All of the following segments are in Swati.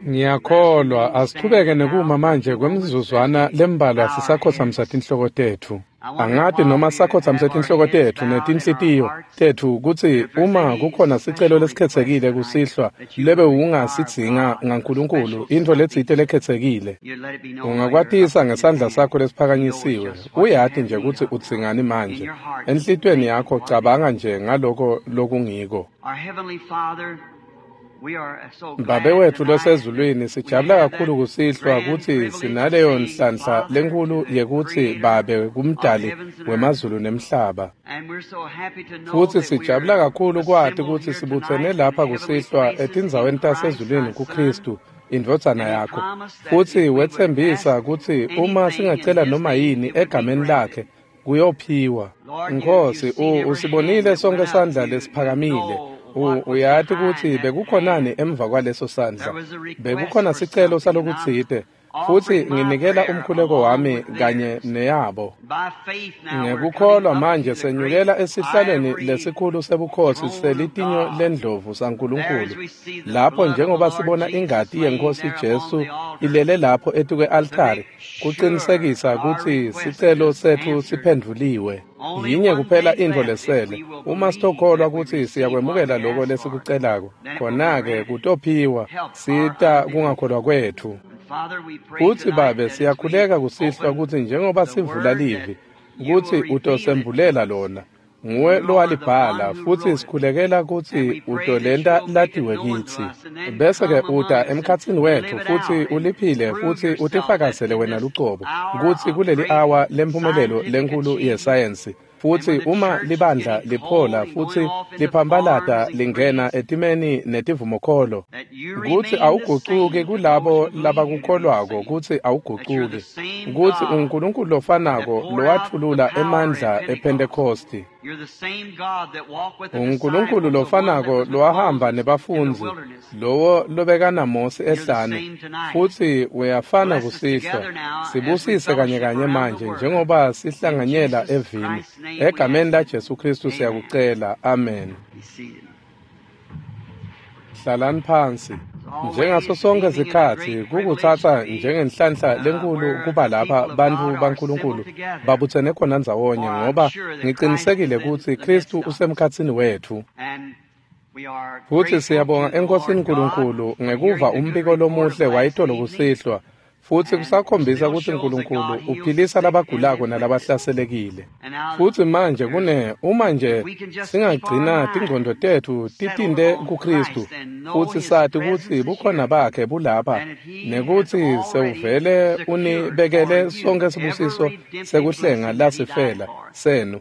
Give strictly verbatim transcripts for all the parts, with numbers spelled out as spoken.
Ngiyakholwa asichubeke nekuma manje kwemizuzwana lembalwa sisakhothamisa tinhloko tetfu. Angati noma sakhothamisa tinhloko tetfu netinhlitiyo tetfu kutsi uma kukhona sicelo lesikhethekile kusihlwa lebe ungasidzinga ngaNkulunkulu intfo letsite lekhethekile. Ungakwatisa ngesandla sakho lesiphakanyisiwe. Uyati nje kutsi udzingani manje. Enhlitiyweni yakho cabanga nje ngaloko lokungiko. Babe wetfu losezulwini, sijabula kakhulu kusihlwa kutsi sinaleyo nhlanhla lenkhulu yekutsi Babe kumdali wemazulu nemhlaba. Futsi sijabula kakhulu kwati kutsi sibutsene lapha kusihlwa etindzaweni tasezulwini kuKhristu, indvodzana yakho. Futsi wetsembisa kutsi uma singacela noma yini egameni lakhe, kuyophiwa. Nkhosi, usibonile sonke sandla lesiphakamile. Uyati kutsi bekukhonani emva kwaleso sandla. Bekukhona sicelo salokutsite, futsi nginikela umkhuleko wami kanye neyabo. Ngekukholwa manje senyukela esihlalweni lesikhulu sebukhosi selitinyo lendlovu saNkulunkulu, lapho njengoba sibona ingati yeNkhosi Jesu ilele lapho etukwe-altari, kucinisekisa kutsi sicelo setfu siphendvuliwe. Yinye kuphela intfo lesele, uma sitokholwa kutsi siyakwemukela loko lesikucelako, khona-ke kutophiwa, sita kungakholwa kwetfu. Futsi Babe, siyakhuleka kusihlwa kutsi njengoba sivula livi, kutsi utosembulela lona. Nguwe lowalibhala, futsi sikhulekela kutsi utolenta latiwe kitsi. Bese-ke uta emkhatsini wetfu futsi uliphile futsi utifakazele wena lucobo, kutsi kuleli awa lemphumelelo lenkhulu yesayensi, futsi uma libandla liphola futsi liphambalata lingena etimeni netivumokholo, kutsi awugucuki kulabo labakukholwako, kutsi awugucuki, kutsi uNkulunkulu lofanako lowatfulula emandla ePhentekhosti, uNkulunkulu lofanako lowahamba nebafundzi, lowo lobekana Mose ehlane, futsi uyafana kusihlwa. Sibusise kanye kanye manje njengoba sihlanganyela evini. Egameni la Jesu Kristu siyakucela. Amen. Hlalani phansi. Njengaso sonke sikhatsi kukutsatsa njengenhlanhla lenkhulu kuba lapha bantfu baNkulunkulu babutsene khona ndzawonye, ngoba ngicinisekile kutsi Khristu usemkhatsini wetfu. Futsi siyabonga eNkhosini Nkulunkulu ngekuva umbiko lomuhle wayitolo kusihlwa, futsi kusakhombisa kutsi Nkulunkulu uphilisa labagulako nalabahlaselekile. Futsi manje kune uma nje singagcina tingqondo tetfu titinte kuKhristu, futsi sati kutsi bukhona bakhe bulapha, nekutsi sewuvele unibekele sonke sibusiso sekuhlenga lasifela senu,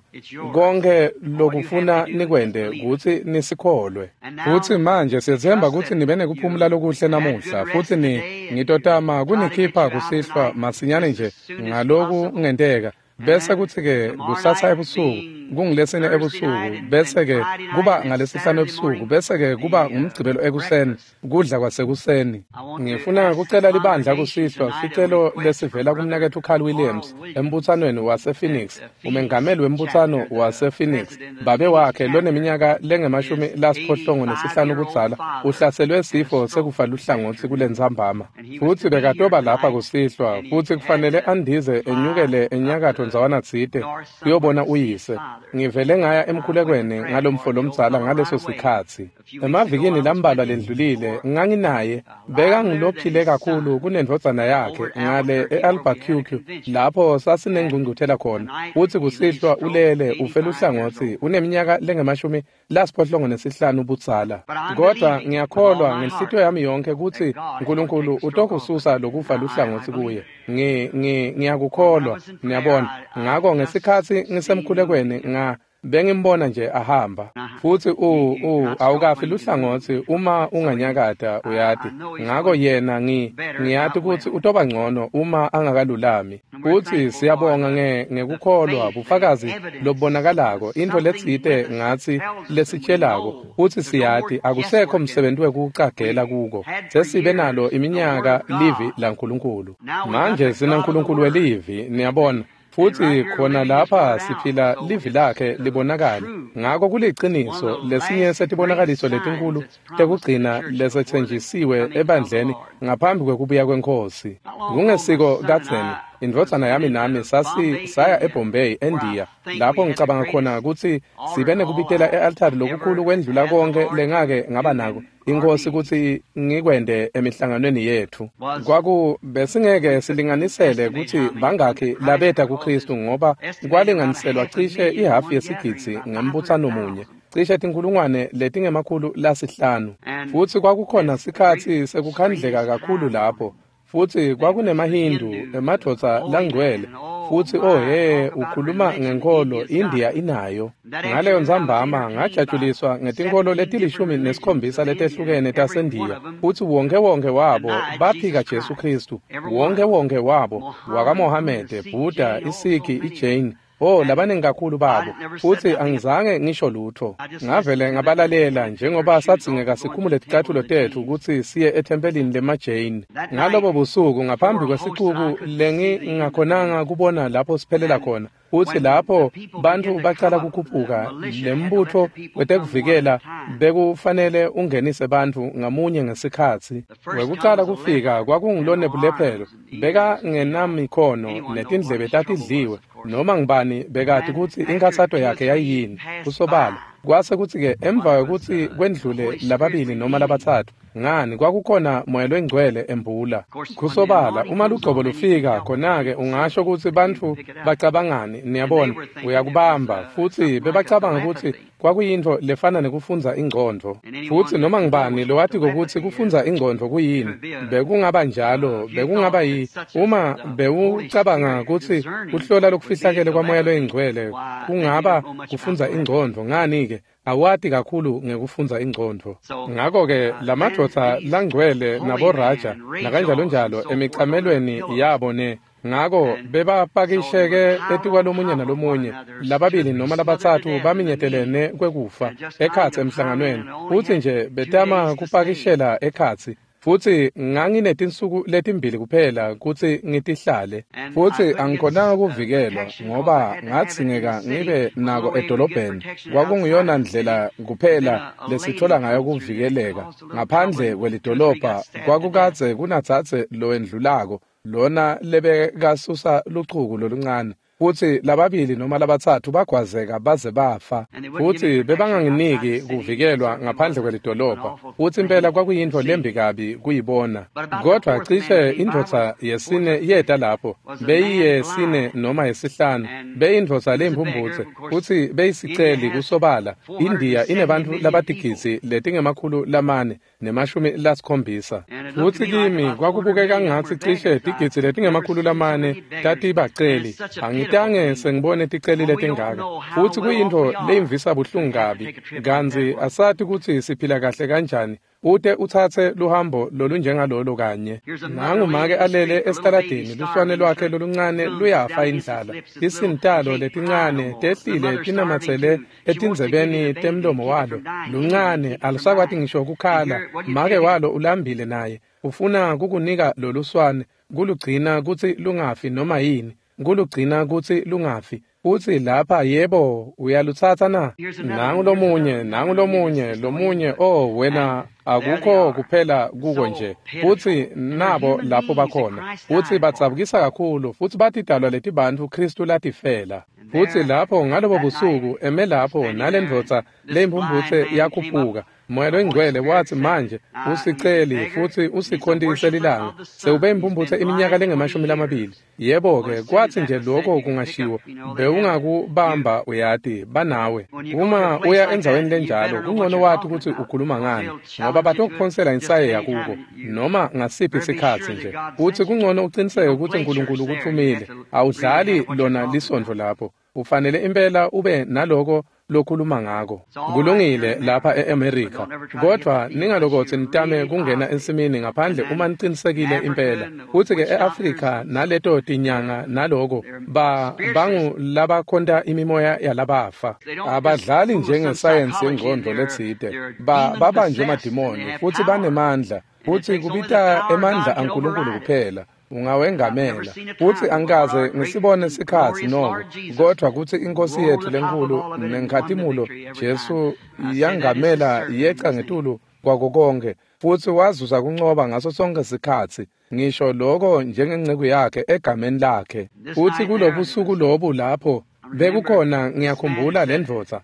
konke lokufuna nikwente kutsi nisikholwe. Futsi manje siyetsemba kutsi nibe nekuphumula lokuhle namuhla, futsi ni ngitotama kunikhipha kusihlwa masinyane nje ngaloku kungenteka, bese kutsi-ke kusasa ebusuku kungilesine ebusuku, bese-ke kuba ngalesihlanu ebusuku, bese-ke kuba ngumgcibelo ekuseni, kudla kwasekuseni. Ngifuna kucela libandla kusihlwa sicelo lesivela kumnaketfu Carl Williams embutsanweni wasePhoenix, umengameli wembutsano wasePhoenix. Babe wakhe loneminyaka lengemashumi lasiphohlongo nesihlanu kudzala uhlaselwe sifo sekufa luhlangotsi kulentsambama, futsi bekatoba lapha kusihlwa, futsi kufanele andize enyukele enyakatfo ndzawana tsite kuyobona uyise. Ngivele ngaya emkhulekweni ngalomfo lomdzala ngaleso sikhatsi. Emavikini lambalwa lendlulile nganginaye, bekangilophile kakhulu kunendvodzana yakhe ngale e-Albuquerque lapho sasinengcungcuthela khona. Futsi kusihlwa ulele ufe luhlangotsi, uneminyaka lengemashumi lasiphohlongo nesihlanu budzala. Kodwa ngiyakholwa ngenhlitiyo yami yonke kutsi Nkulunkulu utokususa lokufa luhlangotsi kuye. Ngi ngi ngiyakukholwa, niyabona. Ngako ngesikhatsi ngisemkhulekweni nga bengimbona nje ahamba. Futsi u u awukafi luhlangotsi uma unganyakata, uyati. Ngako yena ngi ngiyati kutsi utoba ngcono uma angakalulami. Futsi siyabonga nge ngekukholwa bufakazi lobubonakalako, intfo letsite ngatsi lesitshelako, futsi siyati akusekho msebenzi wekucagela kuko. Sesibe nalo iminyaka livi laNkulunkulu. Manje sinaNkulunkulu welivi, niyabona. Futsi khona lapha siphila livi lakhe libonakala. Ngako kuliciniso lesinye setibonakaliso letinkulu tekugcina lesetsenjisiwe ebandleni ngaphambi kwekubuya kweNkhosi. Kungesiko kadzeni, indvodzana yami nami sasi saya eBombay, eNdiya, lapho ngicabanga khona kutsi sibe nekubitela e-altari lokukhulu kwendlula konke lengake ngaba nako iNkhosi kutsi ngikwende emihlanganweni yetfu. Kwaku besingeke silinganisele kutsi bangakhi labeta kuKristu ngoba kwalinganiselwa cishe ihafu yesigidzi ngembutsano munye, cishe tinkhulungwane letingemakhulu lasihlanu. Futsi kwakukhona sikhatsi sekukhandleka kakhulu lapho. Futsi kwakunemaHindu, emadvodza langcwele, futsi oh he, ukhuluma ngenkholo, iNdiya inayo. Ngaleyo ntsambama ngajatshuliswa ngetinkholo letilishumi nesikhombisa letehlukene taseNdiya, futsi wonke wonke wabo baphika Jesu Khristu, wonke wonke wabo, wakaMohamede, Buddha, iSikhi, iJain, oh labaningi kakhulu babo. Futsi angizange ngisho lutho. Ngavele ngabalalela njengoba sadzingeka sikhumule ticatfulo tetfu kutsi siye ethempelini lemaJain. Ngalobo busuku ngaphambi kwesixuku lengingakhonanga kubona lapho siphelela khona, futsi lapho bantfu bacala kukhuphuka, lembutfo wetekuvikela bekufanele ungenise bantfu ngamunye ngesikhatsi. Wekucala kufika kwakungulonebulephelo, bekangenamikhono netindlebe tatidliwe, noma ngibani bekati kutsi inkhatsato yakhe yayiyini, kusobala. Kwase kutsi-ke emva kwekutsi kwendlule lababili noma labatsatfu, ngani kwakukhona moya longcwele embula. Kusobala, uma lugcobo lufika khona-ke ungasho kutsi bantfu bacabangani, niyabona, uyakubamba. Futsi bebacabanga kutsi kwakuyintfo lefana nekufundza ingcondvo. Futsi noma ngibani lowatiko kutsi kufundza ingcondvo kuyini, bekungaba njalo, bekungaba yi, uma bewucabanga kutsi kuhlola lokufihlakele kwamoya loyingcwele kungaba kufundza ingcondvo, ngani-ke awati kakhulu ngekufundza ingcondvo. Ngako-ke lamadvodza langcwele naboraja nakanjalonjalo emicamelweni yabo ne ngako bebapakisheke etikwalomunye nalomunye, lababili noma labatsatfu baminyetelene kwekufa ekhatsi emhlanganweni, futsi nje betama kupakishela ekhatsi. Futsi nganginetinsuku letimbili kuphela kutsi ngitihlale, futsi angikhonanga kuvikelwa ngoba ngadzingeka ngibe nako edolobheni. Kwakunguyona ndlela kuphela lesithola ngayo kuvikeleka. Ngaphandle kwelidolobha kwakukadze kunadzadze lowendlulako, lona lebekasusa luchuku loluncane, futsi lababili noma labatsatfu bagwazeka baze bafa. Futsi bebanganginiki kuvikelwa ngaphandle kwelidolobha, futsi impela kwakuyintfo lembi kabi kuyibona. Kodvwa cishe indvodza yesine yeta lapho, beyiyesine noma yesihlanu, beyindvodza leyimphumphutse, futsi beyisiceli kusobala. INdiya inebantfu labatigidzi letingemakhulu lamane nemashumi lasikhombisa. Futsi kimi kwakubukeka ngatsi cishe tigidzi letingemakhulu lamane tatibaceli. Angitange sengibone ticeli letingaka. Futsi kuyintfo leyimvisa buhlungu kabi, kantsi asati kutsi siphila kahle kanjani ute utsatse luhambo lolunjengalolo kanye. Nangu make alele esitaladini, luswane lwakhe loluncane luyafa indlala. Tisintalo letincane tehlile tinamatsele etindzebeni temlomo walo. Luncane alusakwati ngisho kukhala. Make walo ulambile naye, ufuna kukunika loluswane, kulugcina kutsi lungafi noma yini, kulugcina kutsi lungafi. Futsi lapha yebo uyalutsatsa na? Nangu lomunye, nangu lomunye, lomunye, oh wena akukho kuphela kuko nje. Futsi nabo lapho bakhona. Futsi badzabukisa kakhulu, futsi batidalwa letibantfu Khristu latifela. Futsi lapho ngalobo busuku eme lapho nalendvodza leyimphumphutse yakhuphuka. Moya longcwele watsi manje usiceli futsi usikhontise lilanga, sewube imphumphutse iminyaka lengemashumi lamabili. Yebo-ke, kwatsi nje lokho kungashiwo, bewungakubamba uyati, banawe. Uma uya endzaweni lenjalo, kungcono wati kutsi ukhuluma ngani, ngoba batokuphonsela insayeya kuko, noma ngasiphi sikhatsi nje. Futsi kungcono uciniseke kutsi Nkulunkulu ukutfumile. Awudlali lona lisondvo lapho. Ufanele impela ube naloko lokhuluma ngako. Kulungile lapha e-America, kodvwa ningalokotsi nitame kungena ensimini ngaphandle uma nicinisekile impela. Futsi-ke e-Afrika naleto tinyanga naloko, ba bangu labakhonta imimoya yalabafa. Abadlali njengesayensi yengcondvo letsite, ba babanjwe madimoni futsi banemandla, futsi kubita emandla aNkulunkulu kuphela. Ungawengamela. Futsi angikaze ngisibone sikhatsi noko, kodvwa kutsi iNkhosi yetfu lenkhulu nenkhatimulo Jesu yangamela yeca ngetulu kwako konkhe, futsi wazuza kuncoba ngaso sonke sikhatsi, ngisho lokho njengenceku yakhe egameni lakhe. Futsi kulobusuku lobu lapho bekukhona, ngiyakhumbula lendvodza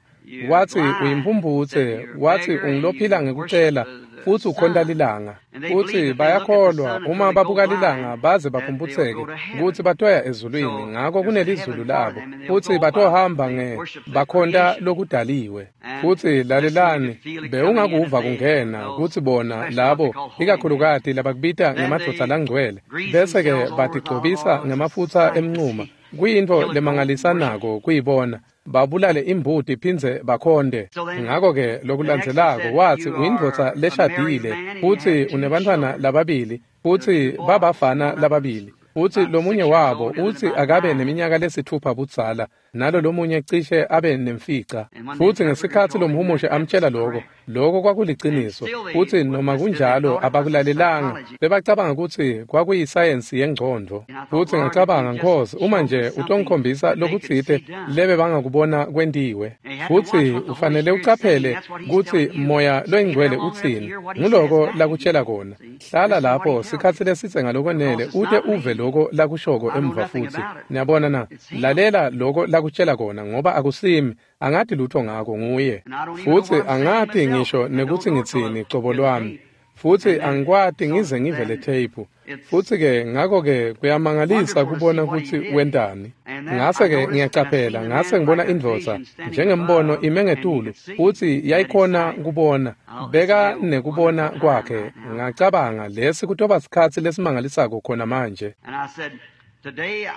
wathi uyimphumphutse, wathi ungilophila ngekucela futsi ukhonta lilanga. Futsi bayakholwa uma babuka lilanga baze baphumputseke kutsi batoya ezulwini, ngako kunelizulu labo futsi batohamba nge bakhonta lokudaliwe. Futsi lalelani, bewungakuva kungena kutsi bona labo ikakhulukati labakubita ngemadvodza langcwele bese-ke batigcobisa ngemafutsa emncuma. Kuyintfo lemangalisanako kuyibona babulale imbuti phindze bakhonde. Ngako-ke lokulandzelako wathi uyindvodza leshadile futsi unebantfwana lababili, futsi babafana lababili, futsi lomunye wabo utsi akabe neminyaka lesitfupha budzala nalo lomunye cishe abe nemfica. Futsi ngesikhatsi lomhumushe amtshela lokho, lokho kwakuliciniso, futsi noma kunjalo abakulalelanga, bebacabanga kutsi kwakuyisayensi yengcondvo. Futsi ngacabanga, Nkhosi, uma nje utongikhombisa lokutsite lebe bangakubona kwentiwe. Futsi ufanele ucaphele kutsi Moya loyiNgcwele utsini, nguloko lakutshela kona. Hlala lapho sikhatsi lesitse ngalokwenele ute uve lokho lakushoko emva futsi. Niyabona na? Lalela lokho lakutshela kona, ngoba akusimi, angati lutho ngako, nguye. Futsi angati ngisho nekutsi ngitsini cobo lwami, futsi angikwati ngize ngive le tape. Futsi-ke ngako-ke kuyamangalisa kubona kutsi wentani. Ngase-ke ngiyacaphela, ngase ngibona indvodza njengembono ime ngetulu, futsi yayikhona kubona, beka nekubona kwakhe. Ngacabanga, lesi kutoba sikhatsi lesimangalisako khona manje.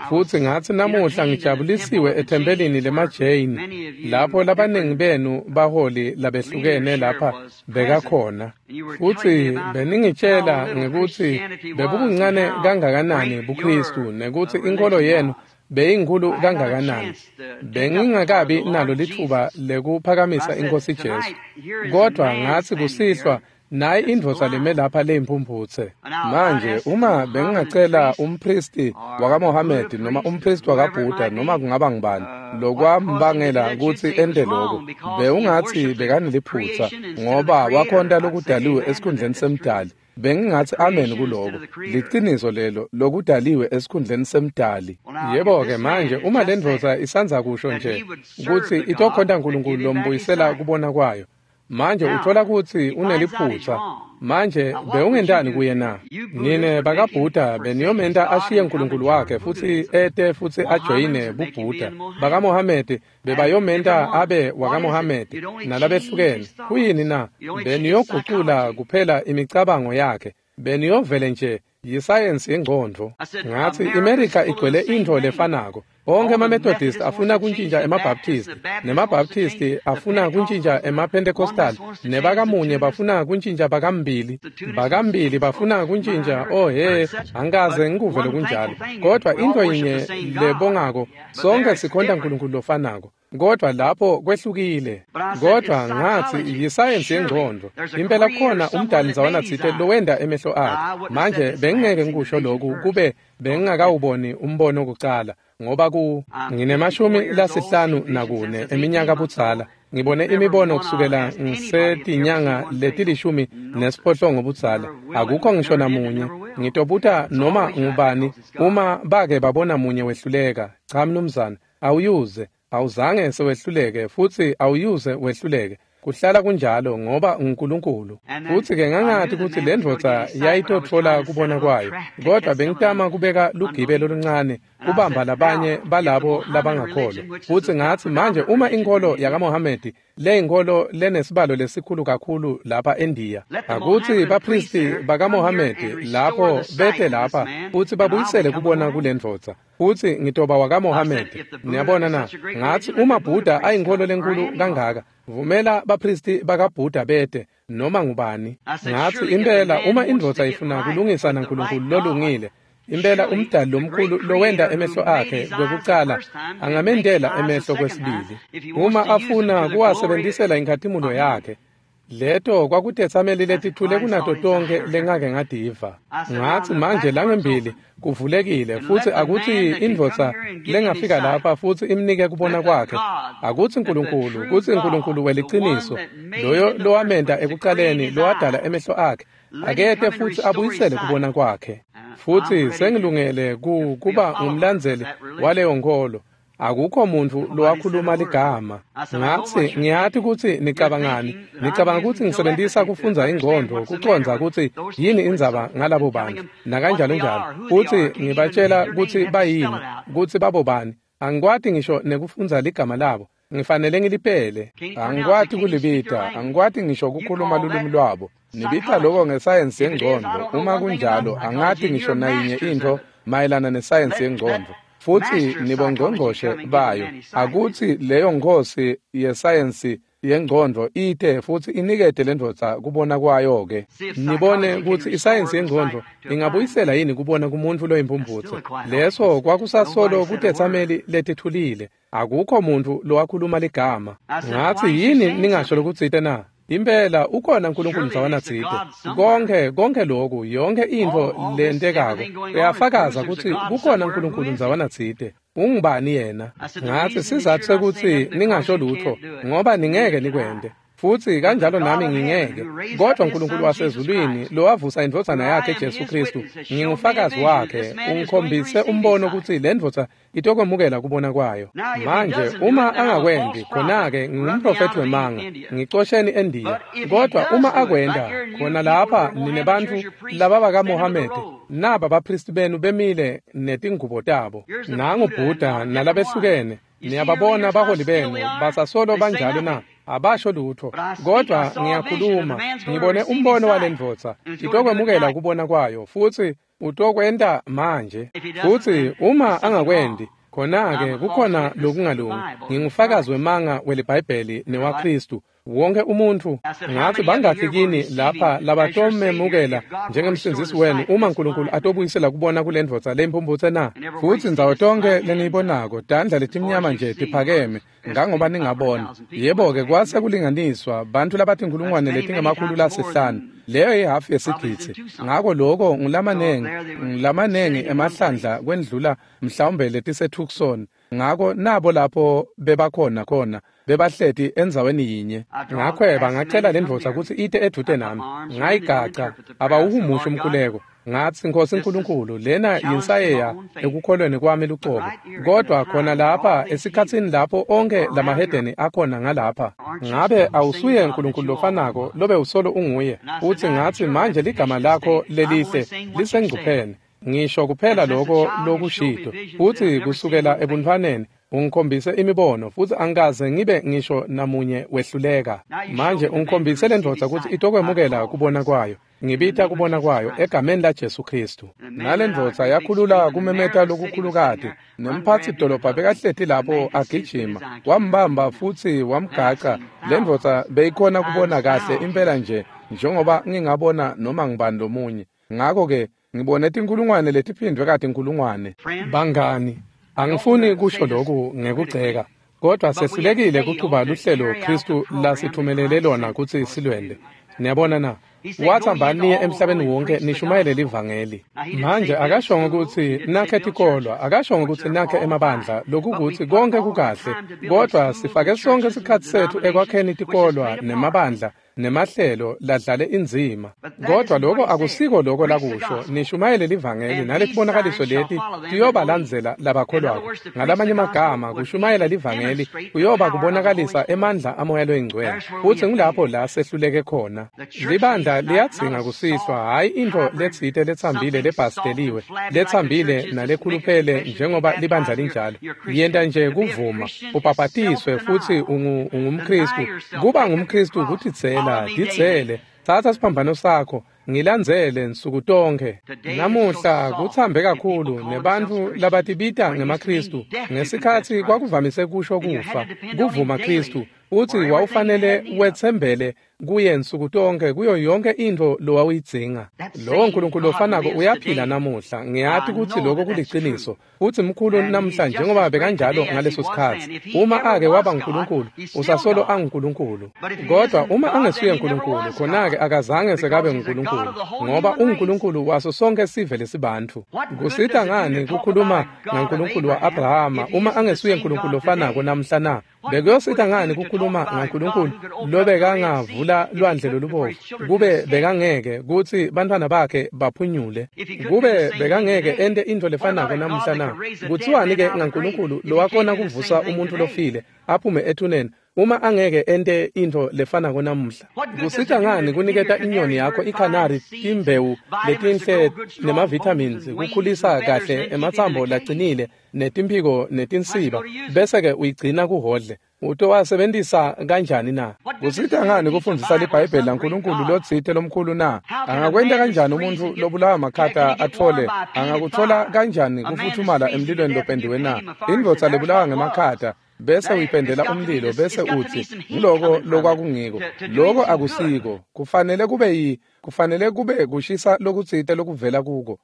Futsi ngatsi namuhla ngijabulisiwe ethempelini lemaJain, lapho labaningi benu baholi labehlukene lapha bekakhona. Futsi beningitshela ngekutsi bebubuncane kangakanani buKristu nekutsi inkolo yenu beyinkhulu kangakanani. Bengingakabi nalo litfuba lekuphakamisa iNkhosi Jesu. Kodvwa ngatsi kusihlwa nayi indvodza leme lapha leyimphumphutse. Manje uma bengingacela umpristi wakaMohamedi noma umpristi wakaBuddha noma kungaba ngubani lokwambangela kutsi ente lokho, bewungatsi bekaneliphutsa ngoba wakhonta lokudaliwe esikhundleni semdali. Bengingatsi amen kuloko, liciniso lelo, lokudaliwe esikhundleni semdali. Yebo-ke manje uma lendvodza isandza kusho nje kutsi itokhonta Nkulunkulu lombuyisela kubona kwayo, manje uthola kutsi uneliphutsa. Manje bewungentani kuye na? Nine bakaBuddha beniyomenta ashiye Nkulunkulu wakhe futsi ete futsi ajoyine buBuddha. BakaMohamedi bebayomenta abe wakaMohamedi nalabehlukene. Kuyini na? Beniyogucula kuphela imicabango yakhe. Beniyovele nje yisayensi yengcondvo. Ngatsi iMerika igcwele intfo lefanako. Onke emaMethodist afuna kuntjintja emaBaptist, nemaBaptist afuna kuntjintja emaPentecostal, nebakamunye bafuna kuntjintja bakambili, bakambili bafuna kuntjintja. Oh he, angikaze ngikuve lokunjalo. Kodvwa intfo yinye lebongako, sonke sikhonta Nkulunkulu lofanako. Kodvwa lapho kwehlukile. Kodvwa ngatsi yisayensi yengcondvo. Impela kukhona umdali ndzawana tsite lowenta emehlo akhe. Manje bengingeke ngikusho lokhu kube bengingakawuboni umbono kucala, ngoba ku nginemashumi lasihlanu nakune eminyaka budzala. Ngibone imibono kusukela ngisetinyanga letilishumi nesiphohlongo budzala. Akukho ngisho namunye. Ngitobuta noma ngubani uma bake babona munye wehluleka. Cha mnumzane, awuyuze. Awuzange sewehluleke futsi awuyuze wehluleke. Kuhlala kunjalo ngoba uNkulunkulu. Futsi-ke ngangati kutsi lendvodza yayitotfola kubona kwayo, kodvwa bengitama kubeka lugibe loluncane kubamba labanye balabo labangakholwa. Futsi ngatsi manje uma inkolo yakaMohamedi leyinkholo lenesibalo lesikhulu kakhulu lapha eNdiya, akutsi bapristi bakaMohamedi lapho bete lapha futsi babuyisele kubona kulendvodza, futsi ngitoba wakaMohamedi. Niyabona na? Ngatsi uma Buddha ayinkholo lenkulu kangaka, vumela bapristi bakaBuddha bete noma ngubani. Ngatsi impela uma indvodza ifuna kulungisa naNkulunkulu lolungile, impela umdali lomkhulu lowenta emehlo akhe kwekucala angamendela emehlo kwesibili. Uma afuna kuwasebentisela inkhatimulo yakhe, Leto kwakutetsameli letithule kunato tonkhe lengake ngativa. Ngatsi manje langembili kuvulekile futsi akutsi indvodza lengafika lapha futsi imnike kubona kwakhe. Akutsi Nkulunkulu, kutsi Nkulunkulu weliciniso, loyo lowamenta ekucaleni lowadala emehlo akhe, akete futsi abuyisele kubona kwakhe. Futsi sengilungele ku kuba ngumlandzeli waleyo nkholo. Akukho muntfu lowakhuluma ligama. Ngatsi ngiyati kutsi nicabangani. Nicabanga kutsi ngisebentisa kufundza ingcondvo kucondza kutsi yini indzaba ngalabo bantfu nakanjalo njalo. Futsi ngibatshela kutsi bayini, kutsi babobani. Angikwati ngisho nekufundza ligama labo. Ngifanele ngilipele. Angikwati kulibita, angikwati ngisho kukhuluma lulwimi lwabo. Nibita lokho ngesayensi yengcondvo. Uma kunjalo, angati ngisho nayinye intfo mayelana nesayensi yengcondvo. Futsi nibongqongqoshe bayo. Akutsi leyo nkhosi yesayensi yengcondvo ite futsi inikete lendvodza kubona kwayo ke. Nibone kutsi isayensi yengcondvo ingabuyisela yini kubona kumuntfu loyimphumphutse. Leso kwakusasolo kutetsameli letithulile. Akukho muntfu lowakhuluma ligama. Ngatsi yini ningasho lokutsite na? Impela ukhona uNkulunkulu ndzawana tsite. Konke konke lokhu, yonke intfo lentekako uyafakaza kutsi kukhona uNkulunkulu ndzawana tsite. Ungubani yena? Ngatsi sizatfu sekutsi ningasho lutfo ngoba ningeke nikwente. Futsi kanjalo nami ngingeke. Kodwa uNkulunkulu wasezulwini lowavusa indvodzana yakhe Jesu Kristu, ngingufakazi wakhe, ungikhombise umbono kutsi le ndvodza itokwemukela kubona kwayo. Manje uma angakwendi, khona-ke ngingumprofethi wemanga, ngicosheni eNdiya. Kodwa uma akwenda, khona lapha nine bantfu laba bakaMohamede, naba baphristi benu bemile netingubo tabo. Nangu Buddha nalabehlukene. Niyababona baholi benu basasolo banjalo na? Abasho lutho. Kodwa ngiyakhuluma, ngibone umbono walendvodza itokwemukela kubona kwayo, futsi utokwenta manje. Futsi uma angakwendi, khona-ke kukhona lokungalungi. Ngingufakazi wemanga weliBhayibheli newaKristu. Wonke umuntfu. Ngatsi bangakhi kini lapha labatomemukela njengemsindzisi wenu uma uNkulunkulu atobuyisela kubona kule ndvodza leyimphumphutse na? Futsi ndzawo tonkhe leniyibonako tandla letimnyama nje tiphakeme ngangoba ningabona. Yebo-ke kwase kulinganiswa bantfu labatinkhulungwane letingemakhulu lasihlanu. Leyo ihhafu yesigidzi. Ngako loko ngulamanengi ngulamanengi emahlandla kwendlula mhlawumbe letiseTucson. Ngako nabo lapho bebakhona khona bebahleti endzaweni yinye. Ngakhweba ngacela lendvodza kutsi ite edvute nami. Ngayigaca abawuhumusha umkhuleko. Ngatsi Nkosi Nkulunkulu, lena yinsayeya ekukholweni kwami lucobo. Kodwa khona lapha esikhatsini lapho onke lamahedeni akhona ngalapha, ngabe awusuye Nkulunkulu lofanako lobe usolo unguye? Utsi ngatsi manje ligama lakho lelihle lisengcupheni. Ngisho kuphela lokho lokushito. Futsi kusukela ebuntfwaneni ungikhombise imibono, futsi angikaze ngibe ngisho namunye wehluleka. Manje ungikhombise lendvodza kutsi itokwemukela kubona kwayo. Ngibita kubona kwayo egameni la Jesu Kristu. Nalendvodza yakhulula kumemeta lokukhulukati, nemphatsi dolobha bekahleti lapho agijima, wambamba futsi wamgaca. Lendvodza beyikhona kubona kahle impela nje njengoba ngingabona noma ngibani lomunye. Ngako-ke ngibone tinkhulungwane letiphindvwe katinkhulungwane. Bangani, angifuni kusho lokhu ngekugceka, kodwa sehlulekile kuchuba luhlelo Kristu lasithumelele lona kutsi silwende. Niyabona na? Wathi hambani niye emhlabeni wonke nishumayele livangeli. Manje akashongo kutsi nakhe tikolwa, akashongo kutsi nakhe emabandla, lokukuthi konke kukahle, kodwa sifake sonke sikhatsi setfu ekwakheni tikolwa nemabandla nemahlelo ladlale indzima. Kodwa lokho akusiko lokho lakusho. Nishumayele livangeli naletibonakaliso leti tiyobalandzela labakholwako. Ngalamanye amagama, kushumayela livangeli kuyoba kubonakalisa emandla amoya loyingcwele. Futsi ngulapho la sehluleke khona. Libandla liyadzinga kusihlwa, hhayi intfo letsite letsambile lebhasteliwe, letsambile nalekhuluphele njengoba libandla linjalo. Yenta nje kuvuma, ubhabhatiswe futsi ungu, ungumKristu. Kuba ngumKristu kutitsela, titsele, tsatsa siphambano sakho, ngilandzele nsuku tonkhe. Namuhla kuthambe kakhulu nebantfu labatibita ngemaKristu. Ngesikhatsi kwakuvamise kusho kufa, kuvuma Kristu, utsi wawufanele wetsembele kuye nsuku tonke kuyo yonke intfo lowawuyidzinga. Lowo Nkulunkulu lofanako uyaphila namuhla. Ngiyati kutsi lokho kuliciniso, futsi mkhulu namuhla njengoba bekanjalo ngaleso sikhatsi. Uma ake waba nguNkulunkulu, usasolo anguNkulunkulu. Kodwa uma angesuye uNkulunkulu, khona-ke akazange sekabe nguNkulunkulu, ngoba unguNkulunkulu waso sonke sive lesibantfu. Kusita ngani kukhuluma ngaNkulunkulu wa-Abrahama uma angesuye uNkulunkulu lofanako namhla na? Bekuyosita ngani kukhuluma ngaNkulunkulu lobekangavula lwandle lolubovu kube bekangeke kutsi bantfwana bakhe baphunyule? Kube bekangeke ente intfo lefanako namuhla na? Kutsiwani-ke ngaNkulunkulu lowakhona kuvusa umuntfu lofile aphume ethuneni uma angeke ente intfo lefanako namuhla? Kusita ngani kuniketa inyoni yakho ikhanari timbewu letinhle nema-vitamins kukhulisa kahle ematsambo lacinile netimphiko netinsiba, bese-ke uyigcina kuhodle? Utowasebentisa kanjani na? Kusita ngani kufundzisa liBhayibheli laNkulunkulu lotsite lomkhulu na? Angakwenta kanjani umuntfu lobulawa makhata atfole? Angakutfola kanjani kufuthumala emlilweni lopendiwe na? Indvodza lebulawa ngemakhata bese uyipendela umlilo bese utsi ngiloko lokwakungiko. Loko akusiko. Kufanele kube yi kufanele kube kushisa lokutsite lokuvela kuko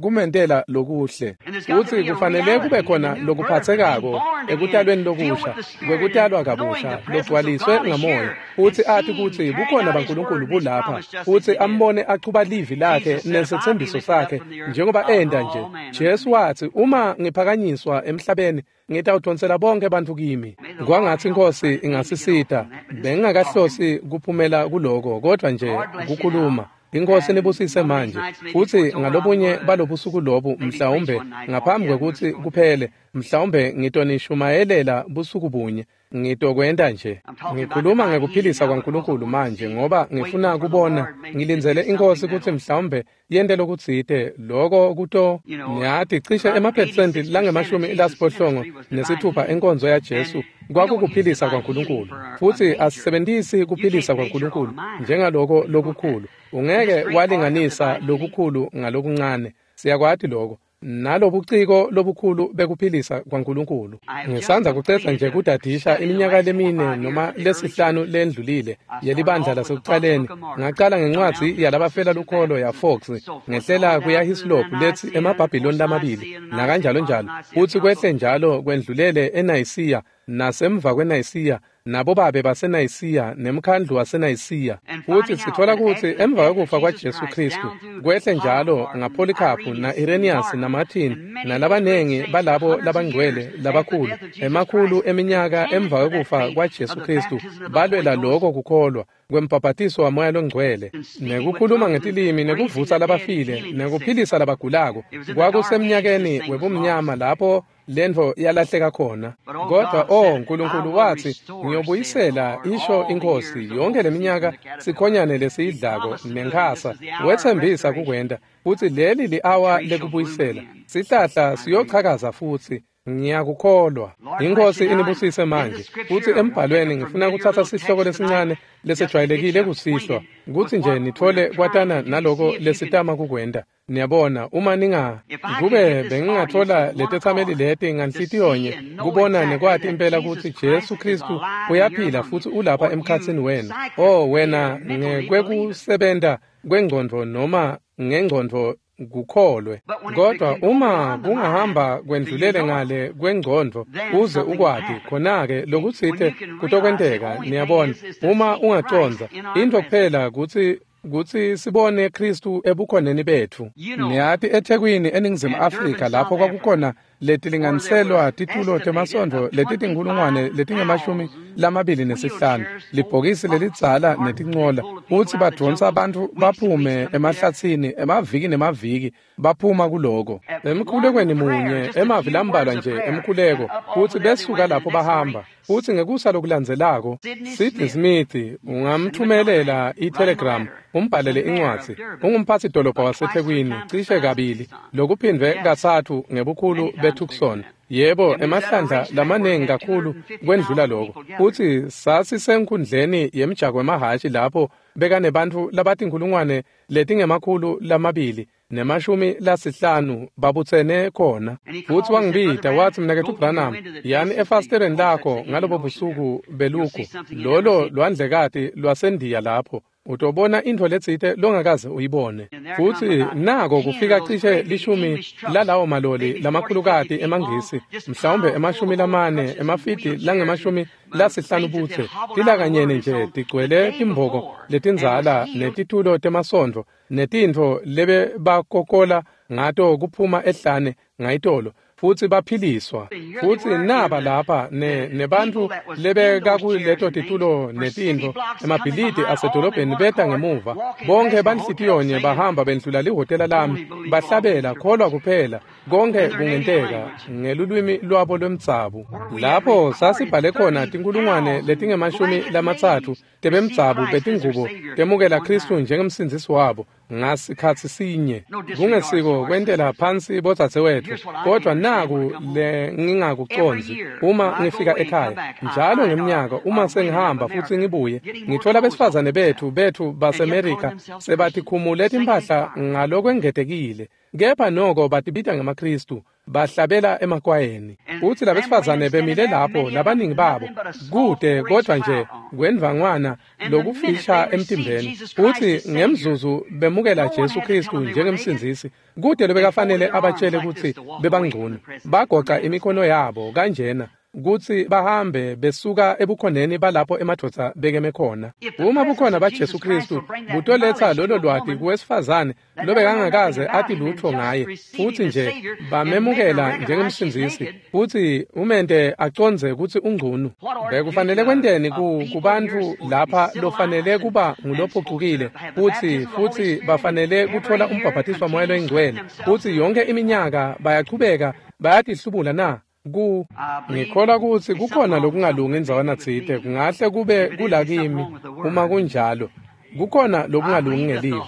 kumentela lokuhle. Utsi kufanele kube khona lokuphatsekako ekutalweni lokusha, kwekutalwa kabusha logcwaliswe ngamoya, utsi ati kutsi bukhona baNkulunkulu bulapha, utsi ambone achuba livi lakhe nesetsembiso sakhe njengoba enta nje. Jesu watsi, uma ngiphakanyiswa emhlabeni ngitawudonsela bonke bantfu kimi. Kwangatsi iNkhosi ingasisita. Bengingakahlosi kuphumela kuloko, kodwa nje kukhuluma. INkhosi nibusise manje. Futsi ngalobunye balobusuku lobu, mhlawumbe ngaphambi kwekutsi kuphele, mhlawumbe ngitonishumayelela busuku bunye. Ngitokwenta nje. Ngikhuluma ngekuphilisa kwaNkulunkulu manje, ngoba ngifuna kubona, ngilindzele iNkhosi kutsi mhlawumbe yente lokutsite loko kuto. Niyati cishe emaphesenti langemashumi lasiphohlongo nesithupha enkonzo yaJesu kwakukuphilisa kwaNkulunkulu. Futsi asisebentisi kuphilisa kwaNkulunkulu njengaloko lokukhulu. Ungeke walinganisa lokukhulu ngalokuncane. Siyakwati lokho. Nalobuciko lobukhulu bekuphilisa kwaNkulunkulu. Ngisandza kucedza nje kudadisha iminyaka lemine noma lesihlanu lendlulile yelibandla lasekucaleni. Ngacala ngencwadzi yalabafela lukholo yaFox, ngehlela kuya Hislop letsi emaBhabhiloni lamabili nakanjalo njalo, futsi kwehle njalo kwendlulele eNayisiya nasemva kweNayisiya nabobabe baseNayisiya nemkhandlu waseNayisiya. Futsi sitfola kutsi emva kwekufa kwaJesu Khristu kwehle njalo ngaPolycarp na-Irenaeus naMartin nalabanengi balabo labangcwele labakhulu, emakhulu eminyaka emva kwekufa kwaJesu Khristu balwela loko kukholwa kwembhabhatiso waMoya loNgcwele, nekukhuluma ngetilimi, nekuvusa labafile, nekuphilisa labagulako. Kwakusemnyakeni webumnyama lapho lentfo yalahleka khona. Kodwa oh Nkulunkulu watsi, ngiyobuyisela, isho iNkhosi, yonke leminyaka sikhonyane lesiyidlako nenkhasa. Wetsembisa kukwenta, futsi leli li-awa lekubuyisela. Sihlahla siyochakaza futsi. Ngiyakukholwa. INkhosi inibusise manje. Futsi embhalweni ngifuna kutsatsa sihloko lesincane lesejwayelekile kusihlwa, kutsi nje nitfole kwatana naloko lesitama kukwenta. Niyabona, uma ninga kube bengingatfola letetsameli leti nganhlitiyonye kubona nekwati impela kutsi Jesu Khristu uyaphila futsi ulapha emkhatsini wenu. Oh wena ngekwekusebenta kwengcondvo noma ngengcondvo kukholwe. Kodwa uma kungahamba kwendlulele ngale kwengcondvo uze ukwati, khona-ke lokutsite kutokwenteka. Niyabona, uma ungacondza intfo kuphela kutsi kutsi sibone Khristu ebukhoneni betfu. Niyati eThekwini eNingizimu Afrika lapho kwakukhona letilinganiselwa titulo temasondvo letitinkhulungwane letingemashumi lamabili nesihlanu, libhokisi lelidzala netincola, futsi badvonsa bantfu baphume emahlatsini emaviki nemaviki baphuma kuloko. Emkhulekweni munye, emavi lambalwa nje emkhuleko, futsi besuka lapho bahamba. Futsi ngekusa lokulandzelako, Sidney Smith ungamthumelela i-telegram, umbhalele incwadzi. Ungumphatsi dolobha waseThekwini cishe kabili, lokuphindvwe katsatfu ngebukhulu beTucson. Yebo, emahlandla lamanengi kakhulu kwendlula lokho. Futsi sasisenkundleni yemjako wemahhashi lapho bekanebantfu labatinkhulungwane letingemakhulu lamabili nemashumi lasihlanu babutsene khona. Futsi wangibita watsi, Mnaketfu Branham, yani efasiteleni lakho ngalobo busuku beluku lolo lwandlekati lwaseNdiya lapho utobona intfo letsite longakaze uyibone. Futsi nako kufika cishe lishumi lalawo maloli lamakhulukati emaNgisi, mhlawumbe emashumi lamane emafidi langemashumi lasihlanu butse, tilakanyene nje tigcwele timboko letindzala netitulo temasondvo netintfo lebebakokola ngato kuphuma ehlane ngayitolo, futsi baphiliswa. Futsi naba lapha ne nebantfu lebekakuleto titulo netintfo emabhilidi asedolobheni beta ngemuva, bonke banhlitiyonye bahamba bendlula lihhotela lami bahlabela kholwa kuphela konke kungenteka ngelulwimi lwabo lwemdzabu. Lapho sasibhale khona tinkhulungwane letingemashumi lamatsatfu tebemdzabu betingubo temukela Khristu njengemsindzisi wabo ngasikhatsi sinye. Kungesiko kwentela phansi bodzadzewetfu, kodwa naku le ngingakucondzi uma ngifika ekhaya njalo ngeminyaka uma sengihamba futsi ngibuye ngithola besifazane bethu bethu baseMerika sebatikhumule timphahla ngalokwengetekile, kepha noko batibita ngemaKhristu bahlabela emakwayeni. Futsi labesifazane bemile lapho labaningi babo kude kodwa nje kwendvangwana lokufisha emtimbeni, futsi ngemzuzu bemukela Jesu Khristu njengemsindzisi, kude lobekafanele abatshele kutsi bebangcono. Bagoca imikhono yabo kanjena kutsi bahambe besuka ebukhoneni balapho emadvodza bekeme khona. Uma bukhona baJesu Khristu butoletsa lolo lwati kuwesifazane lobekangakaze ati lutfo ngaye, futsi nje bamemukela njengemsindzisi futsi umente acondze kutsi ungcunu. Bekufanele kwenteni ku kubantfu lapha lofanele kuba ngulophucukile futsi futsi bafanele kutfola umbhabhatiso waMoya loyiNgcwele, futsi yonke iminyaka bayachubeka bayatihlubula na? Ku ngikholwa kutsi kukhona lokungalungi indzawana tsite, kungahle kube kulakimi uma kunjalo kukhona lokungalungi ngelivi.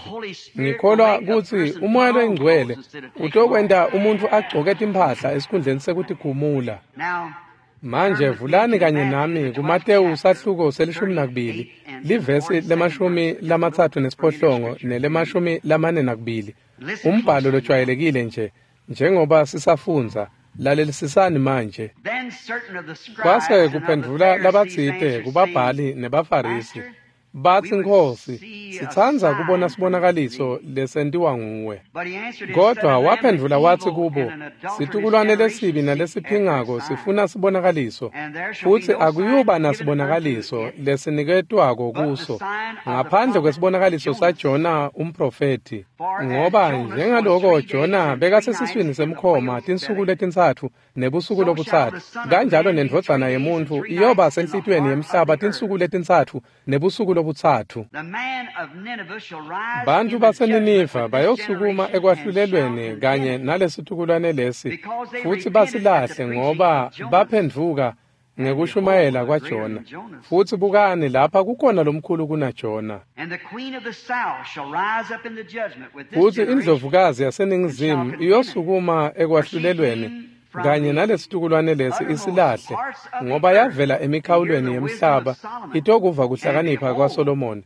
Ngikholwa kutsi uMoya loyiNgcwele utokwenta umuntfu agcoke timphahla esikhundleni sekutikhumula. Manje vulani kanye nami kuMatewu sahluko selishumi nakubili livesi lemashumi lamatsatfu nesiphohlongo nelemashumi lamane nakubili, umbhalo lojwayelekile nje njengoba sisafundza. Lalelisisani manje. Kwase kuphendvula labatsite kubabhali nebaFarisi batsi, Nkhosi, sitsandza kubona sibonakaliso lesentiwa nguwe. Kodwa waphendvula watsi kubo, situkulwane lesibi nalesiphingako sifuna sibonakaliso, futsi akuyuba nasibonakaliso lesiniketwako kuso ngaphandle kwesibonakaliso saJona umprofethi. Ngoba njengaloko Jona bekasesiswini semkhoma tinsuku letintsatfu nebusuku lobutsatfu, kanjalo nendvodzana yemuntfu iyoba senhlitiyweni yemhlaba tinsuku letintsatfu nebusuku lobutsatfu. Bantfu baseNiniva bayosukuma ekwahlulelweni kanye nalesitukulwane lesi futsi basilahle, ngoba baphendvuka ngekushumayela kwaJona. Futsi bukani lapha kukhona lomkhulu kunaJona. Futsi indlovukazi yaseNingizimu iyosukuma ekwahlulelweni kanye nalesitukulwane lesi isilahle, ngoba yavela emikhawulweni yemhlaba itokuva kuhlakanipha kwaSolomoni.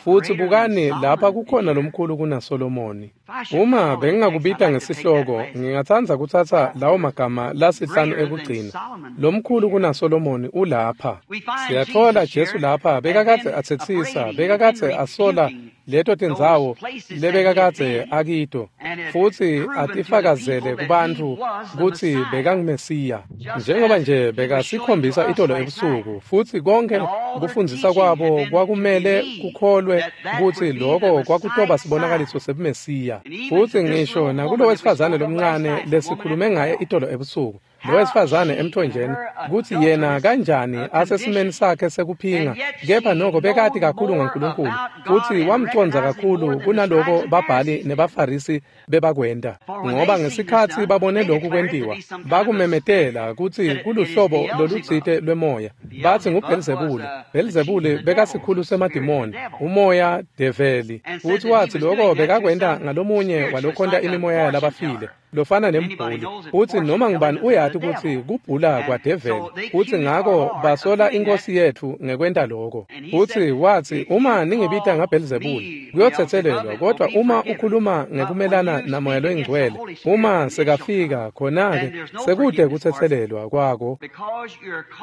Futsi bukani lapha kukhona lomkhulu kunaSolomoni. Uma bengingakubita ngesihloko, ngingatsandza kutsatsa lawo magama lasihlanu ekugcina. Lomkhulu kunaSolomoni ulapha. Siyatfola Jesu lapha bekakadze atsetsisa, bekakadze asola leto tindzawo lebekakadze akito, futsi atifakazele kubantfu kutsi bekanguMesiya. Njengoba nje bekasikhombisa itolo ebusuku, futsi konke kufundzisa kwabo kwakumele kukholwe kutsi loko kwakutoba sibonakaliso sebuMesiya. Futsi ngisho nakulo wesifazane lomncane lesikhulume ngaye itolo ebusuku, lo wesifazane emthonjeni, kutsi yena kanjani asesimeni sakhe sekuphinga, kepha noko bekati kakhulu ngaNkulunkulu futsi wamcondza kakhulu kunaloko babhali nebaFarisi bebakwenta. Ngoba ngesikhatsi babone lokhu kwentiwa, bakumemetela kutsi kuluhlobo lolutsite lwemoya, batsi nguBhelzebule. Bhelzebule bekasikhulu semadimoni, umoya develi, futsi watsi loko bekakwenta ngalomunye walokhonta imimoya yalabafile lofana nembhuli. Futsi noma ngubani uyati bebati kutsi kubhula kwadeveli, futsi ngako basola iNkhosi yetfu ngekwenta loko. Futsi watsi, uma ningibita ngaBhelzebule, kuyotsetselelwa, kodwa uma ukhuluma ngekumelana naMoya loyiNgcwele, uma sekafika khona-ke sekude kutsetselelwa kwako,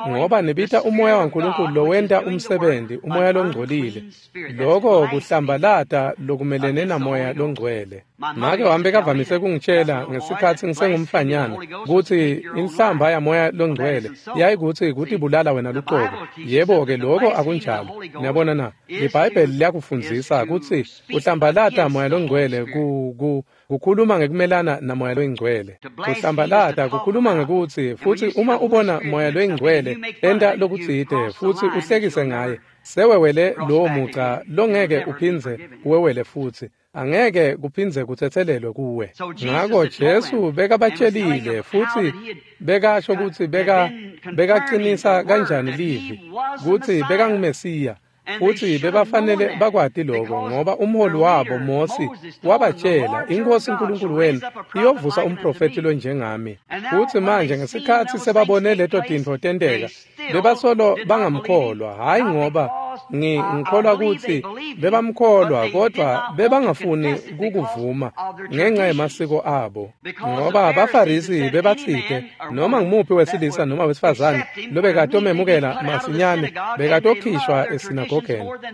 ngoba nibita uMoya waNkulunkulu lowenta umsebenzi, uMoya longcolile. Loko kuhlambalata lokumelene naMoya loNgcwele. Make wami bekavamise kungitshela ngesikhatsi ngisengumfanyana kutsi inhlamba yaMoya loNgcwele yayikutsi kutibulala wena luqobo. Yebo-ke, loko akunjalo. Niyabona na? IBhayibheli liyakufundzisa kutsi uhlambalata Moya loNgcwele ku ku kukhuluma ngekumelana naMoya loyiNgcwele. Kuhlambalata kukhuluma ngekutsi, futsi uma ubona Moya loyiNgcwele enta lokutsite futsi uhlekise ngaye, sewewele lowo muca longeke uphindze uwewele futsi. Angeke kuphindze kutsetselelwe kuwe. Ngako Jesu bekabatshelile futsi bekasho kutsi beka bekacinisa kanjani livi kutsi bekanguMesiya, futsi bebafanele bakwati loko, ngoba umholi wabo Mosi wabatshela, iNkhosi uNkulunkulu wenu iyovusa umprofethi lonjengami. Futsi manje ngesikhatsi sebabone leto tintfo tenteka, bebasolo bangamkholwa, hhayi ngoba ngikholwa kutsi bebamkholwa, kodwa bebangafuni kukuvuma ngenxa yemasiko abo, ngoba abaFarisi bebatsite noma ngumuphi wesilisa noma wesifazane lobekatomemukela masinyane bekatokhishwa esinagogeni.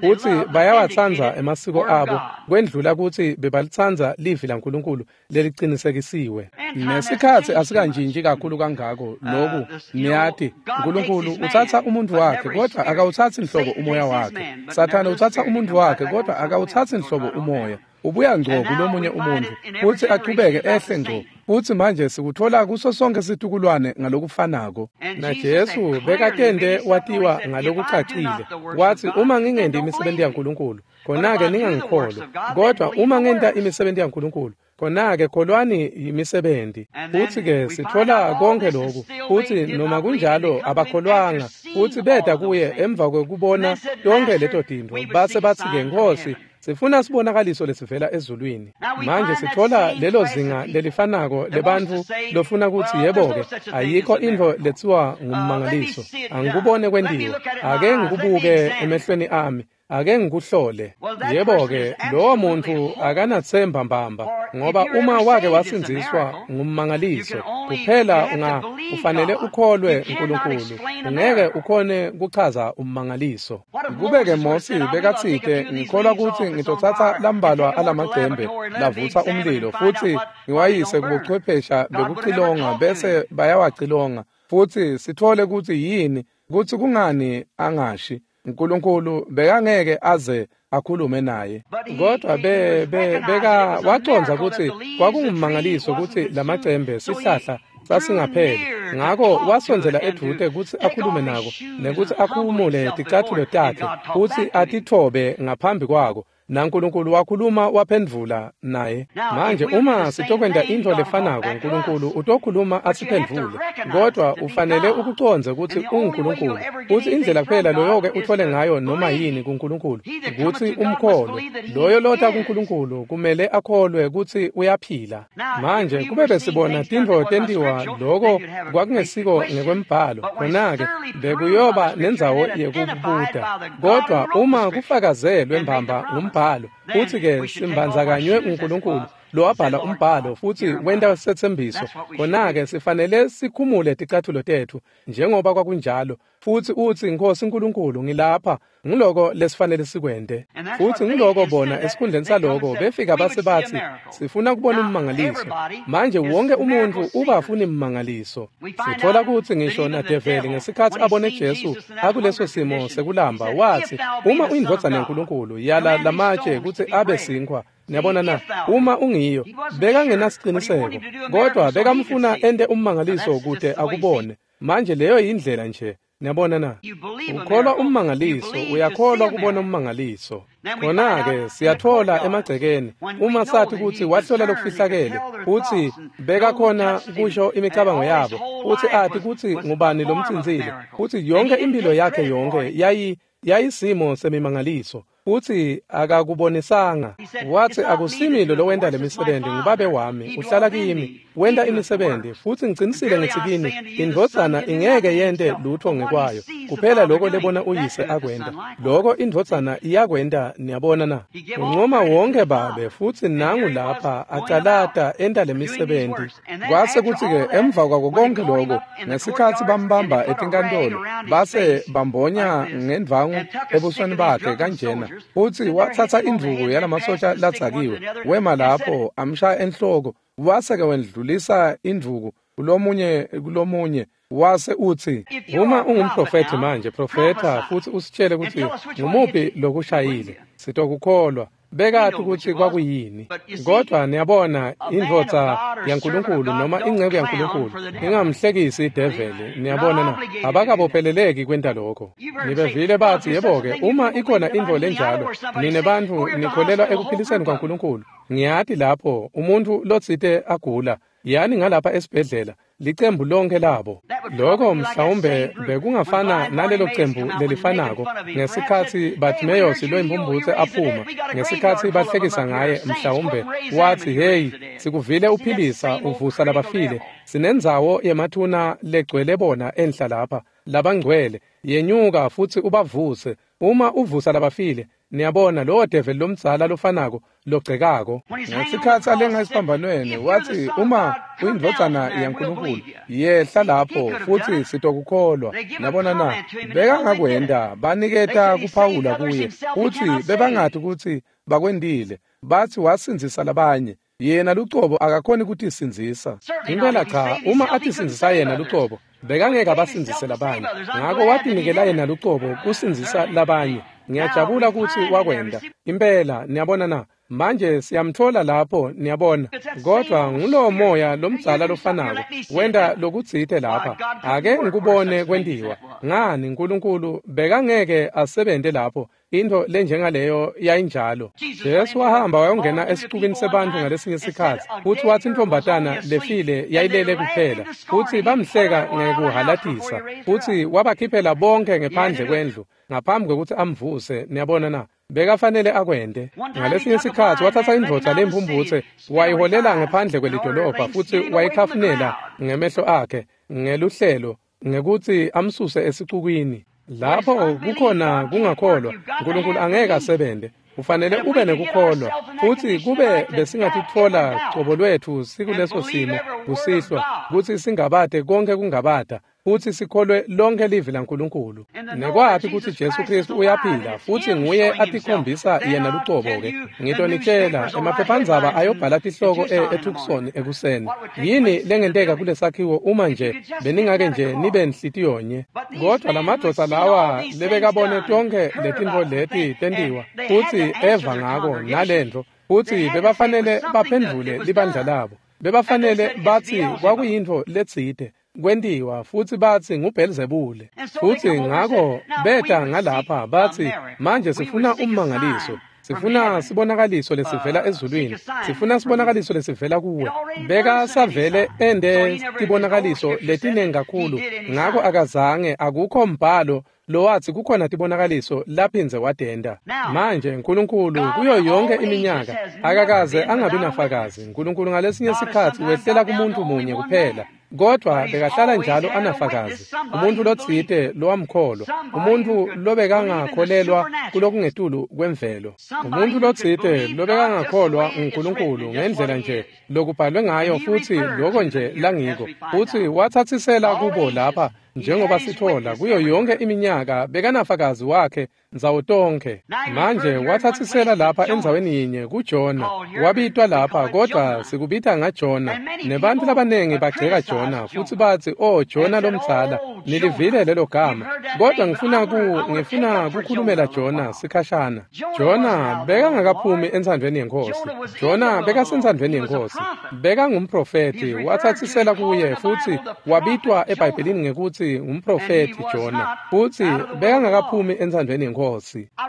Futsi bayawatsandza emasiko abo kwendlula kutsi bebalitsandza livi laNkulunkulu lelicinisekisiwe. Nesikhatsi asikantshintshi kakhulu kangako loku, niyati, Nkulunkulu utsatsa umuntfu wakhe, kodwa akawutsatsi nhlobo umoya wakhe. Sathane utsatsa umuntfu wakhe, kodwa akawutsatsi nhlobo umoya. Ubuya ngco kulomunye umuntfu futsi achubeke ehle ngco. Futsi manje sikutfola kuso sonke situkulwane ngalokufanako. NaJesu bekatente watiwa ngalokucacile. Watsi, uma ngingenti imisebenti yaNkulunkulu, khona-ke ningangikholwa. Kodwa uma ngenta imisebenti yaNkulunkulu, khona-ke kholwani imisebenti. Futsi-ke sitfola konke loku. Futsi noma kunjalo abakholwanga. Futsi beta kuye emva kwekubona tonke leto tintfo. Base batsi-ke, Nkhosi, sifuna sibonakaliso lesivela ezulwini. Manje sitfola lelo zinga lelifanako lebantfu lofuna kutsi, yebo-ke, ayikho intfo letsiwa ngummangaliso. Angikubone kwentiwa. Ake ngikubuke emehlweni ami. Ake ngikuhlole. Yebo-ke, lowo muntfu akanatsemba mbamba, ngoba uma wake wasindziswa ngummangaliso, kuphela unga ufanele ukholwe uNkulunkulu. Ungeke ukhone kuchaza ummangaliso. Kube-ke Mosi bekatsite, ngikholwa kutsi ngitotsatsa lambalwa alamacembe lavutsa umlilo futsi ngiwayise kubuchwephesha bekucilonga bese bayawacilonga, futsi sitfole kutsi yini, kutsi kungani angashi. Nkulunkulu bekangeke aze akhulume naye. Kodwa be be beka wacondza kutsi kwakungummangaliso kutsi lamacembe sihlahla sasingapheli. Ngako wasondzela edvute kutsi akhulume nako, nekutsi akhumule ticatfulo takhe futsi atitfobe ngaphambi kwako. NaNkulunkulu wakhuluma waphendvula naye. Manje uma sitokwenta intfo lefanako, Nkulunkulu utokhuluma asiphendvule. Kodwa ufanele ukucondze kutsi unguNkulunkulu. Futsi indlela kuphela loyoke uthole ngayo noma yini kuNkulunkulu kutsi umkholwe. Loyo lota kuNkulunkulu kumele akholwe kutsi uyaphila. Manje kube besibona tintfo tentiwa loko kwakungesiko ngekwembhalo, khona-ke bekuyoba nendzawo yekubuta. Kodwa uma kufakazelwe mbamba ngumbhalo, futsi-ke simbandzakanywe uNkulunkulu lowabhala umbhalo futsi wenta setsembiso, khona-ke sifanele sikhumule ticatfulo tetfu njengoba kwakunjalo, futsi utsi, Nkhosi Nkulunkulu, ngilapha. Ngiloko lesifanele sikwente. Futsi ngiloko bona esikhundleni saloko befika base batsi, sifuna kubona ummangaliso. Manje wonke umuntfu ubafuna immangaliso. Sitfola kutsi ngisho nadeveli ngesikhatsi abone Jesu akuleso simo sekulamba, watsi, uma uyindvodzana yaNkulunkulu, yala lamatshe kutsi abe sinkhwa. Niyabona na? Uma ungiyo, bekangenasiciniseko, kodwa bekamfuna ente ummangaliso kute akubone. Manje leyo yindlela nje. Niyabona na? Ukholwa ummangaliso, uyakholwa kubona ummangaliso. Khona-ke siyatfola emagcekeni, uma sathi kutsi wahlola lokufihlakele, futsi bekakhona kusho imicabango yabo, futsi ati kutsi ngubani lomtsintsile, futsi yonke impilo yakhe yonke yayi yayisimo semimangaliso. Futsi akakubonisanga. Watsi akusimi lo lowenta lemisebenti, nguBabe wami uhlala kimi, wenta imisebenti. Futsi ngicinisile ngitsi kini, indvodzana ingeke yente lutfo ngekwayo, kuphela loko lebona uyise akwenta. Loko indvodzana iyakwenta, niyabona na? Uncoma wonke Babe, futsi nangu lapha acalata enta lemisebenti. Kwase kutsi-ke emva kwako konke loko, ngesikhatsi bambamba etinkantolo, base bambonya ngendvangu ebusweni bakhe kanjena, futsi watsatsa indvuku yalamasotja ladzakiwe, wema lapho amshaya enhloko, wase-ke wendlulisa indvuku kulomunye kulomunye, wase utsi, uma ungumprofethi manje, profetha futsi usitshele kutsi ngumuphi lokushayile, sitokukholwa. Bekati kutsi kwakuyini. Kodwa niyabona, indvodza yaNkulunkulu noma inceku yaNkulunkulu ingamhlekisi ideveli, niyabona na? Abakabopheleleki kwenta lokho. Nibevile batsi, yebo-ke, uma ikhona intfo lenjalo, nine bantfu nikholelwa ekuphiliseni kwaNkulunkulu. Ngiyati lapho umuntfu lotsite agula, yani ngalapha esibhedlela, licembu lonke labo. Lokho mhlawumbe bekungafana nalelo cembu lelifanako ngesikhatsi Bartimaeus loyimphumphutse aphuma, ngesikhatsi bahlekisa ngaye, mhlawumbe watsi, hey, sikuvile uphilisa, uvusa labafile, sinendzawo yemathuna legcwele bona enhla lapha, labangcwele, yenyuka futsi ubavuse. Uma uvusa labafile, niyabona lowo develi lomdzala lofanako logcekako. Ngesikhatsi alenga esiphambanweni, watsi, uma uyindvodzana yaNkulunkulu, yehla lapho futsi sitokukholwa. Niyabona na? Bekangakwenta, baniketa kuphawula kuye, futsi bebangati kutsi bakwentile. Batsi wasindzisa labanye, yena lucobo akakhoni kutisindzisa. Impela cha, uma atisindzisa yena lucobo, bekangeke abasindzise labanye. Ngako watinikela yena lucobo kusindzisa labanye. Ngiyajabula kutsi wakwenta. Impela, niyabona na? Manje siyamtfola lapho, niyabona. Kodwa ngulowo moya lomdzala lofanako wenta lokutsite lapha. Ake ngikubone kwentiwa. Ngani Nkulunkulu bekangeke asebente lapho intfo lenjengaleyo yayinjalo. Jesu wahamba wayongena esicukini sebantfu ngalesinye sikhatsi, futsi watsi intombatana lefile yayilele kuphela, futsi bamhleka ngekuhalatisa, futsi wabakhiphela bonke ngephandle kwendlu ngaphambi kwekutsi amvuse. Niyabona na? Bekafanele akwente. Ngalesinye sikhatsi watsatsa indvodza lempumphutse wayiholela ngephandle kwelidolobha, futsi wayikhafunela ngemehlo akhe ngeluhlelo ngekutsi amsuse esicukwini. Lapho kukhona kungakholwa, Nkulunkulu angeke asebente. Ufanele ube nekukholwa, futsi kube besingatitfola cobo lwetfu sikuleso simo kusihlwa, kutsi singabate konke kungabata, futsi sikholwe lonke livi laNkulunkulu. Nekwati kutsi Jesu Kristu uyaphila, futsi nguye atikhombisa yena lucobo-ke. Ngitonitshela, emaphephandzaba ayobhala tihloko eTucson ekuseni. Yini lengenteka kulesakhiwo uma nje beningake nje nibe nhlitiyonye? Kodwa lamadvodza lawa lebekabone tonkhe letintfo leti tentiwa, futsi eva ngako nalentfo, futsi bebafanele baphendvule libandla labo. Bebafanele batsi kwakuyintfo letsite kwentiwa, futsi batsi nguBhelzebule. Futsi ngako beta ngalapha batsi, manje sifuna ummangaliso, sifuna sibonakaliso lesivela ezulwini, sifuna sibonakaliso lesivela kuwe. Beka savele ende tibonakaliso letinengi kakhulu, ngako akazange, akukho mbhalo lowatsi kukhona tibonakaliso laphindze wadenda. Manje Nkulunkulu kuyo yonke iminyaka akakaze angabi nafakazi. Nkulunkulu ngalesinye sikhatsi wehlela kumuntu munye kuphela, kodwa bekahlala njalo anafakazi, umuntu lotsite lowamkholwa, umuntu lobekangakholelwa kulokungetulu kwemvelo, umuntu lotsite lobekangakholwa nguNkulunkulu ngendlela nje lokubhalwe ngayo, futsi loko nje langiko, futsi watsatsisela kubo lapha njengoba sitfola kuyo yonke iminyaka bekanafakazi wakhe ndzawo tonkhe. Manje watsatsisela lapha endzaweni yinye kuJona, wabitwa lapha, kodwa sikubita ngaJona. Nebantfu labanengi bagceka Jona futsi batsi, oh Jona lomdzala, nilivile lelo gama. Kodwa ngifuna ku ngifuna kukhulumela Jona sikhashana. Jona bekangakaphumi entsandvweni yeNkhosi. Jona bekasentsandvweni yeNkhosi. Bekangumprofethi, watsatsisela kuye futsi wabitwa eBhayibhelini ngekutsi ngumprofethi Jona, futsi bekangakaphumi entsandvweni yeNkhosi.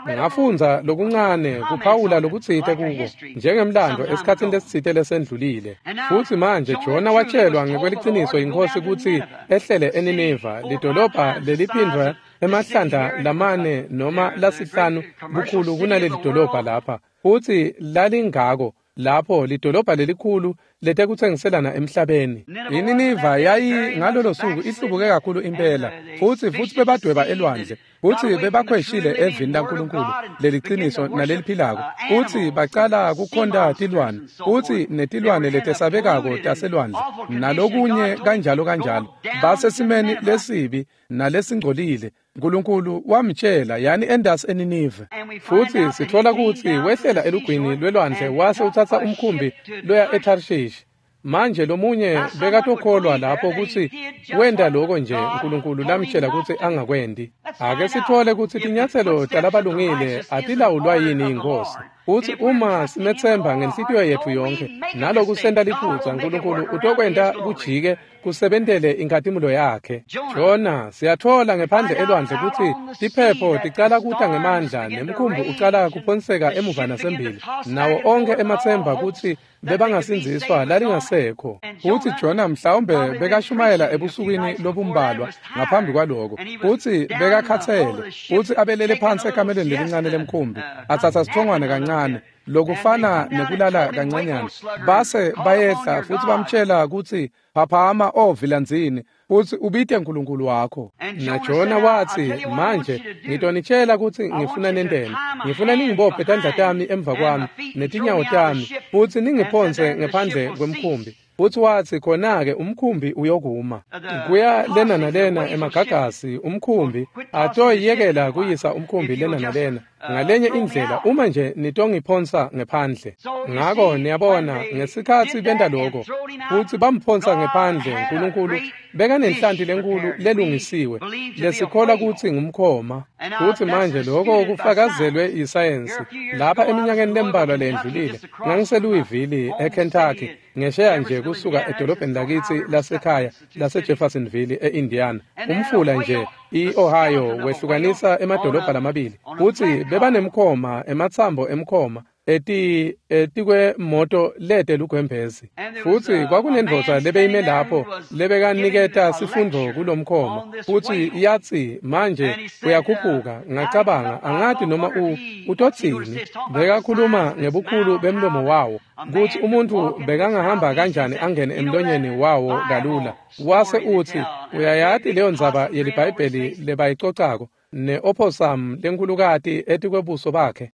Ngafundza lokuncane kuphawula lokutsite kuko njengemlando esikhatsini lesitsite lesendlulile. Futsi manje Jona watshelwa ngekweliciniso yiNkhosi kutsi ehlele eNineva, lidolobha leliphindwa emahlandla lamane noma lasihlanu bukhulu kunaleli dolobha lapha, futsi lalingako lapho lidolobha lelikhulu letekutsengiselana emhlabeni. INiniva yayi ngalolo suku ihlubuke kakhulu impela, futsi futsi bebadweba elwandle, futsi bebakhweshile evini laNkulunkulu leliqiniso naleliphilako, futsi bacala kukhonta tilwane, futsi netilwane letesabekako taselwandle nalokunye kanjalo kanjalo, basesimeni lesibi nalesingcolile. Nkulunkulu wamtshela yani endasi eNinive, futsi sithola kutsi wehlela elugwini lwelwandle wase utsatsa umkhumbi loya eTarshish. Manje lomunye bekatokholwa lapho kutsi wenta lokho nje uNkulunkulu lamtshela kutsi angakwendi. Ake sithole kutsi tinyatselo talabalungile atilawulwa yini iNkhosi. Futsi uma simethemba ngenhlitiyo yetfu yonke naloku senta liphutsa, uNkulunkulu utokwenta kujike kusebentele inkhatimulo yakhe. Jona siyathola ngephandle elwandle kutsi tiphepho ticala kuta ngemandla nemkhumbi ucala kuphonseka emuva nasembili, nawo onke ematsemba kutsi bebangasindziswa lalingasekho. Futsi Jona mhlawumbe bekashumayela ebusukwini lobumbalwa ngaphambi kwaloko, futsi bekakhatsele, futsi abelele phansi ekamelweni lelincane lemkhumbi, atsatsa sithongwane kancane lokufana nekulala kancanyana, base bayehla futsi bamtshela kutsi phaphama ovilandzini futsi ubite uNkulunkulu wakho. NaJona watsi, manje ngitonitshela kutsi ngifuna nenteni. Ngifuna ningibophe tandla tami emva kwami netinyawo tami futsi ningiphonse ngephandle kwemkhumbi. Futsi watsi khona-ke umkhumbi uyokuma. Kuya lena nalena emagagasi umkhumbi atoyekela kuyisa umkhumbi lena nalena ngalenye indlela uma nje nitongiphonsa ngephandle. Ngako niyabona ngesikhatsi benta lokho futsi bamphonsa ngephandle, uNkulunkulu bekanenhlanti lenkulu lelungisiwe lesikholwa kutsi ngumkhoma. Futsi manje lokho kufakazelwe yisayensi. Lapha eminyakeni lembalwa lendlulile ngangiseLouisville eKentucky, ngesheya nje kusuka edolobheni lakitsi lasekhaya laseJeffersonville eIndiana. Umfula nje iOhio wehlukanisa emadolobha lamabili, futsi bebanemkhoma ematsambo emkhoma eti etikwemoto lete lugwembezi. Futsi kwakunendvodza lebeyime lapho lebekaniketa sifundvo kulomkhoma, futsi yatsi manje uyakhuphuka. Ngacabanga angati noma u utotsini. Bekakhuluma ngebukhulu bemlomo wawo kutsi umuntfu bekangahamba kanjani angene emlonyeni wawo kalula. Wase utsi uyayati leyo ndzaba yeliBhayibheli lebayicocako ne-opossum lenkhulukati etikwebuso bakhe.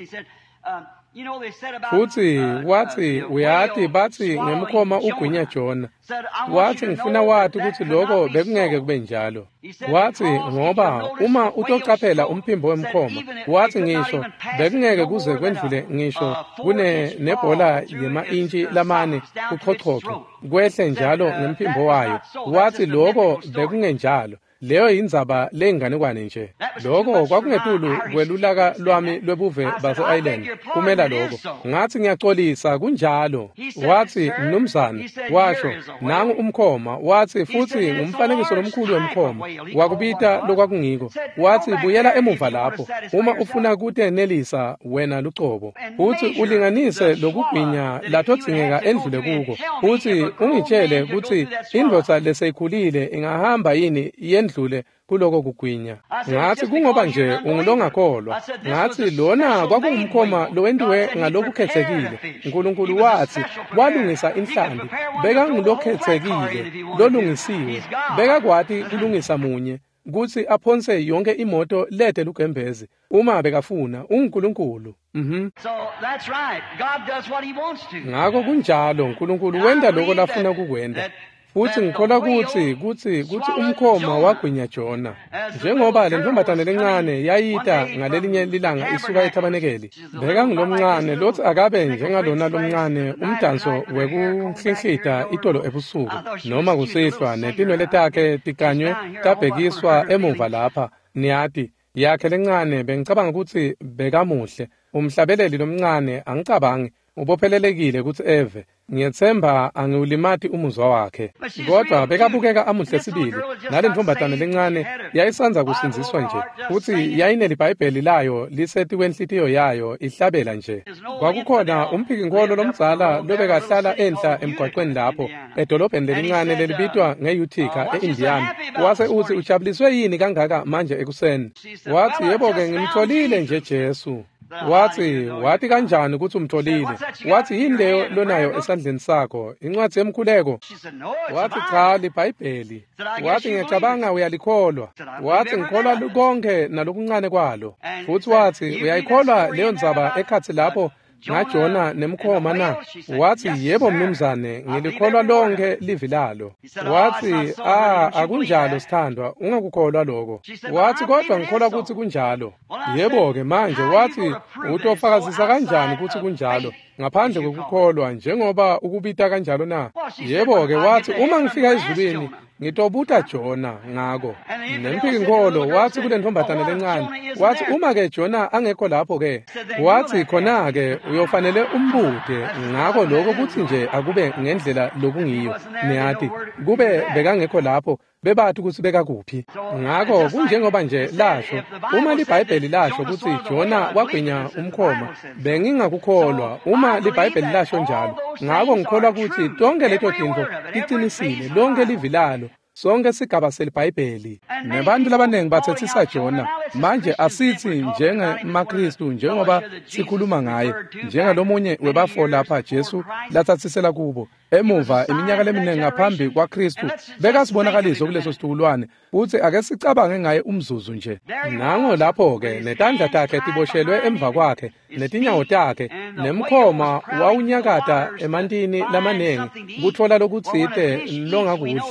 Futsi watsi uyati batsi ngemkhoma ugwinya Jona. Watsi ngifuna wati kutsi lokho bekungeke kube njalo. Watsi ngoba uma utocaphela umphimbo wemkhoma, watsi ngisho bekungeke kuze kwendlule ngisho kune nebhola yema-intshi lamane kuchochocho kwehle njalo ngemphimbo wayo. Watsi lokho bekungenjalo. Leyo yindzaba leyinganekwane nje. Lokho kwakungetulu kwelulaka lwami lwebuve base-Ireland kumela lokho. Ngathi ngiyaxolisa kunjalo. Wathi mnumzane, washo nangu umkhoma. Wathi futhi ngumfanekiso lomkhulu wemkhoma wakubita lokwakungiko. Wathi buyela emuva lapho uma ufuna kutenelisa wena lucobo, futhi ulinganise lokugwinya lathodzingeka endlule kuko, futhi ungitshele kutsi indvodza leseyikhulile ingahamba yini yendlule kuloko kugwinya. Ngathi kungoba nje ungulongakholwa. Ngathi lona kwakungumkhoma lowentiwe ngalokukhethekile. uNkulunkulu wathi walungisa inhlambi, bekangulokhethekile lolungisiwe, bekakwati kulungisa munye kutsi aphonse yonke imoto lete lugembezi uma bekafuna. UnguNkulunkulu. Mhm. Ngako kunjalo, uNkulunkulu wenta lokho lafuna kukwenta. Futsi ngikholwa kutsi kutsi kutsi umkhoma wagwinya Jona. Njengoba le ntombazane lencane yayita ngalelinye lilanga isuka ethabanekeli, bekangulomncane lotsi akabe njengalona lomncane umdanso wekunhlinhlita itolo ebusuku noma kusihlwa, netinwele takhe tikanywe tabhekiswa emuva lapha, niyati yakhe lencane. Bengicabanga kutsi bekamuhle umhlabeleli lomncane, angicabangi Ubophelelekile kutsi eve. Ngiyetsemba angiwulimati umuzwa wakhe. Kodwa bekabukeka amuhle sibili. Nale ntombazane lencane yayisanza kusindziswa nje. Futsi yayinelibhayibheli layo lisetikwenhlitiyo yayo ihlabela nje. Kwakukhona umphikinkholo lomdzala lobekahlala enhla emgwaqweni lapho edolobheni lelincane lelibitwa nge-Utica e-Indiana. Wase utsi ujabuliswe yini kangaka manje ekuseni? Watsi yebo-ke ngimtholile nje Jesu. Watsi wati kanjani kutsi umtholile? Watsi yini leyo lonayo esandleni sakho? Incwadzi yemkhuleko? Watsi cha, libhayibheli. Watsi ngiyacabanga uyalikholwa. Watsi ngikholwa konke nalokuncane kwalo. Futsi watsi uyayikholwa leyo ndzaba ekhatsi lapho ngaJona nemkhoma na? Watsi yebo mnumzane, ngilikholwa lonke livi lalo. Watsi ah, akunjalo sithandwa, ungakukholwa lokho. Watsi kodwa ngikholwa kutsi kunjalo. Yebo-ke manje watsi utofakazisa kanjani kutsi kunjalo ngaphandle kwekukholwa njengoba ukubita kanjalo na? Yebo-ke watsi uma ngifika ezulwini ngitobuta Jona ngako. Nemphikinkholo watsi kule ntombazane lencane, watsi uma-ke Jona angekho lapho-ke, watsi khona-ke uyofanele umbute ngako lokho kutsi nje akube ngendlela lokungiyo. Niyati kube bekangekho lapho bebati kutsi bekakuphi. Ngako kunjengoba nje lasho, uma libhayibheli lasho kutsi Jona wagwinya umkhoma, bengingakukholwa uma libhayibheli lasho njalo. Ngako ngikholwa kutsi tonke leto tintfo ticinisile, lonke livi lalo, sonke sigaba selibhayibheli. Nebantu labaningi bathethisa Jona. Manje asithi njengemaKristu njengoba sikhuluma ngaye, njengalomunye webafo lapha Jesu latsatsisela kubo emuva iminyaka leminingi ngaphambi kwaKristu, bekasibonakaliso kuleso situkulwane. Futsi ake sicabange ngaye umzuzu nje. Nango lapho-ke netandla takhe tiboshelwe emva kwakhe, netinyawo takhe, nemkhoma wawunyakata emantini lamaningi kutfola lokutsite longakudla.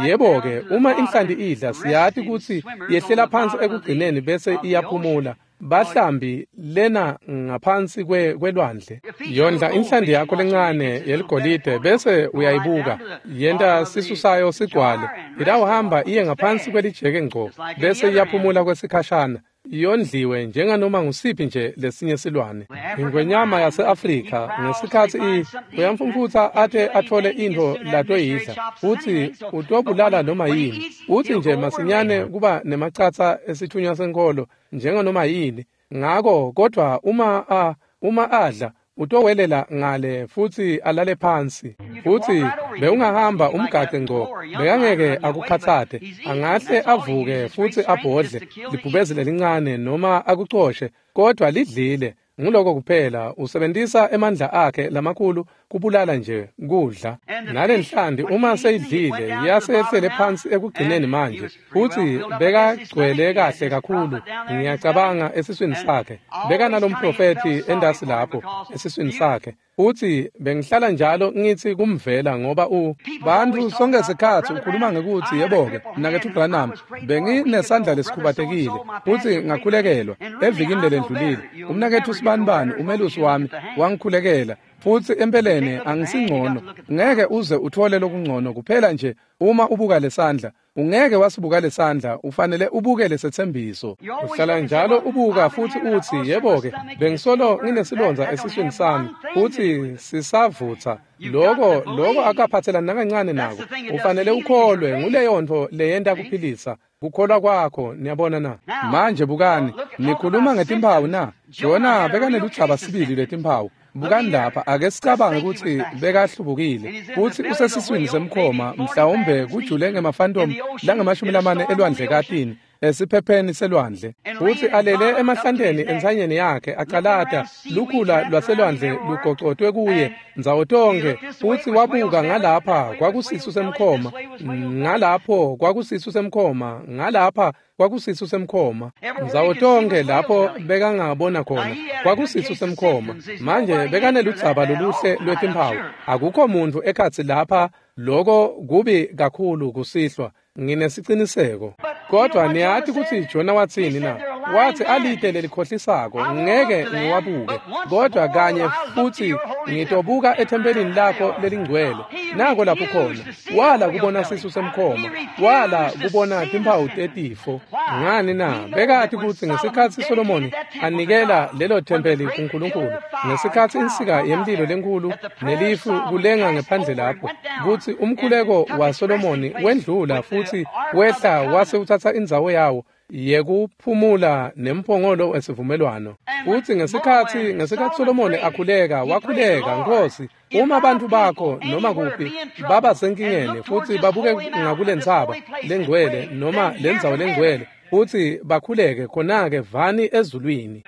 Yebo-ke uma inhlanti idla siyati kutsi yehlela phansi ekugcineni bese iyaphumula. Bahlambi lena ngaphansi kwelwandle. Yondla inhlanti yakho lencane yeligolide bese uyayibuka. Yenta sisu sayo sigcwale. Itawuhamba iye ngaphansi kwelijeke ngco bese iyaphumula kwesikhashana. Yondliwe njenganoma ngusiphi nje lesinye silwane. Ingwenyama yase-Afrika ngesikhatsi i uyamfumfutsa ate athole intfo latoyidla, futsi utobulala noma yini. Utsi nje masinyane kuba nemacatsa esithunywa senkholo njenganoma yini. Ngako kodwa uma a uma adla utowelela ngale futsi alale phansi. Futsi bewungahamba umgace ngco, bekangeke akukhatsate. Angahle avuke futsi abhodle libhubezi lelincane noma akucoshe, kodwa lidlile. Nguloko kuphela, usebentisa emandla akhe lamakhulu kubulala nje kudla. Nalenhlanti uma seyidlile yasehlele phansi ekugcineni manje, futsi bekagcwele kahle kakhulu ngiyacabanga esiswini sakhe. Bekanalomprofethi endasi lapho esiswini sakhe. Futsi bengihlala njalo ngithi kumvela ngoba u bantu sonke sikhatsi ukhuluma ngekutsi yebo-ke mnaketfu Branham benginesandla lesikhubatekile futsi ngakhulekelwa evikini lelendlulile. Umnaketfu Sibanibani umelusi wami wangikhulekela futsi empeleni angisingcono. Ngeke uze uthole lokungcono kuphela nje uma ubuka lesandla. Ungeke wasibuka lesandla, ufanele ubuke lesetsembiso. Uhlala njalo ubuka futsi utsi yebo-ke bengisolo nginesilondza esiswini sami futsi sisavutsa. Loko loko akaphathelani nakancane nako. Ufanele ukholwe nguleyo ntfo leyenta kuphilisa. Kukholwa kwakho, niyabona na? Manje bukani, nikhuluma ngetimphawu na? Jona bekaneludzaba sibili letimphawu. Bukani lapha, ake sicabange kutsi bekahlubukile futsi usesiswini semkhoma, mhlawumbe kujule ngemafantomu langamashumi lamane elwandle katini esiphepheni selwandle, futsi alele emahlanteni entsanyeni yakhe acalata lukhula lwaselwandle lugocotwe kuye ndzawo tonkhe. Futsi wabuka ngalapha kwakusisu semkhoma, ngalapho kwakusisu semkhoma, ngalapha kwakusisu semkhoma, ndzawo tonkhe lapho bekangabona khona kwakusisu semkhoma. Manje bekaneludzaba loluhle lwetimphawu. Akukho muntfu ekhatsi lapha, loko kubi kakhulu kusihlwa, nginesiciniseko. Kodwa niyati kutsi Jona watsini na? Wathi alide lelikhohlisako, ngeke ngiwabuke, kodwa kanye futhi ngitobuka ethempelini lakho lelingcwele. Nako lapho khona wala kubona sisu semkhoma, wala kubona timphawu tetifo. Ngani na? Bekati kutsi ngesikhatsi Solomoni anikela lelo thempeli kuNkulunkulu, ngesikhatsi insika yemlilo lenkulu nelifu kulenga ngephandle lapho, kutsi umkhuleko waSolomoni wendlula futhi wehla wase utsatsa indzawo yawo yekuphumula nemphongolo wesivumelwano. Futhi ngesikhatsi ngesikhatsi Solomoni akhuleka, wakhuleka, Nkosi, uma abantu bakho noma kuphi baba senkingeni futhi babuke ngakulentsaba lengcwele noma lendzawo lengcwele futhi bakhuleke, khona-ke vani ezulwini.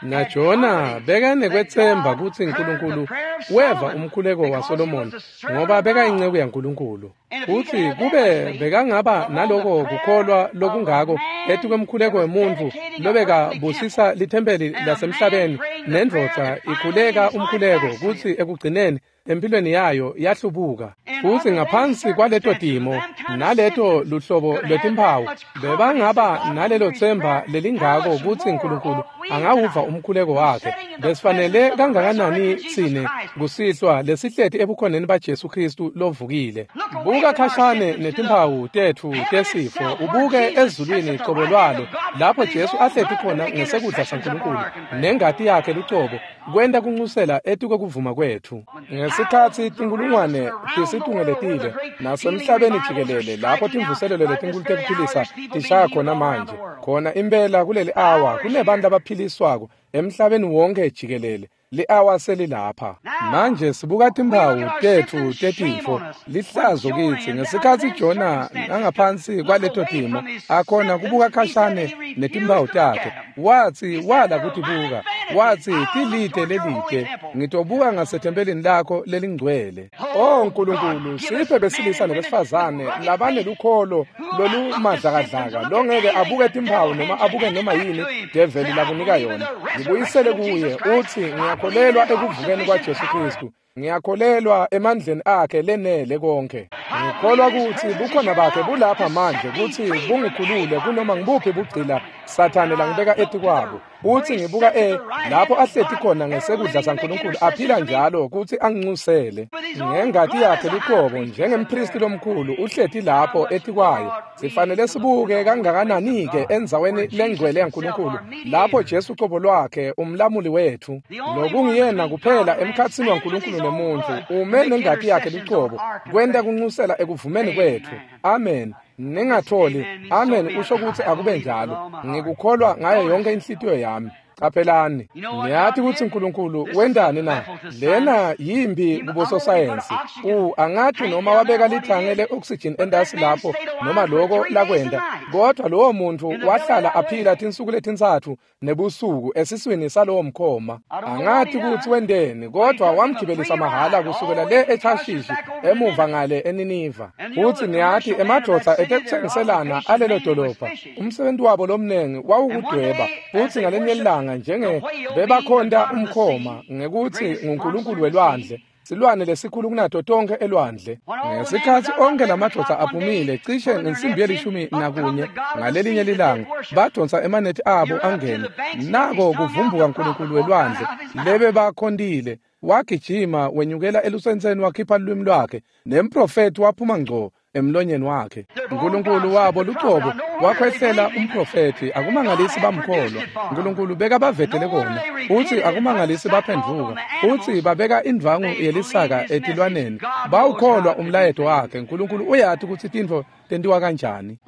NaJona bekanekwetsemba kutsi uNkulunkulu weva umkhuleko waSolomoni, ngoba bekayinceku yaNkulunkulu. Futhi kube bekangaba naloko kukholwa lokungako etikwemkhuleko wemuntfu lobekabusisa lithempeli lasemhlabeni, nendvodza ikhuleka umkhuleko kutsi ekugcineni empilweni yayo yahlubuka. Futhi ngaphansi kwaleto timo naleto luhlobo lwetimphawu, bebangaba nalelo themba lelingako kutsi uNkulunkulu angawuva umkhuleko wakhe. Besifanele kangakanani tsine kusihlwa lesihleti ebukhoneni baJesu Kristu lovukile. Buka khashane netimphawu tetfu tesifo, ubuke ezulwini cobo lwalo lapho Jesu ahleti khona ngesekudla saNkulunkulu nengati yakhe lucobo kwenta kunxusela etikwe kwetfu. Ngesikhatsi tinkulungwane tisitungeletile nasemhlabeni jikelele lapho timvuselelo letinkulu tekuphilisa tishaya khona manje, khona impela kuleli awa kunebantu abaphiliswako emhlabeni wonke jikelele. Li-awa selilapha manje. Sibuka timphawu tetfu tetifo, lihlazo kitsi. Ngesikhatsi Jona nangaphansi kwaleto timo akhona kubuka khashane netimphawu takhe, wathi wala kutibuka, wathi tilide lelide, ngitobuka ngasethempelini lakho lelingcwele. Oh Nkulunkulu, siphe besilisa nebesifazane labanelukholo lolumadlakadlaka longeke abuke timphawu noma abuke noma yini develi lakunika yona. Ngibuyisele kuye uthi ngiyakholelwa ekuvukeni kwaJesu Kristu, ngiyakholelwa emandleni akhe lenele konke. Ngikholwa kutsi bukhona bakhe bulapha manje kutsi bungikhulule kunoma ngibuphi bugcila Sathane langibeka etikwabo. Uthi ngibuka e lapho ahleti khona ngesekudla saNkulunkulu aphila njalo kutsi anginxusele ngengati yakhe luqobo njengempristi lomkhulu uhleti lapho etikwayo. Sifanele sibuke kangakanani-ke endzaweni lengcwele yaNkulunkulu lapho Jesu cobo lwakhe umlamuli wethu, lokungiyena kuphela emkhatsini waNkulunkulu nemuntfu, ume nengati yakhe luqobo kwenta kunxusela ekuvumeni kwetfu. Amen. Ningatholi amen usho ukuthi akube njalo. Ngikukholwa ngayo yonke inhlitiyo yami. Qaphelani, ngiyathi ukuthi uNkulunkulu wendani na? Lena yimbi kubososayensi. U angathi noma wabeka lithange le-oxygen endasi lapho noma loko lakwenda, kodwa lowo muntu wahlala aphila tinsuku letintsatfu nebusuku esiswini salowo mkhoma. Angathi ukuthi wendeni, kodwa wamgibelisa mahhala kusukela le eThashishi emuva ngale eNiniva. Futhi niyathi emadvodza etekuthengiselana alelo dolobha, umsebenzi wabo lomningi wawukudweba. Futhi ngalenye ilanga njenge bebakhonta umkhoma ngekuthi nguNkulunkulu welwandle, silwane lesikhulu kunato tonke elwandle. Ngesikhatsi onke lamadvodza aphumile cishe ngensimbi yelishumi nakunye ngalelinye lilanga, badonsa emanethi abo angene. Nako kuvumbuka uNkulunkulu welwandle lebe bakhontile. Wagijima wenyukela elusentseni wakhipha lulwimi lwakhe, nemprofethi waphuma ngco emlonyeni wakhe. uNkulunkulu wabo lucobo wakhwehlela umprofethi. Akumangalisi bamkholwa. uNkulunkulu bekabavedele kona. Uthi akumangalisi baphendvuka. Uthi babeka indvangu yelisaka etilwaneni. Bawukholwa umlayeto wakhe. uNkulunkulu uyathi ukuthi tintfo tentiwa kanjani.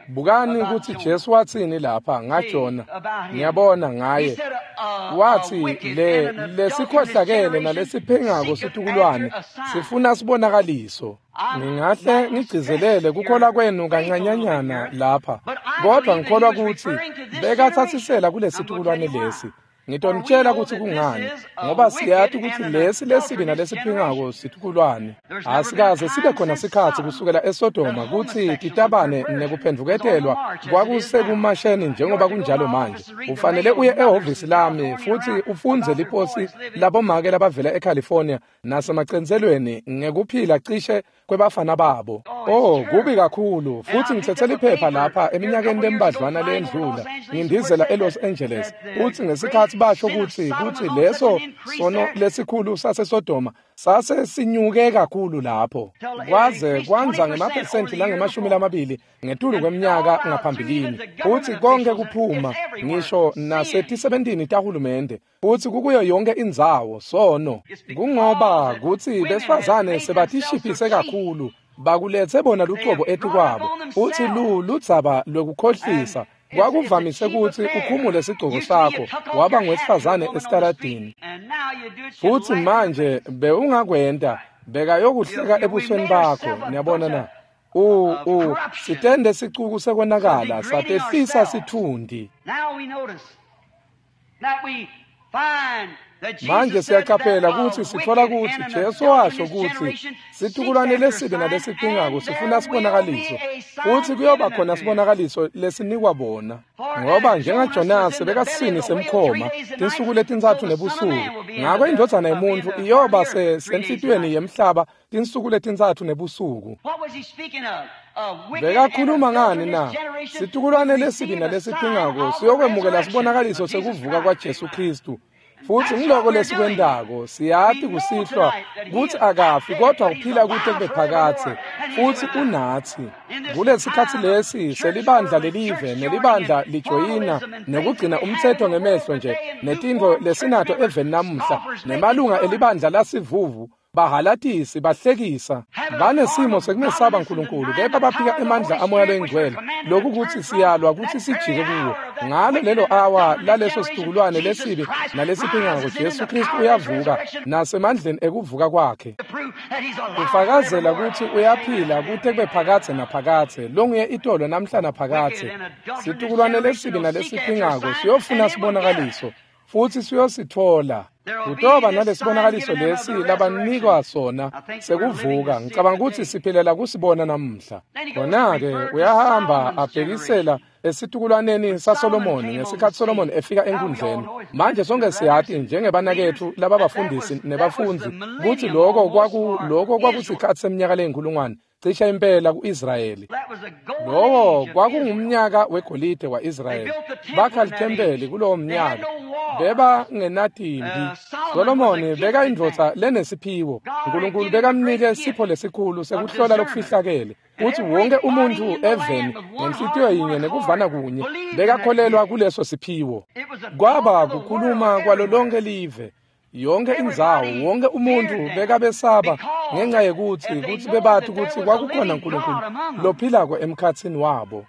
Bukani ukuthi Jesu wathini lapha ngaJona. Ngiyabona ngaye wathi le lesikhohlakele nalesiphengako situkulwane sifuna sibonakaliso. Ngingahle ngigcizelele kukholwa kwenu kancanyanyana lapha, kodwa ngikholwa ukuthi bekathatsisela kulesitukulwane lesi. Ngitonitshela ukuthi kungani, ngoba siyati ukuthi lesi lesibi nalesiphingako situkulwane. Asikaze sibe khona sikhatsi kusukela eSodoma kutsi titabane nekuphendvuketelwa kwakusekumasheni njengoba kunjalo manje. Ufanele uye ehhovisi lami futsi ufundze liposi labomake labavela eCalifornia nasemacentselweni ngekuphila cishe kwebafana babo. Oh, kubi kakhulu. Futsi ngitsetse liphepha lapha eminyakeni lembadlwana leyendlula ngindizela eLos Angeles, futsi ngesikhatsi basho kutsi kutsi leso sono lesikhulu saseSodoma sase sinyuke kakhulu lapho kwaze kwandza ngemaphesenti langemashumi lamabili ngetulu kweminyaka ngaphambilini, futsi konke kuphuma ngisho nasetisebentini tahulumende, futsi kukuyo yonke indzawo sono. Kungoba kutsi besifazane sebatishiphise kakhulu, bakuletse bona lucobo etikwabo, futsi lu ludzaba lwekukhohlisa. Kwakuvamise kutsi ukhumule sigcoko sakho waba ngwesifazane esitaladini, futsi manje bewungakwenta bekayokuhleka ebusweni bakho. Niyabona na? U u sitende sicuku sekonakala satehlisa sithundi. Manje siyaqaphela kutsi sitfola kutsi Jesu washo kutsi situkulwane lesibi nalesiphingako sifuna sibonakaliso, futsi kuyoba khona sibonakaliso lesinikwa bona. Ngoba njengaJonase bekasini semkhoma tinsuku letintsatfu nebusuku, ngako indvodzana yemuntfu iyoba senhlitiyweni yemhlaba tinsuku letintsatfu nebusuku. Bekakhuluma ngani na? Situkulwane lesibi nalesiphingako siyokwemukela sibonakaliso sekuvuka kwaJesu Khristu. Futsi ngiloko lesikwentako, siyati kusihlwa kutsi akafi kodwa uphila kute kube phakadze, futsi unatsi. Kulesikhatsi lesi selibandla lelive nelibandla lijoyina nekugcina umtsetfo ngemehlo nje netintfo lesinato eveni namuhla, nemalunga elibandla lasivuvu bahalatisi bahlekisa banesimo sekumesaba Nkulunkulu, kepha baphika emandla amoya loyingcwele, lokhu kutsi siyalwa kutsi sijike kuwo. Ngalo lelo awa laleso situkulwane lesibi nalesiphingako, Jesu Khristu uyavuka nasemandleni ekuvuka kwakhe, kufakazela kutsi uyaphila kute kube phakadze naphakadze, longuye itolo namhla naphakadze. Situkulwane lesibi nalesiphingako siyofuna sibonakaliso, futsi siyositfola. Kutoba nalesibonakaliso lesi labanikwa sona sekuvuka. Ngicabanga kutsi siphilela kusibona namuhla. Khona-ke uyahamba abhekisela esitukulwaneni saSolomoni ngesikhatsi Solomoni efika enkundleni. Manje sonke siyati njengebanaketfu lababafundisi nebafundzi kutsi loko kwaku loko kwakusikhatsi seminyaka leyinkulungwane cishe impela ku-Israyeli. Lowo kwakungumnyaka wegolide wa-Israyeli. Bakha lithempeli kulowo mnyaka. Beba ngenatimbi. Solomoni bekayindvodza lenesiphiwo. Nkulunkulu bekamnike sipho lesikhulu sekuhlola lokufihlakele. Kutsi wonke umuntfu eveni ngenhlitiyo yinye nekuvana kunye bekakholelwa kuleso siphiwo. Kwaba kukhuluma kwalo lonke live. Yonke indzawo, wonke umuntu bekabesaba ngenxa yekutsi kutsi bebati kutsi kwakukhona Nkulunkulu lophilako emkhatsini wabo.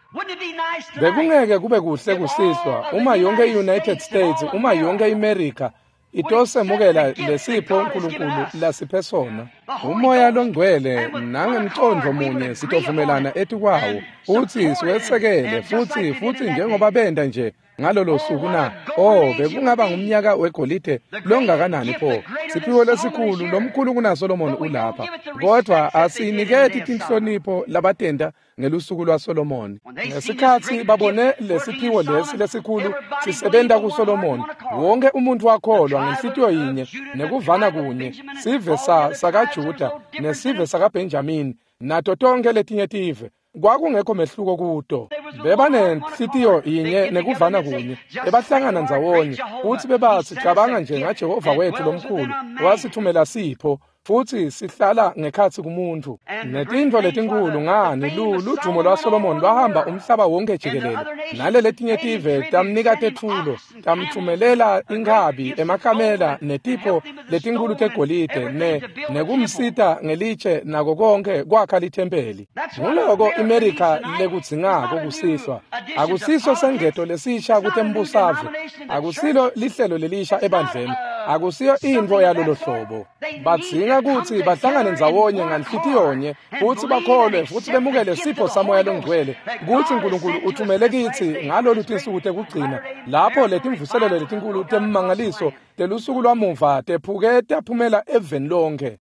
Bekungeke kube kuhle kusihlwa uma yonke i-United States, uma yonke iMerica itosemukela lesipho Nkulunkulu lasiphe sona. Umoya longcwele nangemcondvo munye sitovumelana etikwawo futsi siwesekele futsi futsi njengoba benta nje ngalolo suku na. Oh, bekungaba ngumnyaka wegolide longakanani pho! Siphiwo lesikhulu lomkhulu kunaSolomoni ulapha, kodwa asiniketi tinhlonipho labatenta ngelusuku lwaSolomoni. Ngesikhatsi babone lesiphiwo lesi lesikhulu sisebenta kuSolomoni, wonke umuntu wakholwa ngenhlitiyo yinye nekuvana kunye, sive sa sakaJuda nesive sakaBenjamini nato tonke letinye tive. Kwakungekho mehluko kuto. Bebanenhlitiyo yinye nekuvana kunye, bebahlangana ndzawonye futsi bebathi cabanga nje ngaJehova wethu lomkhulu wasithumela sipho, futsi sihlala ngekhatsi kumuntu. Netintfo letinkhulu ngani ludumo lwaSolomoni lwahamba umhlaba wonke jikelele, naleletinye tive tamnika tetfulo, tamtfumelela inkhabi, emakamela netipho letinkhulu tegolide ne nekumsita ngelitshe nako konke kwakha lithempeli. Nguloko iMerica lekudzingako kusihlwa. Akusiso sengeto lesisha kutembusave, akusilo lihlelo lelisha ebandleni, Akusiyo intfo yalolo hlobo. Badzinga kutsi bahlangane ndzawonye nganhlitiyonye futsi bakholwe futsi bemukele sipho saMoya Longcwele kutsi Nkulunkulu uthumele kitsi ngalolu tinsuku tekugcina lapho letimvuselelo letinkulu temmangaliso telusuku lwamuva tephuke taphumela eveni lonke.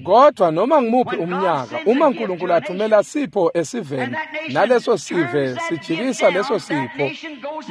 Kodwa noma ngimuphi umnyaka uma Nkulunkulu athumela sipho esiveni naleso sive sijikisa leso sipho,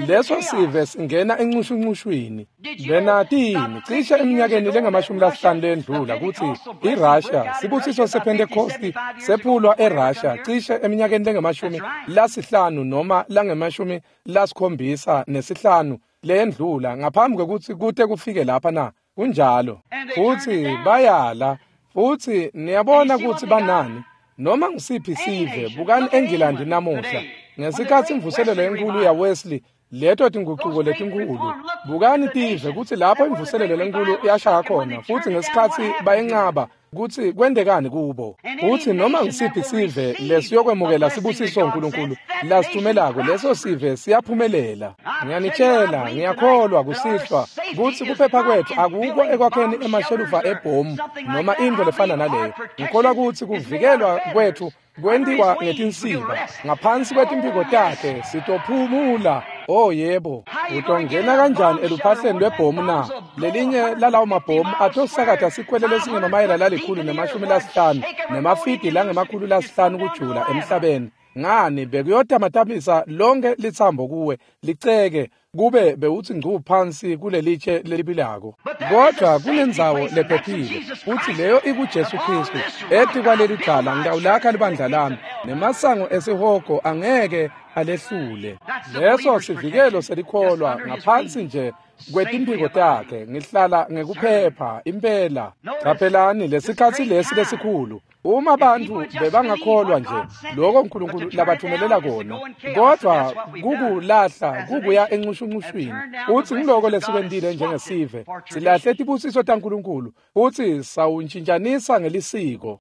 leso sive singena encushuncushwini. Benatini cishe eminyakeni lengamashumi lasihlanu lendlula kutsi iRussia sibusiso sePentecost sephulwa eRussia cishe eminyakeni lengamashumi lasihlanu noma langemashumi lasikhombisa nesihlanu lendlula ngaphambi kwekutsi kute kufike lapha na. Kunjalo. Futsi bayala futsi niyabona kutsi banani noma ngisiphi sive. Bukani eNgilandi namuhla ngesikhatsi imvuselelo enkulu ya Wesley, leto tingucuko letinkulu. Bukani tive kutsi lapho imvuselelo lenkulu yashaya khona futsi ngesikhatsi bayenqaba kutsi kwentekani kubo. Futsi noma ngisiphi sive lesiyokwemukela sibusiso uNkulunkulu lasithumelako, leso sive siyaphumelela. Ngiyanitshela, ngiyakholwa kusihlwa kutsi kuphepha kwetfu akukho ekwakheni emashelufa ebhomu noma intfo lefana naleyo. Ngikholwa kutsi kuvikelwa kwetfu kwentiwa ngetinsiba ngaphansi kwetimphiko takhe sitophumula. Oh yebo, utongena kanjani eluphahleni lwebhomu na? Lelinye lalawo mabhomu atosakata sikhwele lesingemamayela lalikhulu nemashumi lasihlanu nemafidi langemakhulu lasihlanu kujula emhlabeni. Ngani bekuyotamatamisa lonke litsambo kuwe liceke kube bewutsi ngcu phansi kulelitshe lelibilako. Kodwa kunendzawo lephephile futsi leyo ikuJesu Kristu. Ethi kwaleli dala ngitawulakha libandla lami nemasango esihogo angeke alehlule. Leso sivikelo selikholwa ngaphansi nje kwetimphiko takhe ngihlala ngekuphepha impela. Caphelani lesikhatsi lesi lesikhulu uma bantfu bebangakholwa nje lokho uNkulunkulu labathumelela kona, kodwa kukulahla kukuya encushuncushwini. Utsi ngiloko lesikwentile njengesive, silahle tibusiso taNkulunkulu futsi sawuntshintshanisa ngelisiko.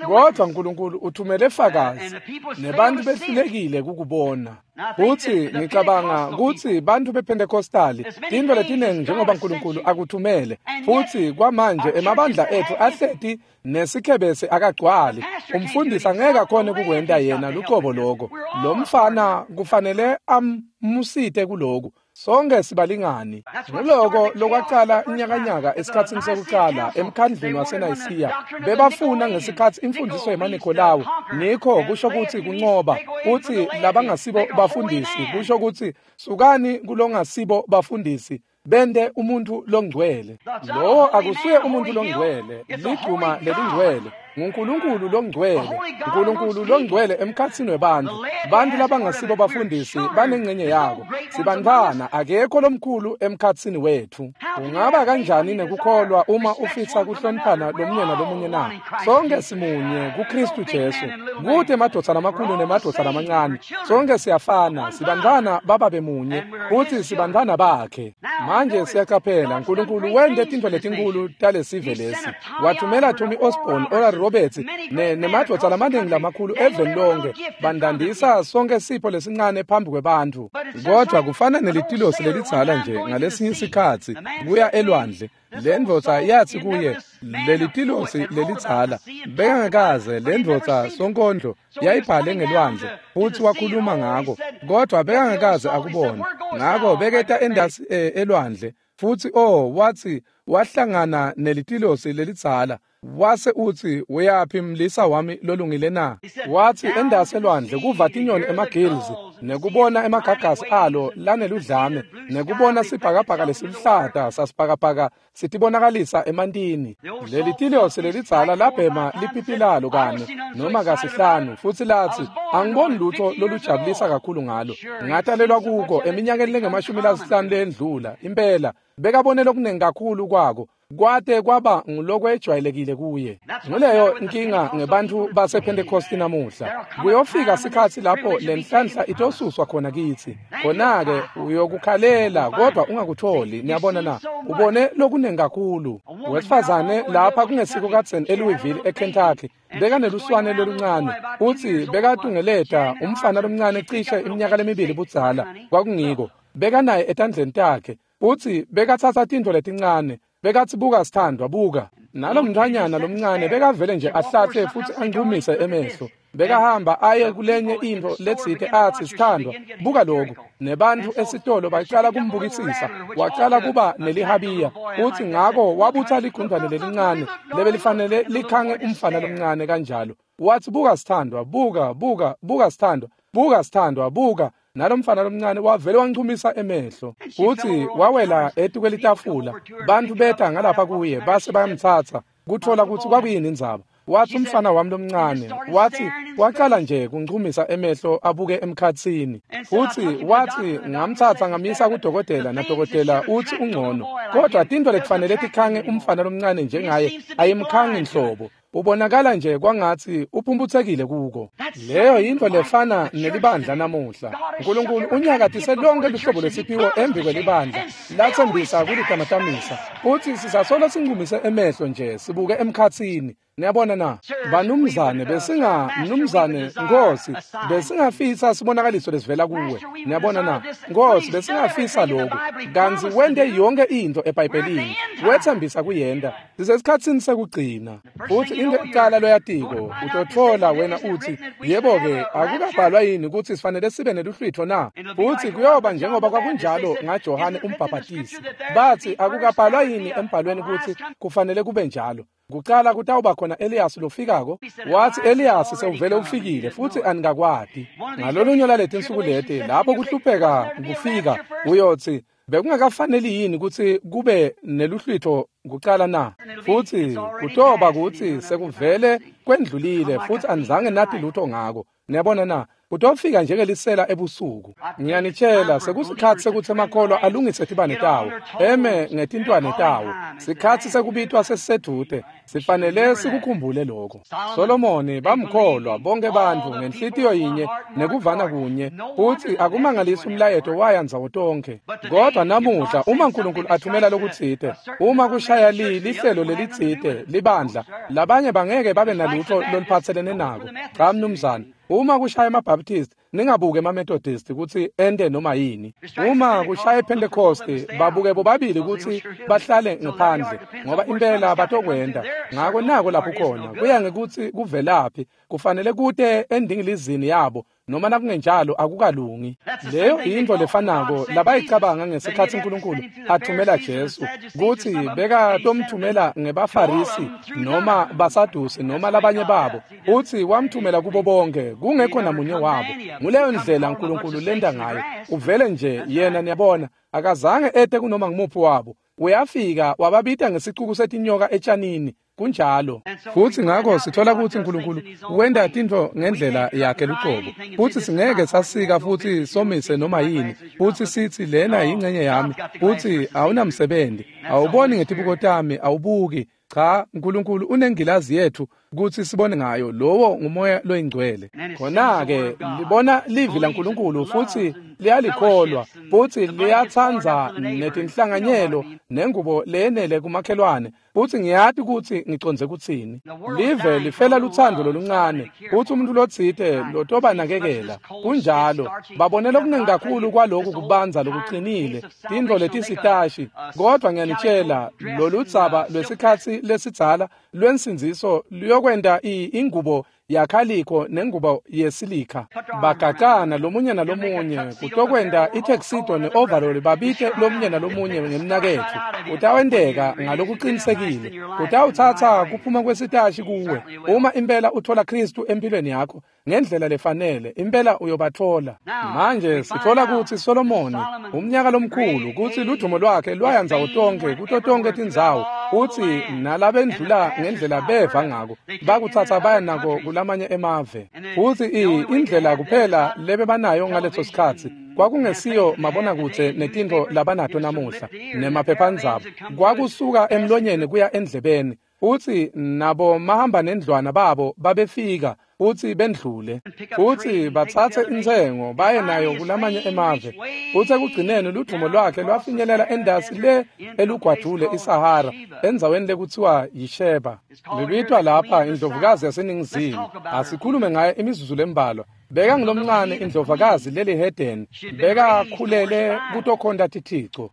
Kodwa uNkulunkulu uthumele fakazi nebantfu behlulekile kukubona. Futsi ngicabanga kutsi bantfu bePentecostali tintfo letiningi njengoba uNkulunkulu akuthumele, futsi kwamanje emabandla etfu ahleti nesikhebesi akagcwali. Umfundisi angeke akhone kukwenta yena lucobo loko. Lo mfana kufanele amusite kuloku. Sonke sibalingani. Nguloko lokwacala inyakanyaka esikhatsini sekucala emkhandlwini waseNayisiya. Bebafuna ngesikhatsi imfundiso yemaNikolawu. Nikho kusho kutsi kuncoba, kutsi labangasibo bafundisi kusho kutsi sukani kulongasibo bafundisi bente umuntu longcwele. Lowo akusuye umuntu longcwele, ligcuma lelingcwele. NguNkulunkulu longcwele, uNkulunkulu longcwele emkhatsini webantfu. Bantfu labangasibo bafundisi banengcenye yako. Sibantfwana, akekho lomkhulu emkhatsini wetfu. Ungaba kanjani nekukholwa uma ufisa kuhloniphana lomunye nalomunye na? Sonke simunye kuKristu Jesu. Kute emadvodza lamakhulu nemadvodza lamancane. Sonke siyafana, sibantfwana bababe munye, futsi sibantfwana bakhe. Manje siyacaphela uNkulunkulu wente tintfo letinkulu talesive lesi. Wathumela Tommy Osborne, Oral Roberts ne nemadvodza lamaningi lamakhulu eveni lonke bandandisa sonke sipho lesincane phambi kwebantfu. Kodwa kufana nelitilosi lelidzala nje ngalesinye isikhatsi kuya elwandle. Le ndvodza yathi kuye, lelitilosi lelidzala bekangakaze le ndvodza sonkondlo yayibhale ngelwandle futsi wakhuluma ngako, kodwa bekangakaze akubona. Ngako beketa endasi elwandle futsi oh wathi wahlangana nelitilosi lelidzala. Wase utsi, uyaphi mlisa wami lolungile na? Wathi endase elwandle kuva tinyoni emagills nekubona emagagasi alo laneludlame nekubona sibhakabhaka lesiluhlata sasibhakabhaka sitibonakalisa emantini. Leli tilosi lelidzala labhema lipipi lalo kane noma kasihlanu futsi latsi, angiboni lutho lolujabulisa kakhulu ngalo. Ngatalelwa kuko eminyakeni lengemashumi lasihlanu lendlula. Impela bekabone lokunengi kakhulu kwako kwate kwaba ngulokwejwayelekile kuye. Nguleyo inkinga ngebantfu basePentecosti namuhla. Kuyofika sikhatsi lapho lenhlanhla itosuswa khona kitsi. Khona-ke uyokukhalela kodwa ungakutholi. Niyabona na? Ubone lokunengi kakhulu. Wesifazane lapha kungesiko kadzeni eLouisville eKentucky bekaneluswane loluncane futsi bekatungeleta umfana lomncane cishe iminyaka lemibili budzala. Kwakungiko bekanaye etandleni takhe. Utsi bekatsatsa tintfo letincane, bekatsi buka sithandwa buka. Nalomntfwanyana lomncane bekavele nje ahlatse futsi anchumise emehlo. Bekahamba aye kulenye intfo letsite atsi sithandwa buka lokhu. Nebantfu esitolo bacala kumbukisisa, wacala kuba nelihabiya. Utsi ngako wabutsa ligundwane lelincane lebelifanele likhange umfana lomncane kanjalo. Watsi buka sithandwa, buka, buka, buka sithandwa, buka sithandwa, buka. Nalomfana lomncane wavele wanchumisa emehlo. Utsi wawela etukwelitafula. Bantfu beta ngalapha kuye base bayamtsatsa kutfola kutsi kwakuyini indzaba. Watsi umfana wami lomncane, watsi wacala nje kunchumisa emehlo abuke emkhatsini. Futsi watsi ngamtsatsa ngamisa kudokotela, nadokotela utsi ungcono. Kodwa tintfo lekufanele tikhange umfana lomncane njengaye ayimkhangi nhlobo. Ubonakala nje kwangatsi uphumputsekile kuko. Leyo yintfo lefana nelibandla namuhla. Nkulunkulu unyakatise lonke luhlobo lwesiphiwo embi kwelibandla latsembisa kulitamatamisa. Utsi sisasolo sinchumise emehlo nje sibuke emkhatsini. Niyabona na? Banumzane besinga mnumzane Nkosi besingafisa sibonakaliso lesivela kuwe. Niyabona na? Nkosi besingafisa lokhu. Kantsi wente yonke intfo eBhayibhelini. Wetsembisa kuyenta. Sisesikhatsini sekugcina. Futsi into ekucala loyatiko utotfola wena utsi yebo-ke akukabhalwa yini kutsi sifanele sibe neluhlwitfo na? Futsi kuyoba njengoba kwakunjalo ngaJohane umbhabhatisi. Batsi akukabhalwa yini embhalweni kutsi kufanele kube njalo? Kucala kutawuba khona Elias lofikako. Watsi Elias sewuvele ufikile futsi anikakwati. Ngalolunye lwaletinsuku leti lapho kuhlupheka kufika uyotsi bekungakafaneli yini kutsi kube neluhlwitfo kucala na? Futsi kutoba kutsi sekuvele kwendlulile futsi anizange nati lutho ngako. Niyabona na? Kutofika njengelisela ebusuku. Ngiyanitshela sekusikhatsi sekutsi emakholwa alungise tibane tawo, eme ngetintwane tawo. Sikhatsi sekubitwa sesisedvute. Sifanele sikukhumbule lokho. Solomoni bamkholwa bonke bantfu ngenhlitiyo yinye nekuvana kunye, futsi akumangalisi umlayeto waya ndzawo tonkhe. Kodwa namuhla uma Nkulunkulu athumela lokutsite, uma kushaya li lihlelo lelitsite libandla, labanye bangeke babe nalutho loluphatselene nako. Cha mnumzane. Uma kushaya emaBaptist, ningabuke emaMethodist kutsi ente noma yini. Uma kushaya iPentecost, babuke bobabili kutsi bahlale ngaphandle, ngoba impela batokwenta. Ngako nako lapho khona, kuya ngekutsi kuvelaphi, kufanele kute endingilizini yabo, noma nakungenjalo akukalungi. Leyo yintfo lefanako labayicabanga ngesikhatsi Nkulunkulu athumela Jesu, kutsi bekatomthumela ngebaFarisi noma baSadusi noma labanye babo. Utsi wamthumela kubo bonke, kungekho namunye wabo. Nguleyo ndlela Nkulunkulu lenta ngayo. Uvele nje yena, niyabona, akazange ete kunoma ngumuphi wabo. Uyafika wababita ngesicuku setinyoka etshanini. Kunjalo. Futsi ngako sithola kutsi Nkulunkulu wenta tintfo ngendlela yakhe luqobo. Futsi singeke sasika futsi somise noma yini. Futsi sitsi lena yingcenye yami. Futsi awunamsebenzi. Awuboni ngetibuko tami, awubuki. Cha, Nkulunkulu unengilazi yetfu kutsi sibone ngayo. Lowo ngumoya loyingcwele. Khona-ke libona livi laNkulunkulu futsi liyalikholwa, futsi liyatsandza netinhlanganyelo nengubo leyenele kumakhelwane. Futsi ngiyati kutsi ngicondze kutsini. Live lifela lutsandvo loluncane, futsi umuntu lotsite lotobanakekela. Kunjalo, babone lokuningi kakhulu kwaloku kubanza lokuqinile, tintfo letisitashi. Kodwa ngiyanitshela, loludzaba lwesikhatsi lesidzala lwensindziso luyokwenta ingubo yakhalikho nengubo yesilika. Bagacana lomunye nalomunye kutokwenta ituxedo ne-overall, babite lomunye nalomunye ngemnaketfu. Kutawenteka ngalokuqinisekile. Kutawutsatsa kuphuma kwesitashi kuwe. Uma impela uthola Kristu empilweni yakho ngendlela lefanele, impela uyobathola. Manje sithola kutsi Solomoni, umnyaka lomkhulu, kutsi ludumo lwakhe lwaya ndzawo tonkhe, kuto tonkhe tindzawo, utsi nalabendlula ngendlela beva ngako, bakutsatsa baya nako kulamanye emave. Futsi indlela kuphela lebebanayo ngaleso sikhatsi kwakungesiyo mabonakudze netintfo labanato namuhla nemaphephandzaba. Kwakusuka emlonyeni kuya endlebeni. Utsi nabo mahamba nendlwana babo babefika utsi bendlule, futsi batsatse intsengo baye nayo kulamanye emave. Futsi ekugcineni ludvumo lwakhe lwafinyelela endasi le elugwadvule iSahara, endzaweni lekutsiwa yiSheba. Libitwa lapha indlovukazi yaseNingizimu. Asikhulume ngaye imizuzu lembalwa. Beka ngilomncane indlovukazi lelihedeni, bekakhulele kutokhonta tithico.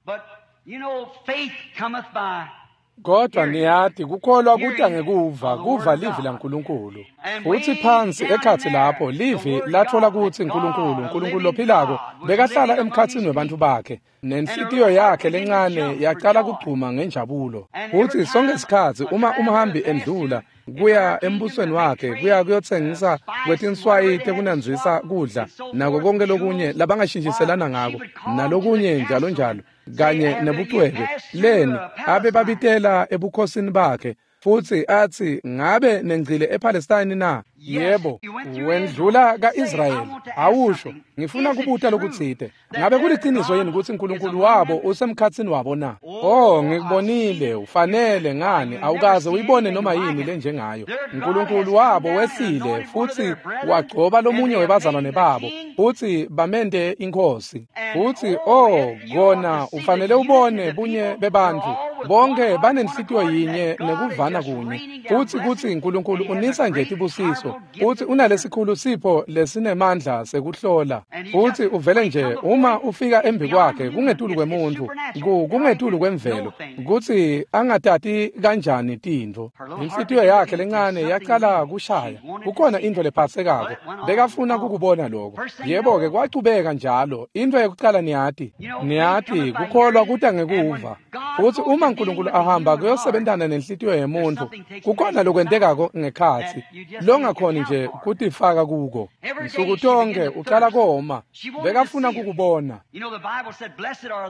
Kodwa niyati kukholwa kuta ngekuva, kuva livi laNkulunkulu. Futsi phansi ekhatsi lapho livi latfola kutsi Nkulunkulu, Nkulunkulu lophilako, bekahlala emkhatsini webantfu bakhe. Nenhlitiyo yakhe lencane yacala kugcuma ngenjabulo. Futsi sonke sikhatsi uma umhambi endlula kuya embusweni wakhe kuya kuyotsengisa kwetinswayi tekunandzisa kudla nako konke lokunye labangashintshiselana ngako nalokunye njalo njalo kanye nebucwebe leni abe babitela ebukhosini bakhe futsi atsi ngabe nengcile ePalestine na? Yebo, wendlula ka-Israyeli. Awusho, ngifuna kubuta lokutsite. Ngabe kuliciniso yini kutsi Nkulunkulu wabo usemkhatsini wabo na? Oh, ngikubonile, ufanele ngani, awukaze uyibone noma yini lenjengayo. Nkulunkulu wabo wehlile futsi wagcoba lomunye webazalwane babo, futsi bamente inkhosi. Futsi oh, kona ufanele ubone bunye bebantfu. Bonke banenhlitiyo yinye nekuvana kunye. Futsi kutsi Nkulunkulu unisa nje tibusiso. Futsi unalesikhulu sipho lesinemandla sekuhlola. Futsi uvele nje uma ufika embi kwakhe kungetulu kwemuntfu, kungetulu kwemvelo, kutsi angatati kanjani tintfo. Inhlitiyo yakhe lencane yacala kushaya. Kukhona intfo lephatsekako. Bekafuna kukubona lokho. Yebo-ke kwachubeka njalo. Intfo yekucala niyati. Niyati kukholwa kuta ngekuva. Futsi uma Nkulunkulu ahamba kuyosebentana nenhlitiyo yemuntfu, kukhona lokwentekako ngekhatsi longakhoni nje kutifaka kuko. Nsuku tonke ucala koma. Bekafuna kukubona.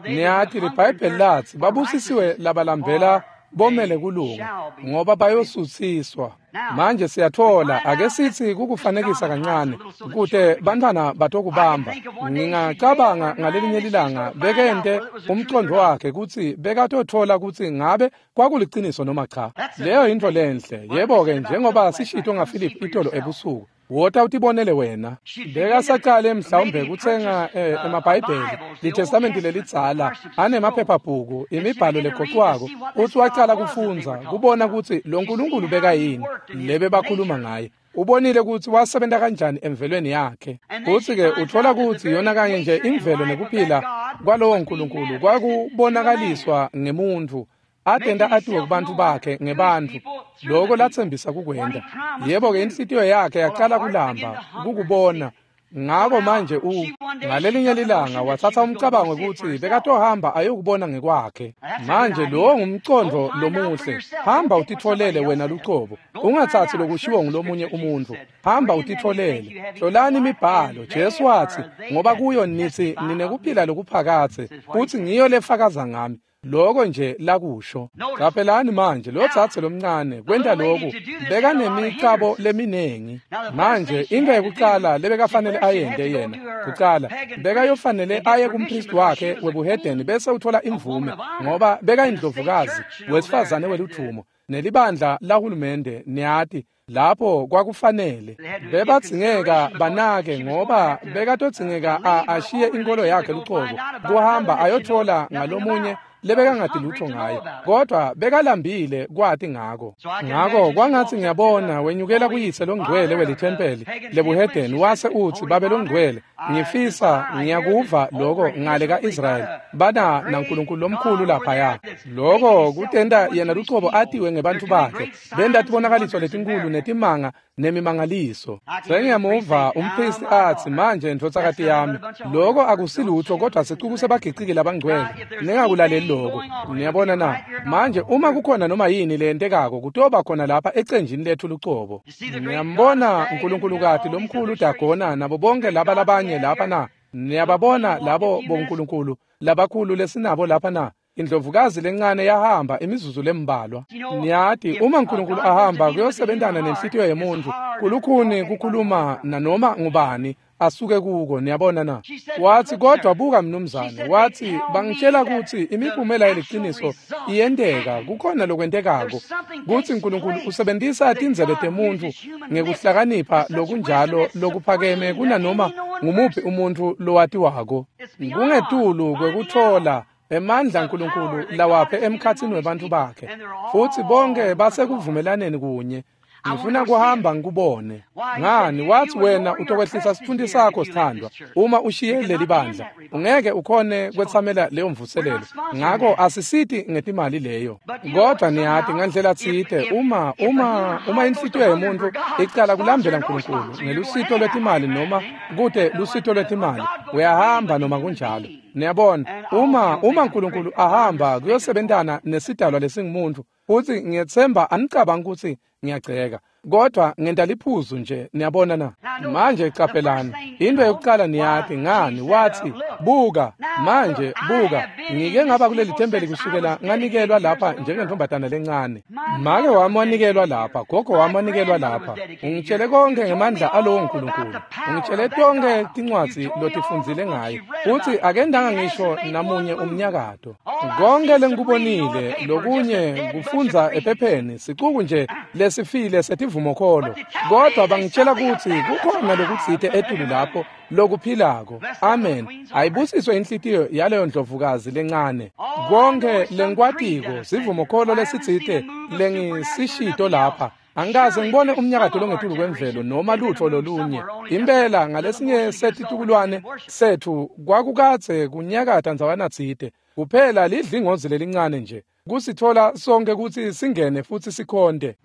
Niyati liBhayibheli latsi babusisiwe labalambela bomele kulunga ngoba bayosutsiswa. Manje siyatfola ake sitsi kukufanekisa kancane kute bantfwana batokubamba. Ngingacabanga ngalelinye lilanga bekente umcondo wakhe kutsi bekatotfola kutsi ngabe kwakuliciniso noma cha. Leyo yintfo lenhle. Yebo-ke njengoba sishito ngaPhilip itolo ebusuku. Wota utibonele wena. Bekasacale mhlawumbe kutsenga eh, emaBhayibheli, liTestamenti lelidzala, anemaphephabhuku, imibhalo legoqwako. Utsi wacala kufundza, kubona kutsi lo Nkulunkulu bekayini, lebe bakhuluma ngaye. Ubonile kutsi wasebenta kanjani emvelweni yakhe. Futsi-ke utfola kutsi yona kanye nje imvelo nekuphila kwalowo Nkulunkulu kwakubonakaliswa ngemuntfu. Atenta atiwe kubantfu bakhe ngebantfu loko latsembisa kukwenta. Yebo-ke inhlitiyo yakhe yacala kulamba kukubona. Ngako manje u ngalelinye lilanga watsatsa umcabango kutsi bekatohamba ayokubona ngekwakhe. Manje lowo ngumcondvo lomuhle. Hamba utitfolele wena lucobo. Ungatsatsi lokushiwo ngulomunye umuntfu. Hamba utitfolele. Hlolani imibhalo. Jesu watsi ngoba kuyo nitsi ninekuphila lokuphakadze futsi ngiyo lefakaza ngami. Loko nje lakusho. Qaphelani manje lo dzadze lomncane kwenta loku bekanemicabo leminengi. Manje into yekucala lebekafanele ayente yena kucala bekayofanele aye kumpristi wakhe webuhedeni bese uthola imvume ngoba bekayindlovukazi wesifazane weludvumo nelibandla lahulumende niyati lapho kwakufanele bebadzingeka banake ngoba bekatodzingeka ashiye inkolo yakhe lucobo kuhamba ayothola ngalomunye lebekangati lutho ngaye kodwa bekalambile kwati ngako. Ngako kwangatsi ngiyabona wenyukela kuyise longcwele welithempeli lebuhedeni wase utsi babe longcwele ngifisa ngiyakuva loko ngale ka-Israyeli bana naNkulunkulu lomkhulu laphaya. Loko kutenta yena lucobo atiwe ngebantfu bakhe benta tibonakaliso letinkulu netimanga nemimangaliso. Sengiyamuva umpristi atsi manje ndvodzakati yami loko akusilutho kodwa sicuku sebagiciki labangcwele ningakulaleli loko. Niyabona na? Manje uma kukhona noma yini leyentekako kutoba khona lapha ecenjini lethu lucobo. Niyambona Nkulunkulukati lomkhulu Dagona nabo bonke laba labanye lapha na? Niyababona labo bonkulunkulu labakhulu lesinabo lapha na? Indlovukazi lencane yahamba imizuzu lembalwa. Niyati uma Nkulunkulu ahamba kuyosebentana nenhlitiyo yemuntfu kulukhuni kukhuluma nanoma ngubani asuke kuko. Niyabona na? Watsi kodwa buka mnumzane, watsi bangitshela kutsi imiphumela yeliciniso iyenteka, kukhona lokwentekako kutsi Nkulunkulu usebentisa tindzebe temuntfu ngekuhlakanipha lokunjalo lokuphakeme kunanoma ngumuphi umuntfu lowatiwako. Kungetulu kwekutfola emandla Nkulunkulu lawaphe emkhatsini webantfu bakhe futsi bonke basekuvumelaneni kunye. Ngifuna kuhamba ngikubone. Ngani wathi wena utokwehlisa sitfunti sakho sithandwa uma ushiye leli bandla. Ungeke ukhone kwetsamela leyo mvuselelo. Ngako asisiti ngetimali leyo. Kodwa niyati ngandlela tsite uma uma uma inhlitiyo yemuntu icala kulambela uNkulunkulu ngelusito lwetimali noma kute lusito lwetimali uyahamba noma kunjalo. Niyabona uma uma uNkulunkulu ahamba kuyosebentana nesidalwa lesingumuntu futhi ngiyethemba anicabanga ukuthi ngiyagceka kodwa ngenta liphuzu nje niyabona na. Manje caphelani into yokuqala niyati ngani wathi buka manje buka ngike ngaba kuleli thempeli kusukela nganikelwa lapha njengentombatana lencane. Make wami wanikelwa lapha, gogo wami wanikelwa lapha. Ungitshele konke ngemandla alowo uNkulunkulu. Ungitshele tonke tincwadzi lotifundzile ngaye. Uthi akendanga ngisho namunye umnyakato. Konke lengikubonile lokunye kufundza ephepheni sicuku nje lesifile setivumokholo. Kodwa bangitshela ukuthi kukhona lokutsite etulu lapho lokuphilako. Amen. Ayibusiswe inhlitiyo yaleyo ndlovukazi lencane. Konke lengikwatiko sivumokholo lesitsite lengisishito lapha. Angikaze ngibone umnyakato longetulu kwemvelo noma lutho lolunye. Impela ngalesinye setitukulwane sethu kwakukadze kunyakata ndzawana tsite. Kuphela lidlingozi lelincane nje kusithola sonke ukuthi singene futhi sikhonde.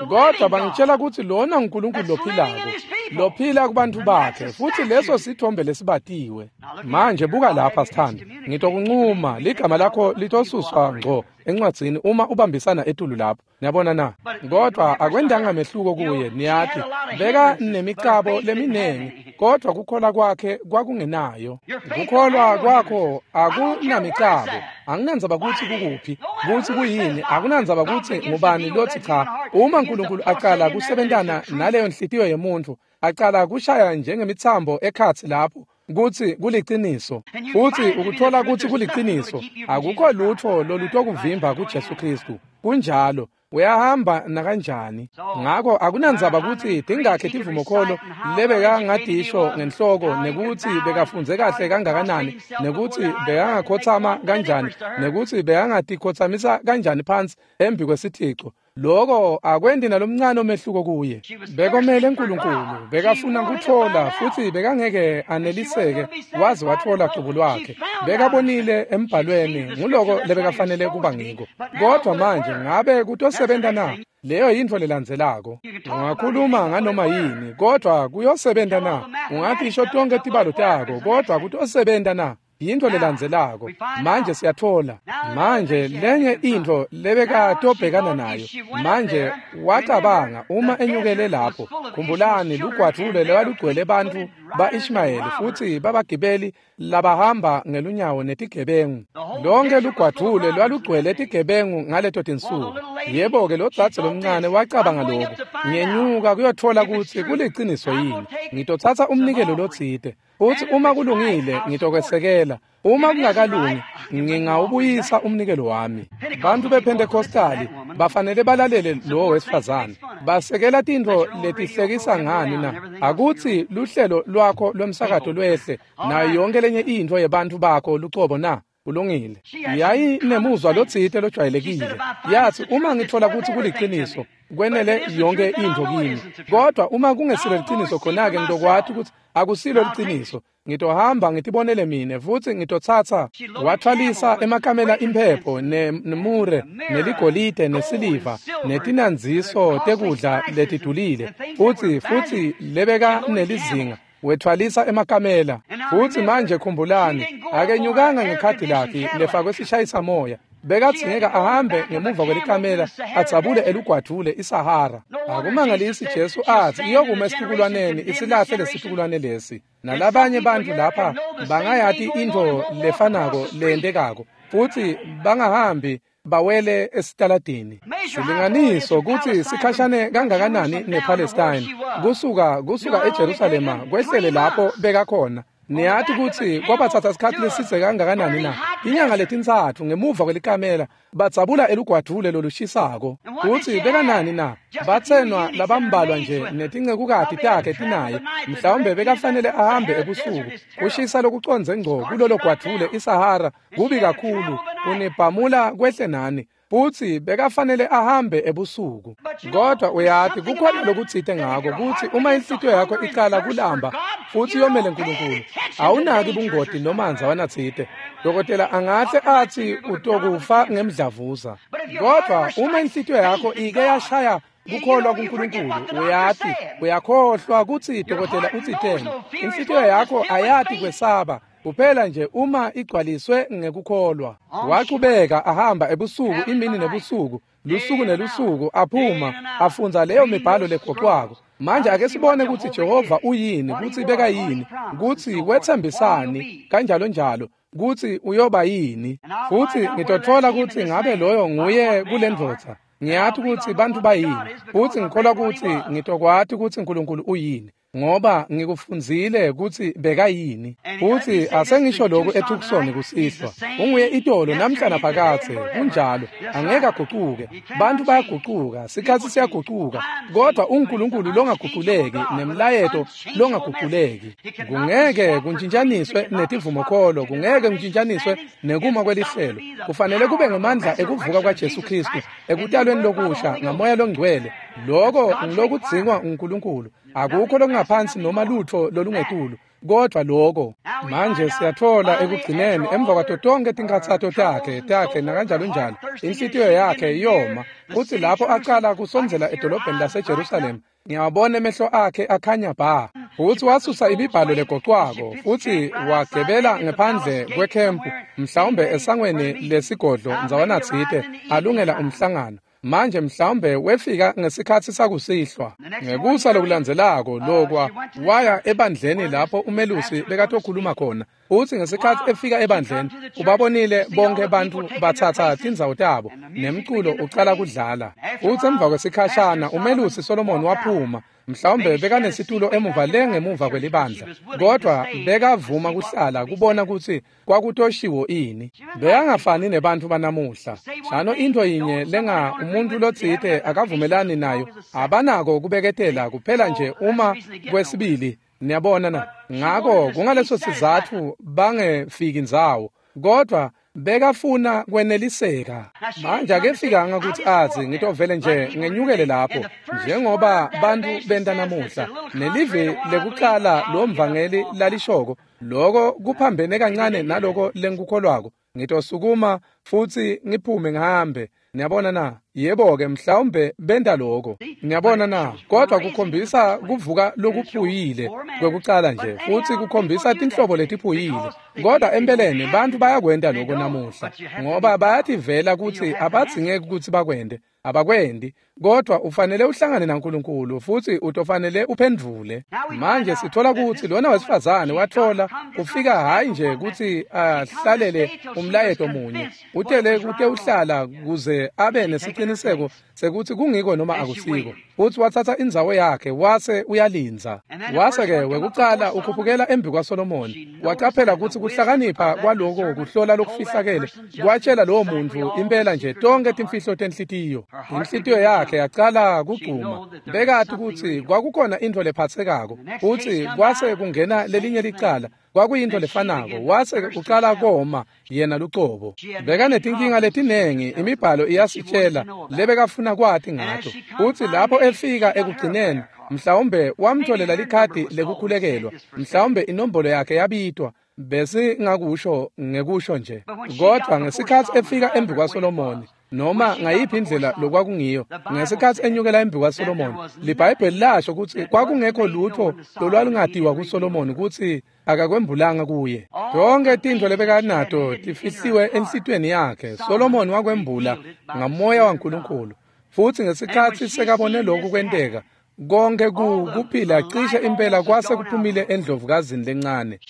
Kodwa bangitshela ukuthi lona uNkulunkulu lophilako lophila kubantu bakhe futhi leso sithombe lesibatiwe. Manje buka lapha sithando, ngitokuncuma ligama lakho litosuswa ngco encwadzini uma ubambisana etulu lapho. Niyabona na? Kodwa akwendanga mehluko kuye. Niyathi beka nemicabo leminengi kodwa kukholwa kwakhe kwakungenayo. Kukholwa kwakho akunamicabo. Anginandzaba ukuthi kukuphi, ukuthi kuyini, akunandzaba ukuthi ngubani lothi cha. Uma uNkulunkulu aqala kusebentana naleyo nhliziyo yemuntu, aqala kushaya njengemithambo ekhatsi lapho kuthi kuliciniso futhi ukuthola ukuthi kuliciniso akukho lutho lolutokuvimba kuJesu Kristu. Kunjalo uyahamba nakanjani. Ngako akunandzaba ukuthi tingakhe tivumokholo lebekangadisho ngenhloko nekuthi bekafundze kahle kangakanani nekuthi bekangakhothama kanjani nekuthi bekangatikhothamisa kanjani phansi embi kwesithixo. Lokho akwendi nalomncane omehluko kuye. Bekomele uNkulunkulu, bekafuna ukuthola futhi bekangeke aneliseke waze wathola cubo lwakhe. Bekabonile embhalweni nguloko lebekafanele kuba ngiko. Kodwa manje ngabe kutosebenta na? Leyo yintfo lelandzelako. Ungakhuluma nganoma yini kodwa kuyosebenta na? Ungatisho tonke tibalo takho kodwa kutosebenta na? Yintfo lelandzelako. Manje siyathola manje lenye intfo lebekatobhekana nayo. Manje wacabanga uma enyukele lapho, khumbulani lugwadvule lwalugcwele bantfu ba-Ishmayeli futhi babagibeli labahamba ngelunyawo netigebengu. Lonke lugwadvule lwalugcwele tigebengu ngaleto tinsuku. Yebo-ke lo dzadze lomncane wacabanga lokhu, ngenyuka kuyothola ukuthi kuliciniso yini. Ngitotsatsa umnikelo lotsite futhi uma kulungile ngitokwesekela, uma kungakalungi ngingawubuyisa umnikelo wami. Bantu bePentecostali bafanele balalele lowo wesifazane. Basekela tintfo letihlekisa ngani na? Akuthi luhlelo lwakho lwemsakato lwehle nayo yonke lenye intfo yebantfu bakho lucobo na? Kulungile. Yayinemuzwa lotsite lojwayelekile. Yathi uma ngithola ukuthi kuliciniso kwenele yonke intfo kimi. Kodwa uma kungesilo liciniso khona-ke ngitokwati ukuthi akusilo liciniso. Ngitohamba ngitibonele mine futhi ngitotsatsa. Wathwalisa emakamela imphepho nemure neligolide nesiliva netinandziso tekudla letidulile futhi futhi lebeka nelizinga. Wethwalisa emakamela. Futhi manje khumbulani akenyukanga ngekhadi lakhe lefakwe sishayisa moya. Bekathingeka ahambe ngemuva kwelikamela adzabule elugwadvule iSahara. Akumangalisi Jesu athi iyokuma esitukulwaneni isilahle lesitukulwane lesi. Nalabanye bantu lapha bangayati intfo lefanako leyentekako futhi bangahambi bawele esitaladini. Silinganiso kutsi sikhashane kangakanani nePalestine kusuka kusuka eJerusalema kwehlele lapho bekakhona. Niyathi kutsi kwabatsatsa sikhatsi lesidze kangakanani na? Inyanga letintsatfu ngemuva kwelikamela badzabula elugwadvule lolushisako. Kutsi bekanani na? Batsenwa labambalwa nje netincekukati takhe tinaye. Mhlawumbe bekafanele ahambe ebusuku. Kushisa lokucondze ngco kulolo gwadvule iSahara kubi kakhulu kunibhamula kwehle nani. Futsi bekafanele ahambe ebusuku. Kodwa uyati kukhona lokutsite ngako kutsi uma inhlitiyo yakho icala kulamba futsi yomele uNkulunkulu, awunaki bungoti noma ndzawana tsite. Dokotela angahle atsi utokufa ngemdlavuza. Kodwa uma inhlitiyo yakho ike yashaya kukholwa kuNkulunkulu, uyati uyakhohlwa kutsi dokotela utsiteni. Inhlitiyo yakho ayati kwesaba kuphela nje uma igcwaliswe ngekukholwa. Wachubeka ahamba ebusuku, imini nebusuku, lusuku nelusuku, aphuma afundza leyo mibhalo legoqwako. Manje ake sibone kutsi Jehova uyini, kutsi beka yini, kutsi wetsembisani, kanjalo njalo, kutsi uyoba yini. Futsi ngitotfola kutsi ngabe loyo nguye kulendvodza. Ngiyati kutsi bantfu bayini, futsi ngikholwa kutsi ngitokwati kutsi uNkulunkulu uyini, ngoba ngikufundzile kutsi bekayini. Futsi asengisho lokhu eTucson kusihlwa, unguye itolo namhla naphakadze. Kunjalo, angeke agucuke. Bantfu bayagucuka, sikhatsi siyagucuka, kodwa uNkulunkulu longaguculeki nemlayeto longaguculeki. Kungeke kuntshintshaniswe netivumokholo, kungeke kuntshintshaniswe nekuma kwelihlelo. Kufanele kube ngemandla ekuvuka kwaJesu Kristu ekutalweni lokusha ngaMoya loNgcwele. Loko ngilokudzingwa uNkulunkulu. Akukho lokungaphansi noma lutfo lolungetulu kodwa loko. Manje siyatfola ekugcineni, emva kwato tonkhe tinkhatsato takhe takhe nakanjalo njalo, inhlitiyo yakhe yoma. Futsi lapho acala kusondzela edolobheni laseJerusalema, ngiyawabona emehlo akhe akhanya bha. Futsi wasusa imibhalo legocwako futsi wagebela ngephandle kwekhempu, mhlawumbe esangweni lesigodlo ndzawana tsite, alungela umhlangano. Manje mhlawumbe wefika ngesikhatsi sakusihlwa. Ngekusa lokulandzelako lokwa waya ebandleni lapho umelusi bekatokhuluma khona. Futsi ngesikhatsi efika ebandleni, ubabonile bonke bantfu batsatsa tindzawo tabo nemculo ucala kudlala. Futsi emva kwesikhashana umelusi Solomon waphuma. Mhlawumbe bekanesitulo emuva le ngemuva kwelibandla, kodwa bekavuma kuhlala kubona kutsi kwakutoshiwo ini. Bekangafani nebantfu banamuhla. Shano intfo yinye lenga umuntu lotsite akavumelani nayo, abanako kubeketela kuphela nje uma kwesibili. Niyabona na? Ngako kungaleso sizatfu bangefiki ndzawo, kodwa bekafuna kweneliseka. Manje akefikanga kutsi atsi ngitovele nje ngenyukele lapho njengoba bantfu benta namuhla. Nelivi lekucala lo mvangeli lalishoko, loko kuphambene kancane naloko lengikukholwako, ngitosukuma futsi ngiphume ngihambe. Niyabona na? Yebo-ke, mhlawumbe benta loko. Niyabona na? Kodwa kukhombisa kuvuka lokuphuyile kwekucala nje, futsi kukhombisa tinhlobo letiphuyile. Kodwa empeleni bantfu bayakwenta loko namuhla, ngoba bayativela kutsi abadzingeki kutsi bakwente. Abakwendi, kodwa ufanele uhlangane naNkulunkulu futsi utofanele uphendvule. Manje sithola kutsi lona wesifazane watfola ufika hhayi nje kutsi ahlalele umlayeto munye, utele kute uhlala kuze abe nesiciniseko sekuthi kungiko noma akusiko. Futsi wathatha indzawo yakhe wase uyalindza. Wase-ke wekucala ukhuphukela embi kwaSolomoni, wacaphela kutsi kuhlakanipha kwaloko kuhlola lokufihlakele kwatshela lowo muntfu impela nje tonkhe timfihlo tenhlitiyo. Inhlitiyo yakhe yacala kugcuma. Bekati kutsi kwakukhona intfo lephatsekako. Futsi kwase kungena lelinye licala, kwakuyintfo lefanako. Wase ucala koma yena lucobo. Bekanetinkinga letinengi, imibhalo iyasitshela lebekafuna kwati ngato. Futsi lapho efika ekugcineni, mhlawumbe wamtholela likhadi lekukhulekelwa, mhlawumbe inombolo yakhe yabitwa, besingakusho ngekusho nje. Kodwa ngesikhatsi efika embi kwaSolomoni, noma ngayiphi indlela lokwakungiyo, ngesikhatsi enyukela embi kwaSolomoni, liBhayibheli lasho kutsi kwakungekho lutfo lolwalungatiwa kuSolomoni kutsi akakwembulanga kuye. Tonkhe tintfo lebekanato tifihliwe enhlitiyweni yakhe, Solomoni wakwembula ngaMoya waNkulunkulu. Futsi ngesikhatsi sekabone lokhu kwenteka, konke kuphila cishe impela kwase kuphumile endlovukazini lencane.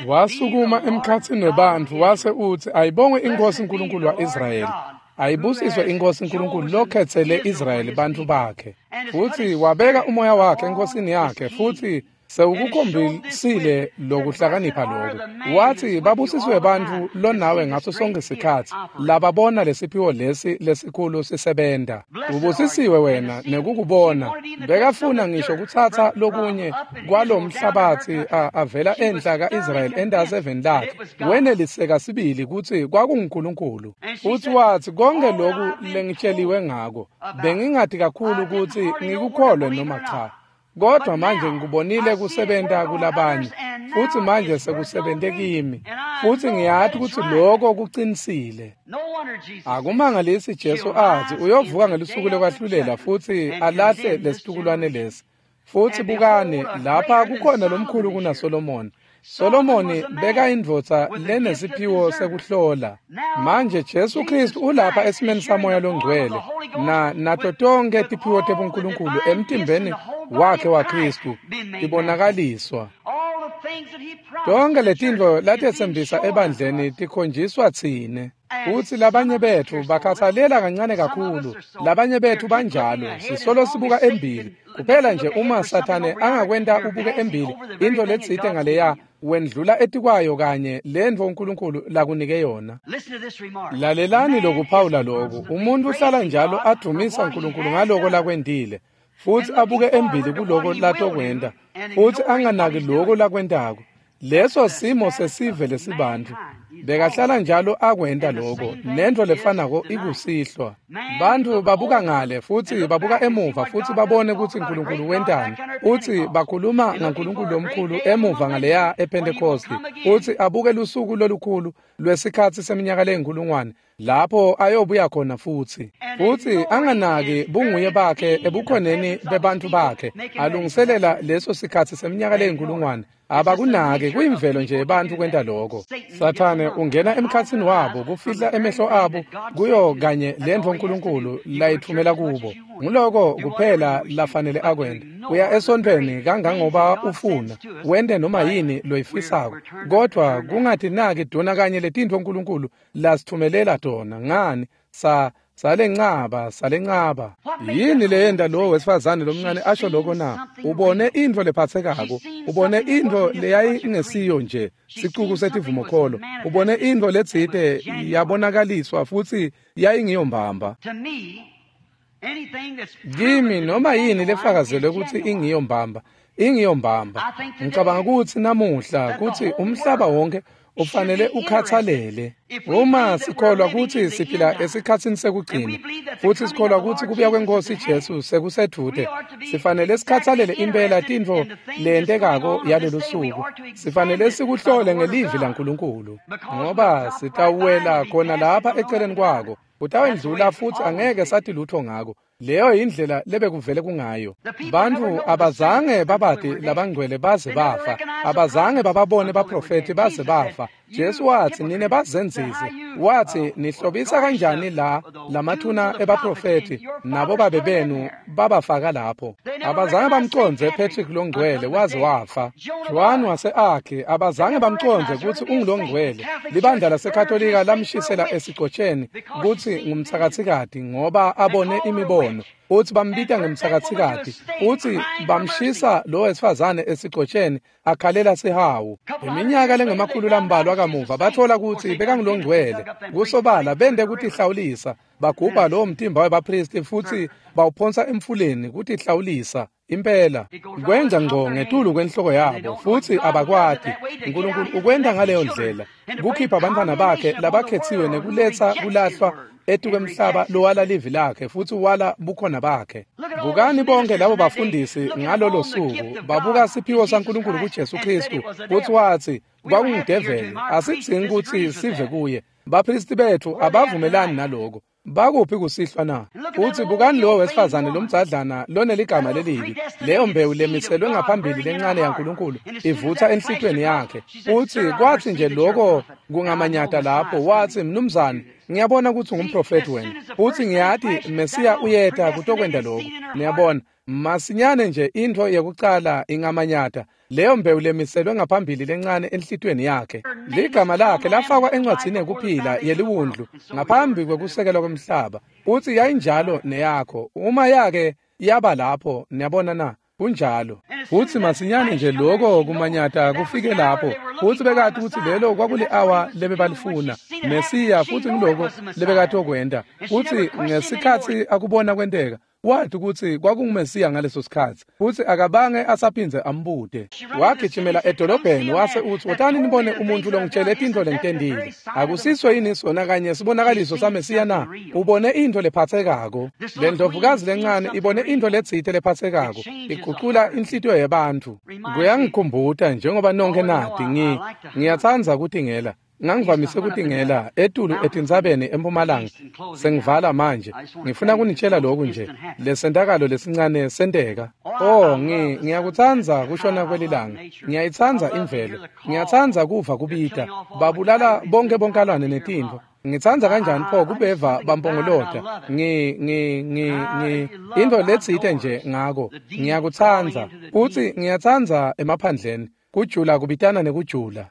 Wasukuma emkhatsini webantfu wase utsi, ayibongwe iNkhosi uNkulunkulu wa-Israyeli, ayibusiswe iNkhosi uNkulunkulu lokhetsele Israyeli bantfu bakhe. Futsi wabeka umoya wakhe enkosini yakhe, futsi Sewukukhombisile lokuhlakanipha lokho. Wathi babusisiwe bantfu lonawe ngaso sonke sikhatsi lababona lesiphiwo lesi lesikhulu sisebenta. Ubusisiwe wena nekukubona. Bekafuna ngisho kutsatsa lokunye kwalomhlabatsi avela enhla ka-Israyeli entasi eveni lakhe. Weneliseka sibili kutsi kwakunguNkulunkulu. Futsi watsi konke loku lengitsheliwe ngako bengingati kakhulu kutsi ngikukholwe noma cha. Kodwa manje ngikubonile kusebenta kulabanye, futsi manje sekusebente kimi, futsi ngiyati kutsi lokho kucinisile. Akumangalisi Jesu athi uyovuka ngelusuku lokwahlulela futsi alahle lesitukulwane lesi. Futsi bukani, lapha kukhona lomkhulu kunaSolomoni. Solomoni beka indvodza lenesiphiwo sekuhlola. Manje Jesu Kristu ulapha esimeni saMoya loNgcwele na nato tonke tiphiwo tebuNkulunkulu emtimbeni wakhe waKristu tibonakaliswa. Tonke letintfo latetsembisa ebandleni tikhonjiswa tsine. Futsi labanye betfu bakhatsalela kancane kakhulu, labanye betfu banjalo, sisolo sibuka embili. Kuphela nje uma Sathane angakwenta ubuke embili, intfo letsite ngaleya wendlula etikwayo kanye lentfo uNkulunkulu lakunike yona. Lalelani lokuphawula loku. Umuntu uhlala njalo advumisa uNkulunkulu ngaloko lakwentile, futsi abuke embili kuloko latokwenta, futsi anganaki loko lakwentako. Leso simo sesive lesibantfu. Bekahlala njalo akwenta loko, nentfo lefanako ikusihlwa. Bantfu babuka ngale futsi babuka emuva futsi babone kutsi uNkulunkulu wentani, futsi bakhuluma ngaNkulunkulu lomkhulu emuva ngaleya ePentecost, futsi abuke lusuku lolukhulu lwesikhatsi seminyaka leyinkulungwane lapho ayobuya khona futsi. Futsi anganaki bunguye bakhe ebukhoneni bebantfu bakhe, alungiselela leso sikhatsi seminyaka leyinkulungwane. Abakunaki, kuyimvelo nje ebantfu kwenta lokho. Sathane ungena emkhatsini wabo kufihla emehlo abo kuyo kanye lentfo uNkulunkulu layitfumela kubo. Nguloko kuphela lafanele akwente. Uya esontfweni kangangoba ufuna, wente noma yini loyifisako, kodvwa kungatinaki dona kanye letintfo uNkulunkulu lasitfumelela tona. Ngani? Sa salencaba salencaba. Yini leyenta lo wesifazane lomncane asho lokho na? Ubone intfo lephatsekako, ubone intfo leyayingesiyo nje sicuku setivumokholo, ubone intfo letsite yabonakaliswa futsi yayingiyo mbamba. Kimi noma yini lefakazelwe kutsi ingiyo mbamba, ingiyo mbamba. Ngicabanga kutsi namuhla kutsi umhlaba wonke ufanele ukhathalele. Uma sikholwa kutsi siphila esikhatsini sekugcina, futsi sikholwa kutsi kubuya kweNkhosi Jesu sekusedvute, sifanele sikhathalele impela tintfo leyentekako yalolu suku. Sifanele sikuhlole ngelivi laNkulunkulu, ngoba sitawuwela khona lapha eceleni kwako. Kutawendlula futsi angeke sathi lutho ngako. Leyo yindlela lebekuvele kungayo. Bantfu abazange babati labangcwele baze bafa, abazange bababone baprofethi baze bafa. Jesu watsi nine bazenzisi, watsi nihlobisa kanjani la lamathuna ebaprofethi nabo babe benu babafaka lapho. Abazange bamcondze Patrick longcwele waze wafa. Joan wase-Akhe abazange bamcondze kutsi ungulongcwele. Libandla laseKatolika lamshisela esigcotsheni kutsi ngumtsakatsikati ngoba abone imibono. Futsi bambita ngemtsakatsikati, futsi bamshisa lo wesifazane esigcotsheni akhalela sihawu. Iminyaka lengemakhulu lambalwa kamuva bathola kutsi bekangulongcwele. Kusobala bente kutihlawulisa, bagubha lowo mtimba webaphristi futsi bawuphonsa emfuleni kutihlawulisa. Impela kwenza ngco ngetulu kwenhloko yabo, futsi abakwati. uNkulunkulu ukwenta ngaleyo ndlela, kukhipha bantfwana bakhe labakhetsiwe nekuletsa kulahlwa etukwemhlaba lowala livi lakhe futsi wala bukhona bakhe. Bukani bonke labo bafundisi ngalolo suku babuka siphiwo saNkulunkulu kuJesu Kristu, futsi watsi kwakungudeveli, asidzingi kutsi sive kuye. Baphristi betfu abavumelani naloko. Bakuphi kusihlwa na? Futsi bukani lowo wesifazane lomdzadlana loneligama lelibi, leyo mbewu lemiselwe ngaphambili lencane yaNkulunkulu ivutsa enhlitiyweni yakhe. Futsi kwatsi nje loko kungamanyata lapho, watsi, mnumzane, ngiyabona kutsi ungumprofethi wena, futsi ngiyati Mesiya uyeta kutokwenta lokho. Niyabona, masinyane nje intfo yekucala ingamanyata, leyo mbewu lemiselwe ngaphambili lencane enhlitiyweni yakhe. Ligama lakhe lafakwa encwadzini yekuphila yeliwundlu ngaphambi kwekusekelwa kwemhlaba. Futsi yayinjalo neyakho uma yake yaba lapho. Niyabona na? Kunjalo. Futsi masinyane nje lokho kumanyata kufike lapho, futsi bekati kutsi lelo kwakuli-awa lebebalifuna Mesiya, futsi ngiloko lebekatokwenta. Futsi ngesikhatsi akubona kwenteka, wathi kutsi kwakunguMesiya ngaleso sikhatsi, futsi akabange asaphindze ambute. Wagijimela edolobheni wase utsi, "Wotani nibone umuntfu longitshele tintfo lengitentile. Akusiso yini sona kanye sibonakaliso saMesiya na?" Ubone intfo lephatsekako. Le ndlovukazi lencane ibone intfo letsite lephatsekako, igucula inhlitiyo yebantfu. Kuyangikhumbuta njengoba nonke nati, ngi ngiyatsandza kutingela. Ngangivamise kutingela etulu etintsabeni eMpumalanga. Sengivala manje. Ngifuna kunitshela lokhu nje. Lesentakalo lesincane senteka. Oh, ngi ngiyakutsandza kushona kwelilanga. Ngiyayitsandza imvelo. Ngiyatsandza kuva kubita. Babulala bonke bonkalwane netintfo. Ngitsandza kanjani pho kubeva bampongolota. Ngi ngi ngi ngi intfo letsite nje ngako. Ngiyakutsandza. Futsi ngiyatsandza emaphandleni. Kujula kubitana nekujula.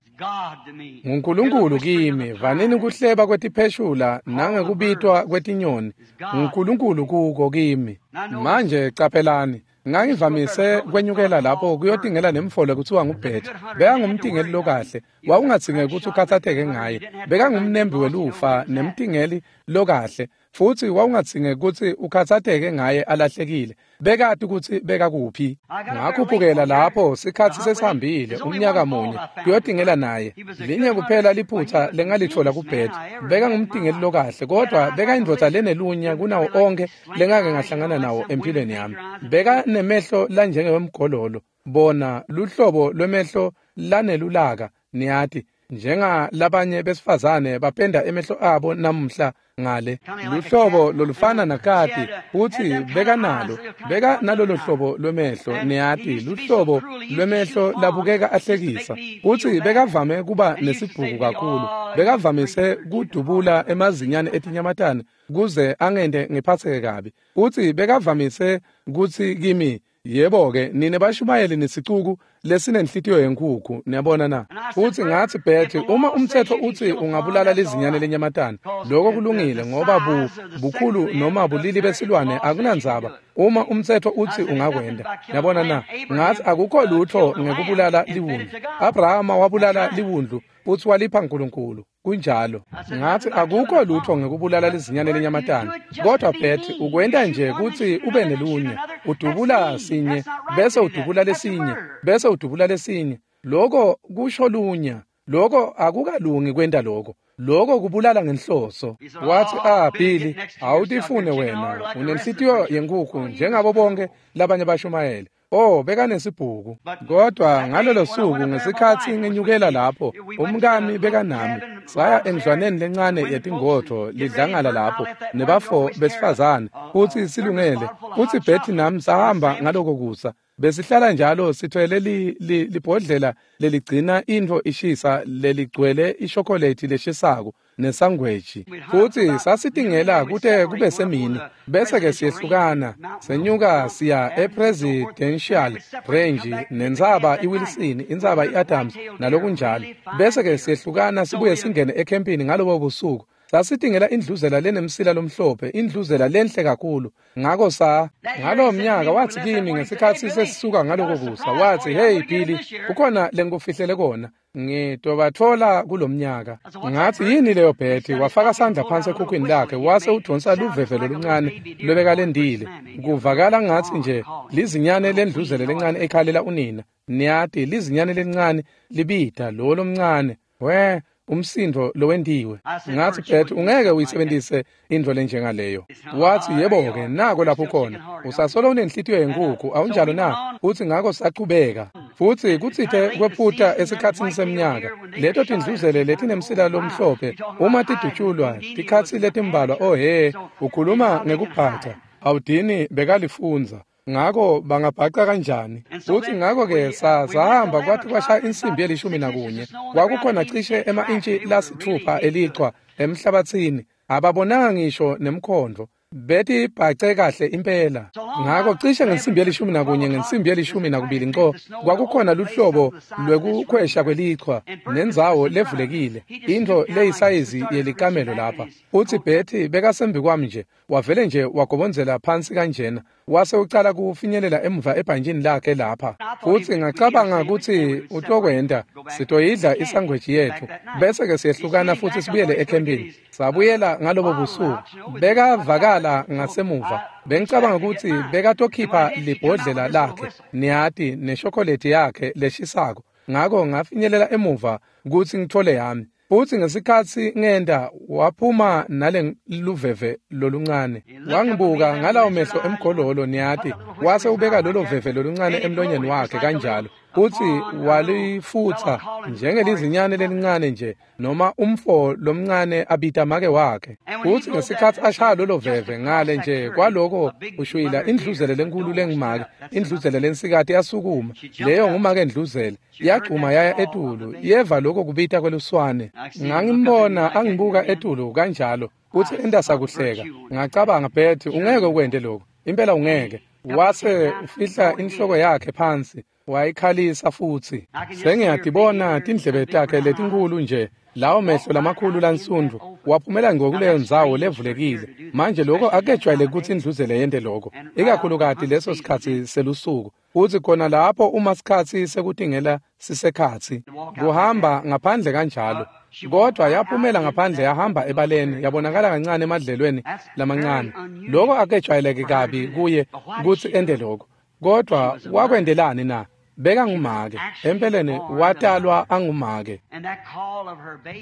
NguNkulunkulu kimi, vanini kuhleba kwetipheshula nangekubitwa kwetinyoni. NguNkulunkulu kuko kimi. Manje caphelani, ngangivamise kwenyukela lapho kuyotingela nemfolo kuthiwa nguBetty. Bekangumtingeli lokahle, wawungadzingeki kutsi ukhatsatheke ngaye. Bekangumnembi welufa nemtingeli lokahle, futsi wawungadzingeki kutsi ukhatsatheke ngaye alahlekile. Bekati kutsi bekakuphi. Ngakhuphukela lapho sikhatsi sesihambile umnyaka munye kuyotingela naye. Linye kuphela liphutsa lengalitfola kuBetty. Bekangumtingeli lokahle, kodwa bekayindvodza lenelunya kunawo onkhe lengake ngahlangana nawo empilweni yami. Bekanemehlo lanjengewemgololo, bona luhlobo lwemehlo lanelulaka, niyati, njengalabanye besifazane bapenda emehlo abo namuhla ngale. Luhlobo lolufana nakati, futsi bekanalo, beka nalolo hlobo lwemehlo, niyati, luhlobo lwemehlo labukeka ahlekisa. Futsi bekavame kuba nesibhuku kakhulu. Bekavamise kudubula emazinyane etinyamatane kuze angente ngiphatseke kabi. Futsi bekavamise kutsi kimi, "Yebo-ke, nine bashumayeli nesicuku lesinenhlitiyo yenkhukhu, niyabona na?" Futsi ngatsi, "Betty, uma umtsetfo utsi ungabulala lizinyane lenyamatane, lokho kulungile ngoba bu bukhulu noma bulili besilwane akunandzaba uma umtsetfo utsi ungakwenta. Niyabona na?" Ngatsi, "Akukho lutfo ngekubulala liwundlu. Abrahama wabulala liwundlu futsi walipha Nkulunkulu. Kunjalo." Ngatsi, "Akukho lutfo ngekubulala lizinyane lenyamatane, kodwa Betty, ukwenta nje kutsi ube nelunya. Udubula sinye bese udubula lesinye bese udubula lesinye. Lokho kusho lunya. Lokho akukalungi kwenta lokho. Lokho kubulala ngenhloso." Wathi, "Ah, Billy, awutifune wena. Unenhlitiyo yenkhukhu njengabo bonke labanye bashumayeli." Oh, bekanesibhuku. Kodwa ngalolo suku ngesikhatsi ngenyukela lapho, umkami bekanami, saya endlwaneni lencane yetingodvo lidlangala lapho nebafo besifazane, futsi silungele. Futsi Betty nami sahamba ngaloko kusa. Besihlala njalo sithwele li, li, libhodlela leligcina intfo ishisa leligcwele ishokolethi leshisako nesangweji. Futsi sasitingela kute kube semini, bese-ke siyehlukana, senyuka siya e-Presidential Range nentsaba iWilson, intsaba i-Adams nalokunjalo. Bese-ke siyehlukana sibuye singene ekhempini ngalobo busuku. Sasitingela indluzela lenemsila lomhlophe, indluzela lenhle kakhulu. Ngako sa ngalowo mnyaka wathi kimi ngesikhatsi sesisuka ngaloko kusa, wathi, "Hey Billy, kukhona lengikufihlele kona. Ngitobatfola kulomnyaka." Ngathi, "Yini leyo Betty?" Wafaka sandla phansi ekhukhwini lakhe wase udonsa luvevelo luncane lwebekalendile. Kuvakala ngathi nje lizinyane lendluzele lencane ekhalela unina. Niyati, lizinyane lencane libida lo lomncane. We umsindo lowentiwe. Ngathi, "Betty, ungeke uyisebenzise intfo lenjengaleyo." Wathi, "Yebo-ke, nako lapho khona. Usasolo unenhlitiyo yenkhukhu, awunjalo na?" Futsi ngako sachubeka. Futsi kutsite kwephuta esikhatsini semnyaka, leto tindluzele letinemsila lomhlophe uma tidutshulwa tikhatsi letimbalwa, oh he, ukhuluma ngekubhaca. Awudini bekalifundza. Ngako bangabhaca kanjani? Futsi ngako-ke sahamba kwathi kwashaya insimbi yelishumi nakunye. Kwakukhona cishe ema-intshi lasitfupha elichwa emhlabatsini. Ababonanga ngisho nemkhondvo. Beti bhace kahle impela. Ngako cishe ngensimbi yelishumi nakunye ngensimbi yelishumi nakubili nco kwakukhona luhlobo lwekukhwesha kwelichwa nendzawo levulekile, intfo leyisayizi yelikamelo lapha. Utsi Betty bekasembi kwami nje, wavele nje wagobondzela phansi kanjena, wase ucala kufinyelela emuva ebhantjini lakhe lapha. Futsi ngacabanga kutsi utokwenta, sitoyidla isangweji yetfu, bese-ke siyehlukana futsi sibuyele ekhempini. Sabuyela ngalobo busuku. Bekavakala ngasemuva. Bengicabanga kutsi bekatokhipha libhodlela lakhe, niyati, neshokoleti yakhe leshisako. Ngako ngafinyelela emuva kutsi ngitfole yami. Futsi ngesikhatsi ngenta waphuma nale luveve loluncane. Wangibuka ngalawo mehlo emgololo, niyati, wase ubeka lolo veve loluncane emlonyeni wakhe kanjalo. Futsi walifutsa njengelizinyane lelincane nje noma umfo lomncane abita make wakhe. Futsi ngesikhatsi ashaya lolo veve ngale nje kwaloko ushwila indluzele lenkulu lengumake, indluzele lensikati yasukuma. Leyo ngumake endluzele yagcuma yaya etulu, yeva lokho kubita kweluswane. Ngangimbona angibuka etulu kanjalo futsi enta sakuhleka. Ngacabanga, Betty, ungeke ukwente lokho, impela ungeke. Wase ufihla inhloko yakhe phansi, wayikhalisa futsi. Sengiyatibona tindlebe takhe letinkhulu nje, lawo mehlo lamakhulu lansundvu, waphumela ngokuleyo ndzawo levulekile. Manje lokho akejwayele kutsi indluzele yente lokho, ikakhulukati leso sikhatsi selusuku. Futsi khona lapho uma sikhatsi sekutingela sisekhatsi, kuhamba ngaphandle kanjalo. Kodwa yaphumela ngaphandle yahamba ebaleni, yabonakala kancane emadlelweni lamancane. Lokho akejwayeleke kabi kuye kutsi ente lokho. Kodwa wakwendelani na? Bekangumake. Empeleni watalwa angumake.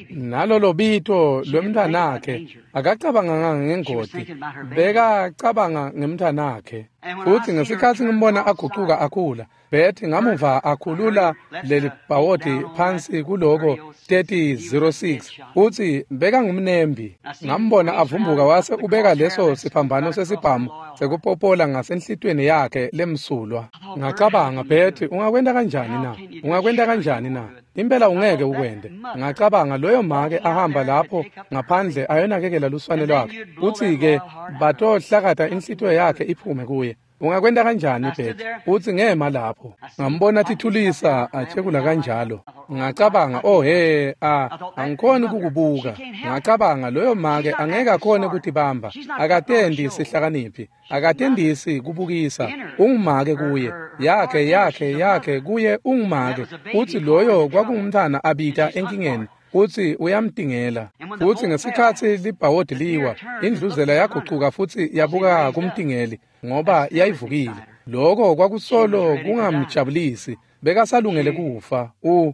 Nalolo bito lwemntwanakhe akacabanganga ngengoti, bekacabanga ngemntwanakhe. Futsi ngesikhatsi ngimbona agucuka akhula, Betty ngamuva akhulula leli bhawodi phansi kuloko thirty oh six, futsi bekangumnembi. Ngambona avumbuka wase ubeka leso siphambano sesibhamu sekupopola ngasenhlitweni yakhe lemsulwa. Ngacabanga, Betty, ungakwenta kanjani na? Ungakwenta kanjani na? Impela ungeke ukwente. Ngacabanga loyo make ahamba lapho ngaphandle ayonakekela luswane lwakhe, kutsi-ke batohlakata inhlitiyo yakhe iphume kuye. Ungakwenta kanjani Betty? Utsi ngema lapho. Ngambona tithulisa achekula kanjalo. Ngacabanga, oh he, a angikhoni kukubuka. Ngacabanga loyo make angeke akhone kutibamba. Akatendi sihlakaniphi, akatendisi kubukisa. Ungumake kuye, yakhe yakhe yakhe kuye ungumake. Utsi loyo kwakungumntfwana abita enkingeni. Utsi uyamtingela. Futsi ngesikhatsi libhawodi liwa, indluzela yagucuka futsi yabuka kumtingeli ngoba yayivukile. Lokho kwakusolo kungamjabulisi, bekasalungele kufa. U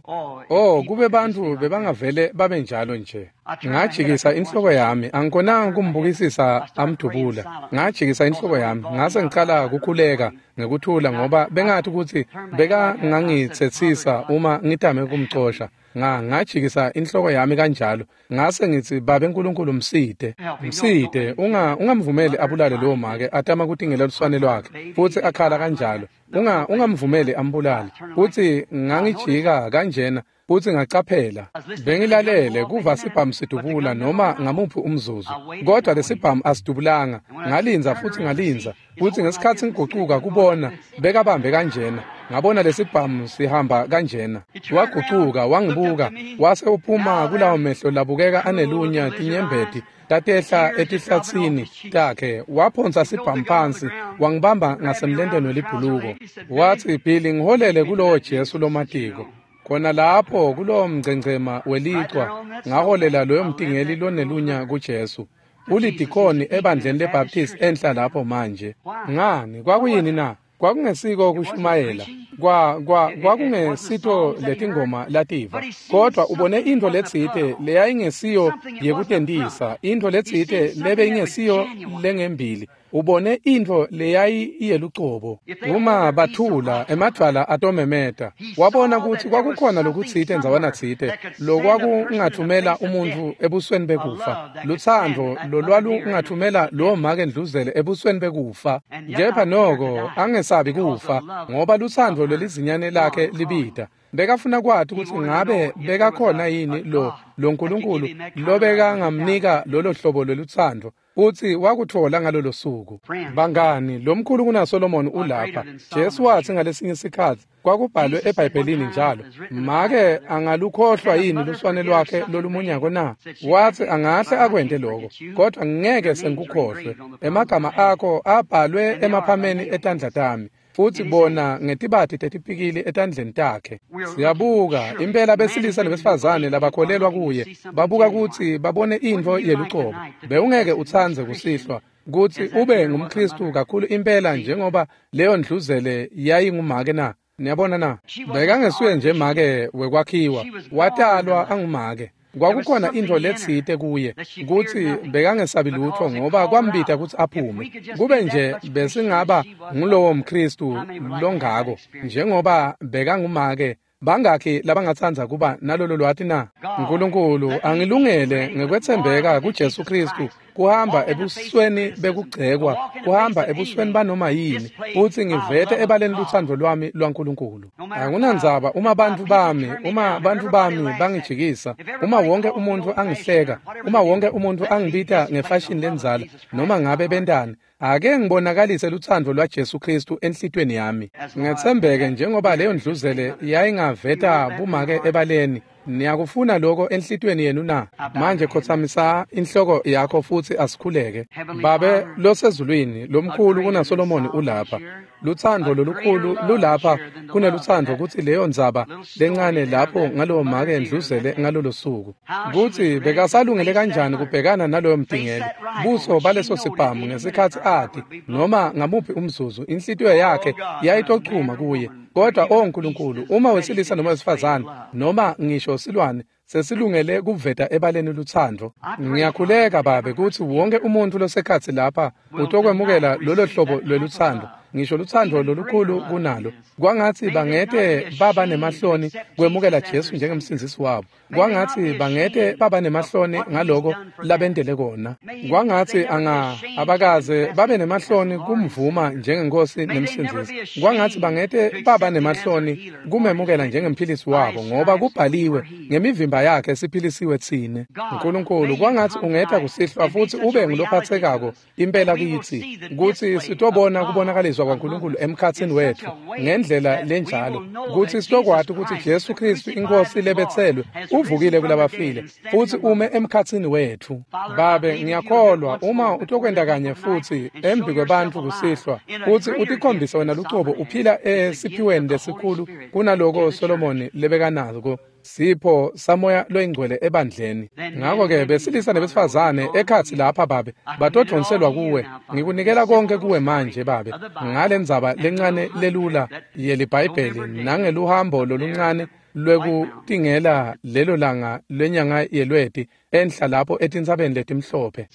oh kube bantfu bebangavele babe njalo nje. Ngajikisa inhloko yami, angikhonanga kumbukisisa amdubula. Ngajikisa inhloko yami, ngase ngicala kukhuleka ngekuthula ngoba bengathi kutsi bekangangitsetsisa uma ngitame kumcosha. Nga ngajikisa inhloko yami kanjalo, ngase ngitsi, Babe Nkulunkulu, msite, msite, unga ungamvumeli abulale lowo make atama kutingela luswane lwakhe futsi akhala kanjalo. Unga ungamvumeli ambulale. Futsi ngangijika kanjena futsi ngacaphela. Bengilalele kuva sibhamu sidubula noma ngamuphi umzuzu, kodwa lesibhamu asidubulanga. Ngalinza futsi ngalinza, futsi ngesikhatsi ngigucuka kubona bekabambe kanjena, ngabona lesibhamu sihamba kanjena. Wagucuka wangibuka, wase uphuma kulawo mehlo labukeka anelunya tinyembeti tatehla etihlatsini takhe. Waphonsa sibhamu phansi, wangibamba ngasemlenteni welibhuluko. Watsi, Billy, ngiholele kulowo Jesu lomatiko. Khona lapho kulowo mngcengcema welichwa ngaholela loyo mtingeli lonelunya kuJesu. Ulidikoni ebandleni leBaptist enhla lapho manje. Ngani kwakuyini na? Kwakungesiko kushumayela, kwa kwa kwakungesito letingoma lativa, kodwa ubone intfo letsite leyayingesiyo yekutentisa, intfo letsite lebe ingesiyo lengembili. Ubone intfo leyayiyelucobo. Uma bathula emadvwala atomemeta. Wabona kutsi kwakukhona lokutsite ndzawana tsite lokwakungathumela umuntfu ebusweni bekufa, lutsandvo lolwalungathumela lowo make ndluzele ebusweni bekufa. Kepha noko angesabi kufa ngoba lutsandvo lwelizinyane lakhe libita. Bekafuna kwati kutsi ngabe bekakhona yini lo lo Nkulunkulu lobekangamnika lolo hlobo lwelutsandvo. Futsi wakutfola ngalolo suku. Bangani, lomkhulu kunaSolomon ulapha. Jesu watsi ngalesinye sikhatsi kwakubhalwe eBhayibhelini njalo, make angalukhohlwa yini luswane lwakhe lolumunyako na? Watsi angahle akwente lokho, kodwa ngeke sengikukhohlwe. Emagama akho abhalwe emaphameni etandla tami, futsi bona ngetibati tetipikili etandleni takhe. Siyabuka impela besilisa nebesifazane labakholelwa kuye, babuka kutsi babone intfo yelucobo. Bewungeke utsandze kusihlwa kutsi ube ngumKhristu kakhulu impela njengoba leyo ndluzele yayingumake na? Niyabona na? Bekangesuye nje make wekwakhiwa, watalwa angumake. Kwakukhona intfo letsite kuye kutsi bekangesabi lutfo ngoba kwambita kutsi aphume. Kube nje besingaba ngulowo mKhristu longako njengoba bekangumake, bangakhi labangatsandza kuba nalolo lwati na? Nkulunkulu angilungele ngekwetsembeka kuJesu Khristu kuhamba ebusweni bekugcekwa, kuhamba ebusweni banoma yini, futsi ngivete ebaleni lutsandvo lwami lwaNkulunkulu. Akunandzaba uma bantfu bami, uma bantfu bami bangijikisa, uma wonke umuntfu angihleka, uma wonke umuntfu angibita ngefashini lendzala, noma ngabe bentani, ake ngibonakalise lutsandvo lwaJesu Khristu enhlitiyweni yami. Ngetsembeke njengoba leyo ndluzele yayingaveta bumake ebaleni. Niyakufuna lokho enhlitiyweni yenu na? Manje khotsamisa inhloko yakho futsi asikhuleke. Babe losezulwini, lomkhulu kunaSolomoni ulapha. Lutsandvo lolukhulu lulapha kunelutsandvo kutsi leyo ndzaba lencane lapho ngalowo make ndluzele ngalolo suku, kutsi bekasalungele kanjani kubhekana naloyo mtingeli, buso baleso sibhamu ngesikhatsi ati noma ngamuphi umzuzu inhlitiyo yakhe yayitochuma kuye. Kodwa o Nkulunkulu, uma wesilisa noma wesifazane noma ngisho silwane sesilungele kuveta ebaleni lutsandvo, ngiyakhuleka Babe kutsi wonke umuntfu losekhatsi lapha utokwemukela lolo hlobo lwelutsandvo, ngisho lutsandvo lolukhulu kunalo. Kwangatsi bangete baba nemahloni kwemukela Jesu njengemsindzisi wabo. Kwangatsi bangete baba nemahloni ngaloko labentele kona. Kwangatsi anga abakaze babe nemahloni kumvuma njengenkosi nemsindzisi. Kwangatsi bangete baba nemahloni kumemukela njengemphilisi wabo, ngoba kubhaliwe ngemivimba yakhe siphilisiwe tsine. Nkulunkulu, kwangatsi ungeta kusihlwa futsi ube ngulophatsekako impela kitsi, kutsi sitobona kubonakaliswa kwaNkulunkulu emkhatsini wetfu ngendlela lenjalo, kutsi sitokwati kutsi Jesu Khristu inkosi lebetselwe uvukile kulabafile futsi ume emkhatsini wetfu. Babe, ngiyakholwa uma utokwenta kanye futsi embi kwebantfu kusihlwa, futsi utikhombise wena lucobo uphila esiphiweni lesikhulu kunaloko Solomoni lebekanako, sipho samoya loyingcwele ebandleni. Ngako-ke besilisa nebesifazane ekhatsi lapha Babe batodonselwa kuwe. Ngikunikela konke kuwe manje Babe, ngale ndzaba lencane lelula yeliBhayibheli nangeluhambo loluncane lwekutingela lelo langa lwenyanga yelweti enhla lapho etintsabeni letimhlophe.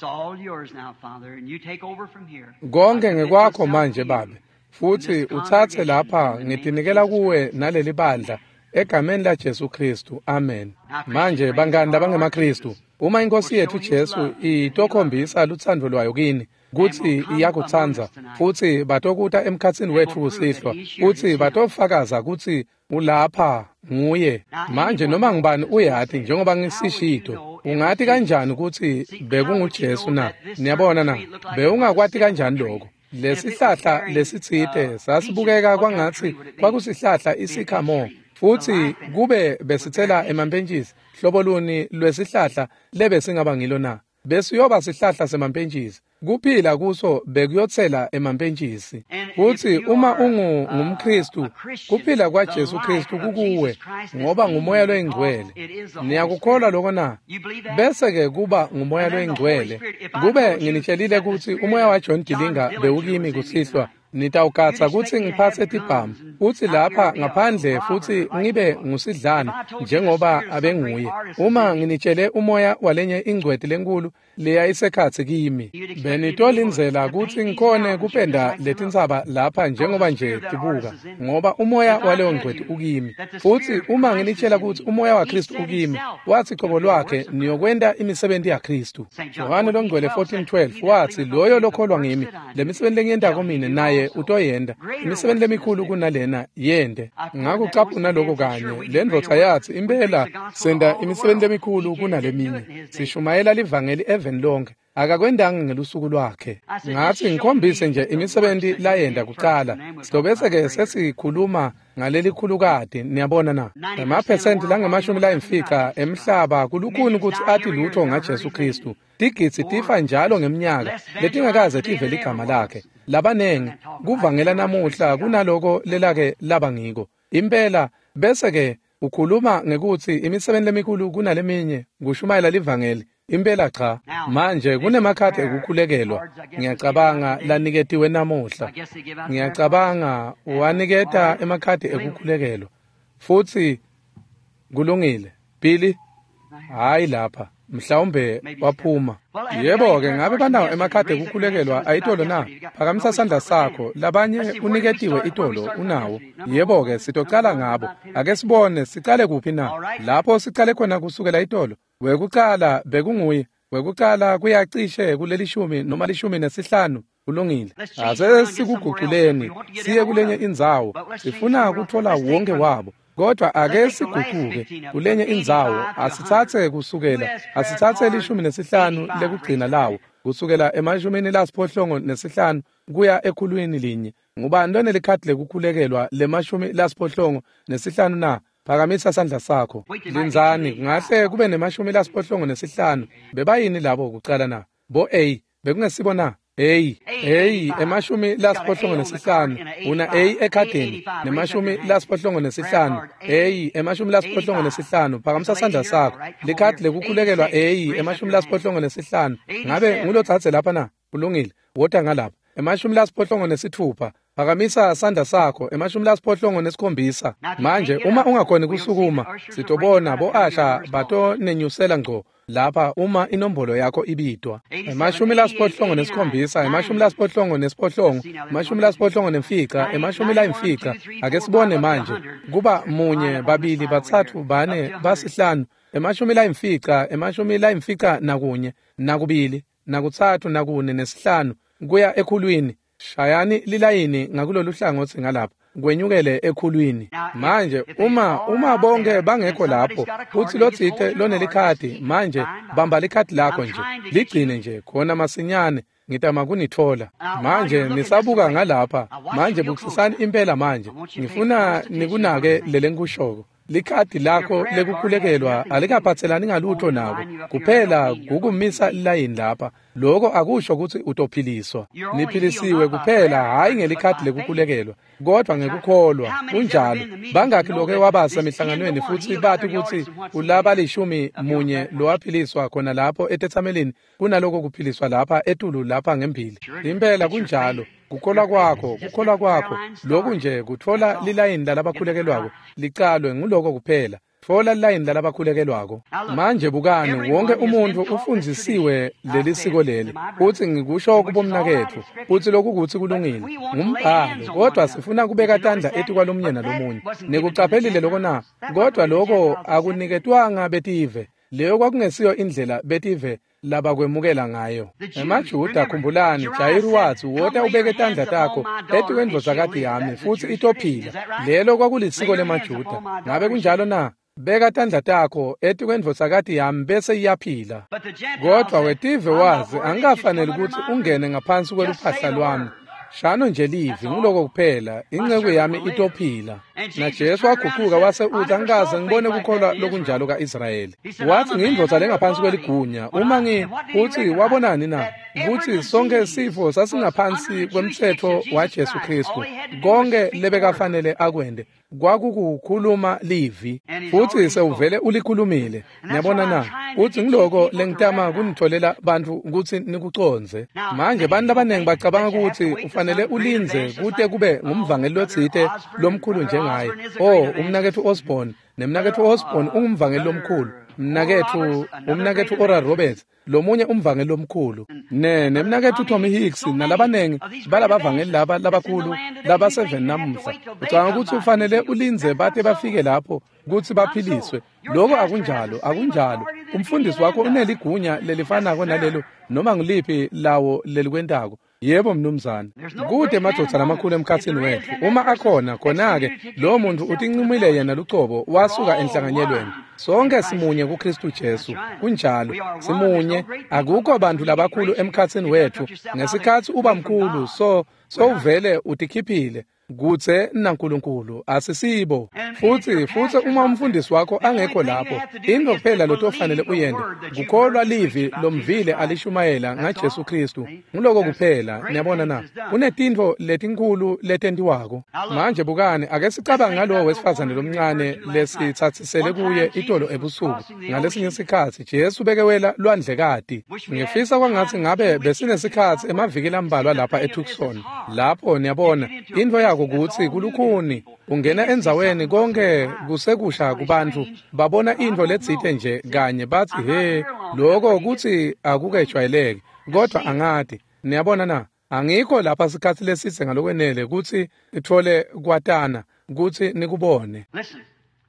Konke ngekwakho manje Babe, futsi utsatse lapha ngitinikela kuwe naleli bandla egameni la Jesu Khristu. Amen. Manje bangani labangemaKhristu, uma inkosi yethu Jesu itokhombisa lutsandvo lwayo kini kutsi iyakutsandza, futsi batokuta emkhatsini wetfu kusihlwa, futsi batofakaza kutsi ulapha nguye. Manje noma ngubani uyati njengoba ngisishito, ungati kanjani kutsi bekunguJesu na? Niyabona na? Bewungakwati kanjani lokho? Lesihlahla lesitsite sasibukeka kwangatsi kwakusihlahla isikhamo, futsi kube besitsela emampentjisi, hlobo luni lwesihlahla lebesingaba ngilo na? Besiyoba sihlahla semampentjisi, kuphila kuso bekuyotsela emampentjisi. Futsi uma ungu ngumKhristu, kuphila kwaJesu Khristu kukuwe ngoba ngumoya loyingcwele. Niyakukholwa lokho na? Bese-ke kuba ngumoya loyingcwele. Kube nginitshelile kutsi umoya waJohn Dillinger bewukimi kusihlwa, nitawugatsa kutsi ngiphatse tibhamu futsi lapha ngaphandle futsi ngibe ngusidlane njengoba abenguye. Uma nginitshele umoya walenye ingcweti lenkulu leyayisekhatsi kimi, benitolindzela kutsi ngikhone kupenda letintsaba lapha njengoba nje tibuka, ngoba umoya waleyo ngcweti ukimi. Futsi uma nginitshela kutsi umoya waKhristu ukimi, watsi cobo lwakhe niyokwenta imisebenti yaKhristu. Yohane longcwele fourteen twelve watsi, loyo lokholwa ngimi, lemisebenti lengiyentako mine naye utoyenta, imisebenti lemikhulu kunalena yente. Ngakucaphuna lokho kanye lendvodza yatsi, impela senta imisebenti lemikhulu kunaleminye, sishumayela livangeli eveni lonke. Akakwendanga ngelusuku lwakhe. Ngathi ngikhombise nje imisebenti layenda kucala. Sitobese ke sesikhuluma ngalelikhulukati, niyabona na. Emaphesenti langemashumi layimfica emhlaba kulukhuni kutsi ati lutho ngaJesu Kristu. Tigidzi tifa njalo ngemnyaka letingakaze tive ligama lakhe. Labanengi kuvangela namuhla kunaloko lelake laba ngiko. Impela bese ke ukhuluma ngekutsi imisebenti lemikhulu kunaleminye kushumayela livangeli. Impela cha. Manje kunemakhadi ekukhulekelwa ngiyacabanga laniketiwe namuhla. Ngiyacabanga uwaniketa emakhadi ekukhulekelwa. Futsi kulungile. Billy, hayi lapha. Mhlawumbe waphuma. Yebo ke, ngabe banawo emakhadi ekukhulekelwa ayitolo na? Phakamisa sandla sakho. Labanye uniketiwe itolo unawo. Yebo ke, sitocala ngabo. Ake sibone sicale kuphi na? Lapho sicale khona kusukela itolo. Wekucala bekunguye. Wekucala kuyacishe kulelishumi noma lishumi nesihlanu. Kulungile. Ase sikuguculeni siye kulenye indzawo. Sifuna kuthola wonke wabo. Kodwa ake siguquke kulenye indzawo. Asitsatse kusukela asitsatse lishumi nesihlanu lekugcina lawo kusukela emashumini lasiphohlongo nesihlanu kuya ekhulwini linye. Ngubani lonelikhadi lekukhulekelwa lemashumi lasiphohlongo nesihlanu na? Phakamisa sandla sakho. Lindzani, kungahle kube nemashumi lasiphohlongo nesihlanu. Bebayini labo kucala na? Bo A bekungesibo na? A, A, emashumi lasiphohlongo nesihlanu. Una A ekhadini nemashumi lasiphohlongo nesihlanu. A, emashumi lasiphohlongo nesihlanu. Phakamisa sandla sakho. Likhadi lekukhulekelwa A, emashumi lasiphohlongo nesihlanu. Ngabe ngulotsatse lapha na? Kulungile. Wota ngalapha. Emashumi lasiphohlongo nesithupha. Phakamisa sandla sakho. Emashumi lasiphohlongo nesikhombisa. Manje uma ungakhoni kusukuma, sitobona bo-asha batonenyusela ngco lapha uma inombolo yakho ibidwa. Emashumi lasiphohlongo nesikhombisa, emashumi lasiphohlongo nesiphohlongo, emashumi lasiphohlongo nemfica, emashumi layimfica. Ake sibone manje. Kuba munye, babili, batsatfu, bane, basihlanu. Emashumi layimfica, emashumi layimfica nakunye, nakubili, nakutsatfu, nakune, nesihlanu kuya ekhulwini. Shayani lilayini ngakulolu hlangothi ngalapha kwenyukele ekhulwini. Manje uma uma bonke bangekho lapho futsi lotsite lonelikhadi, manje bamba likhadi lakho nje, ligcine nje khona masinyane. Ngitama kunithola. Manje nisabuka ngalapha. Manje bukisisani impela manje. Ngifuna nikunake lelengikushoko. Likhadi lakho lekukhulekelwa alikaphatselani ngalutho nako. Kuphela kukumisa lilayini lapha. Lokho akusho ukuthi utophiliswa. Niphilisiwe kuphela hayi ngelikhadi lekukhulekelwa, kodwa ngekukholwa. Kunjalo. Bangakhi loke wabasa emihlanganweni futhi bathi ukuthi ulaba lishumi munye lowaphiliswa khona lapho etethamelini kunaloko kuphiliswa lapha etulu lapha ngembili. Impela kunjalo. Kukholwa kwakho, kukholwa kwakho. Lokhu nje kuthola lilayini lalabakhulekelwako licalwe nguloko kuphela. Tfola lilayini lalabakhulekelwako. Manje bukani, wonke umuntu ufundzisiwe leli siko leli. Uthi ngikusho kubomnaketfu, uthi lokhu kuthi kulungile. Ngumbhalo, kodwa sifuna kubeka tandla etikwalomunye nalomunye. Nikucaphelile lokho na? Kodwa lokho akuniketwanga betive. Leyo kwakungesiyo indlela betive labakwemukela ngayo. EmaJuda, khumbulani, Jayiru wathi, wota ubeke tandla takho etikwendvodzakati yami futsi itophila. Lelo kwakulisiko lemaJuda. Ngabe kunjalo na? Beka tandla takho etikwendvodzakati yami bese iyaphila. Kodwa wetive wazi angikafaneli ukuthi ungene ngaphansi kweluphahla lwami. Shano nje livi, nguloko kuphela, inceku yami itophila. NaJesu waguquka wase uthi, angikaze ngibone kukholwa lokunjalo ka-Israyeli. Wathi ngiyindvodza lengaphansi kweligunya. Uma ngi uthi wabonani na? Ukuthi sonke sifo sasingaphansi kwemtsetfo waJesu Kristu. Konke lebekafanele akwende kwakukukhuluma livi, futhi sewuvele ulikhulumile. Niyabona na? Uthi ngiloko lengitama kunitholela bantfu ukuthi nikucondze. Manje bantu labanengi bacabanga ukuthi ufanele ulindze kute kube ngumvangeli lotsite lomkhulu njengaye. Oh, umnaketfu Osborne, nemnaketfu Osborne ungumvangeli lomkhulu. Mnaketfu, umnaketfu Oral Roberts, lomunye umvangeli lomkhulu. Ne nemnaketfu Tommy Hicks nalabanengi balabavangeli laba labakhulu laba seven namuhla. Ucabanga ukuthi ufanele ulindze bate bafike lapho kutsi baphiliswe. Lokho akunjalo, akunjalo. Umfundisi wakho uneligunya lelifanako nalelo noma ngiliphi lawo lelikwentako. Yebo mnumzane. Kude emadvodza lamakhulu emkhatsini wetfu. Uma akhona khona-ke lowo muntu utincumile yena lucobo wasuka enhlanganyelweni. Sonke simunye kuKristu Jesu. Kunjalo, simunye. Akukho bantu labakhulu emkhatsini wetfu. Ngesikhatsi uba mkhulu so sowuvele utikhiphile kutse naNkulunkulu asisibo. Futsi futsi uma umfundisi wakho angekho lapho, into kuphela lotofanele uyente kukholwa livi lomvile alishumayela ngaJesu Kristu. Nguloko kuphela. Niyabona na? Kunetintfo letinkhulu letentiwako. Manje bukani, ake sicabange ngalowo wesifazane lomncane lesitsatsisele kuye itolo ebusuku. Ngalesinye sikhatsi Jesu bekewela lwandlekati. Ngifisa kwangatsi ngabe besinesikhatsi emaviki lambalwa lapha eTucson. Lapho niyabona intfo yako kutsi kulukhuni ungena endzaweni konke kusekusha kubantu babona intfo letsite nje kanye batsi he lokho kutsi akukejwayeleki kodwa angati. Niyabona na? Angikho lapha sikhatsi lesitse ngalokwenele kutsi ithole kwatana kutsi nikubone.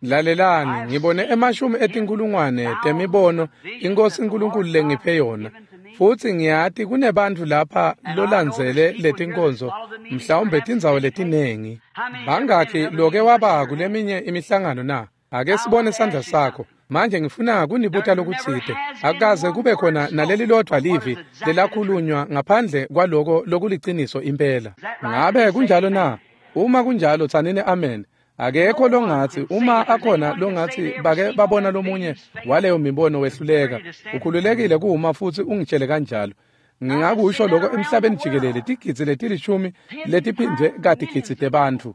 Lalelani, ngibone emashumi etinkulungwane temibono iNkosi uNkulunkulu lengiphe yona. Futsi ngiyati kunebantfu lapha lolandzele letinkonzo mhlawumbe tindzawo letinengi. Bangakhi loke waba kuleminye imihlangano na? Ake sibone sandla sakho. Manje ngifuna kunibuta lokutsite. Akukaze kube khona naleli lodvwa livi lelakhulunywa ngaphandle kwaloko lokuliciniso impela. Ngabe kunjalo na? Uma kunjalo tsanini amen. Akekho longatsi uma akhona longatsi bake babona lomunye waleyo mibono wehluleka. Ukhululekile kuma futsi ungitshele kanjalo. Ngingakusho lokho emhlabeni jikelele tigidzi letilishumi letiphindwe katigidzi tebantfu.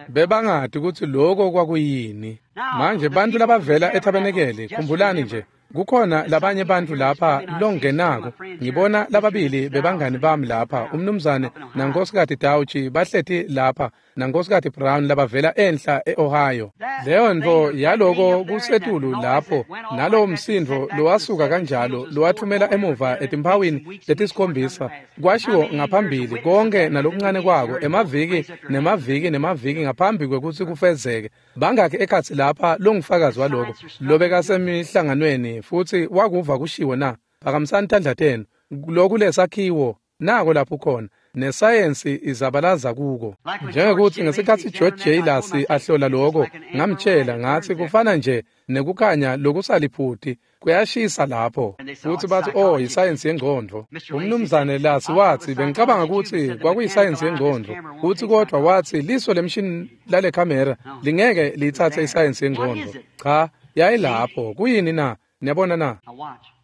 Bebangati kutsi lokho kwakuyini. Manje bantfu labavela etabenekele, khumbulani nje kukhona labanye bantfu lapha longenako. Ngibona lababili bebangani bami lapha, umnumzane nankosikazi Dauchi bahleti lapha nankosikazi Brown labavela enhla eOhio. Leyo ntfo yaloko kusetulu lapho nalowo msindvo lowasuka kanjalo lowathumela emuva etimphawini letisikhombisa kwashiwo ngaphambili konke nalokuncane kwako emaviki nemaviki nemaviki ngaphambi kwekutsi kufezeke. Bangakhi ekhatsi lapha longufakazi waloko lobekasemihlanganweni futsi wakuva kushiwo na? Phakamisani tandla tenu. Lokhu lesakhiwo nako lapho khona nesayensi izabalaza kuko. Njengekuthi ngesikhatsi George J. Lasi ahlola lokho, ngamtshela ngathi kufana nje nekukhanya lokusaliphuti kuyashisa lapho. Futhi bathi oh isayensi yengqondo. Umnumzane Lasi wathi bengicabanga ukuthi kwakuyisayensi yengqondo. Uthi kodwa wathi liso lemshini lale kamera lingeke liyithathe isayensi yengqondo. Cha, yayilapho. Kuyini na? Niyabona na?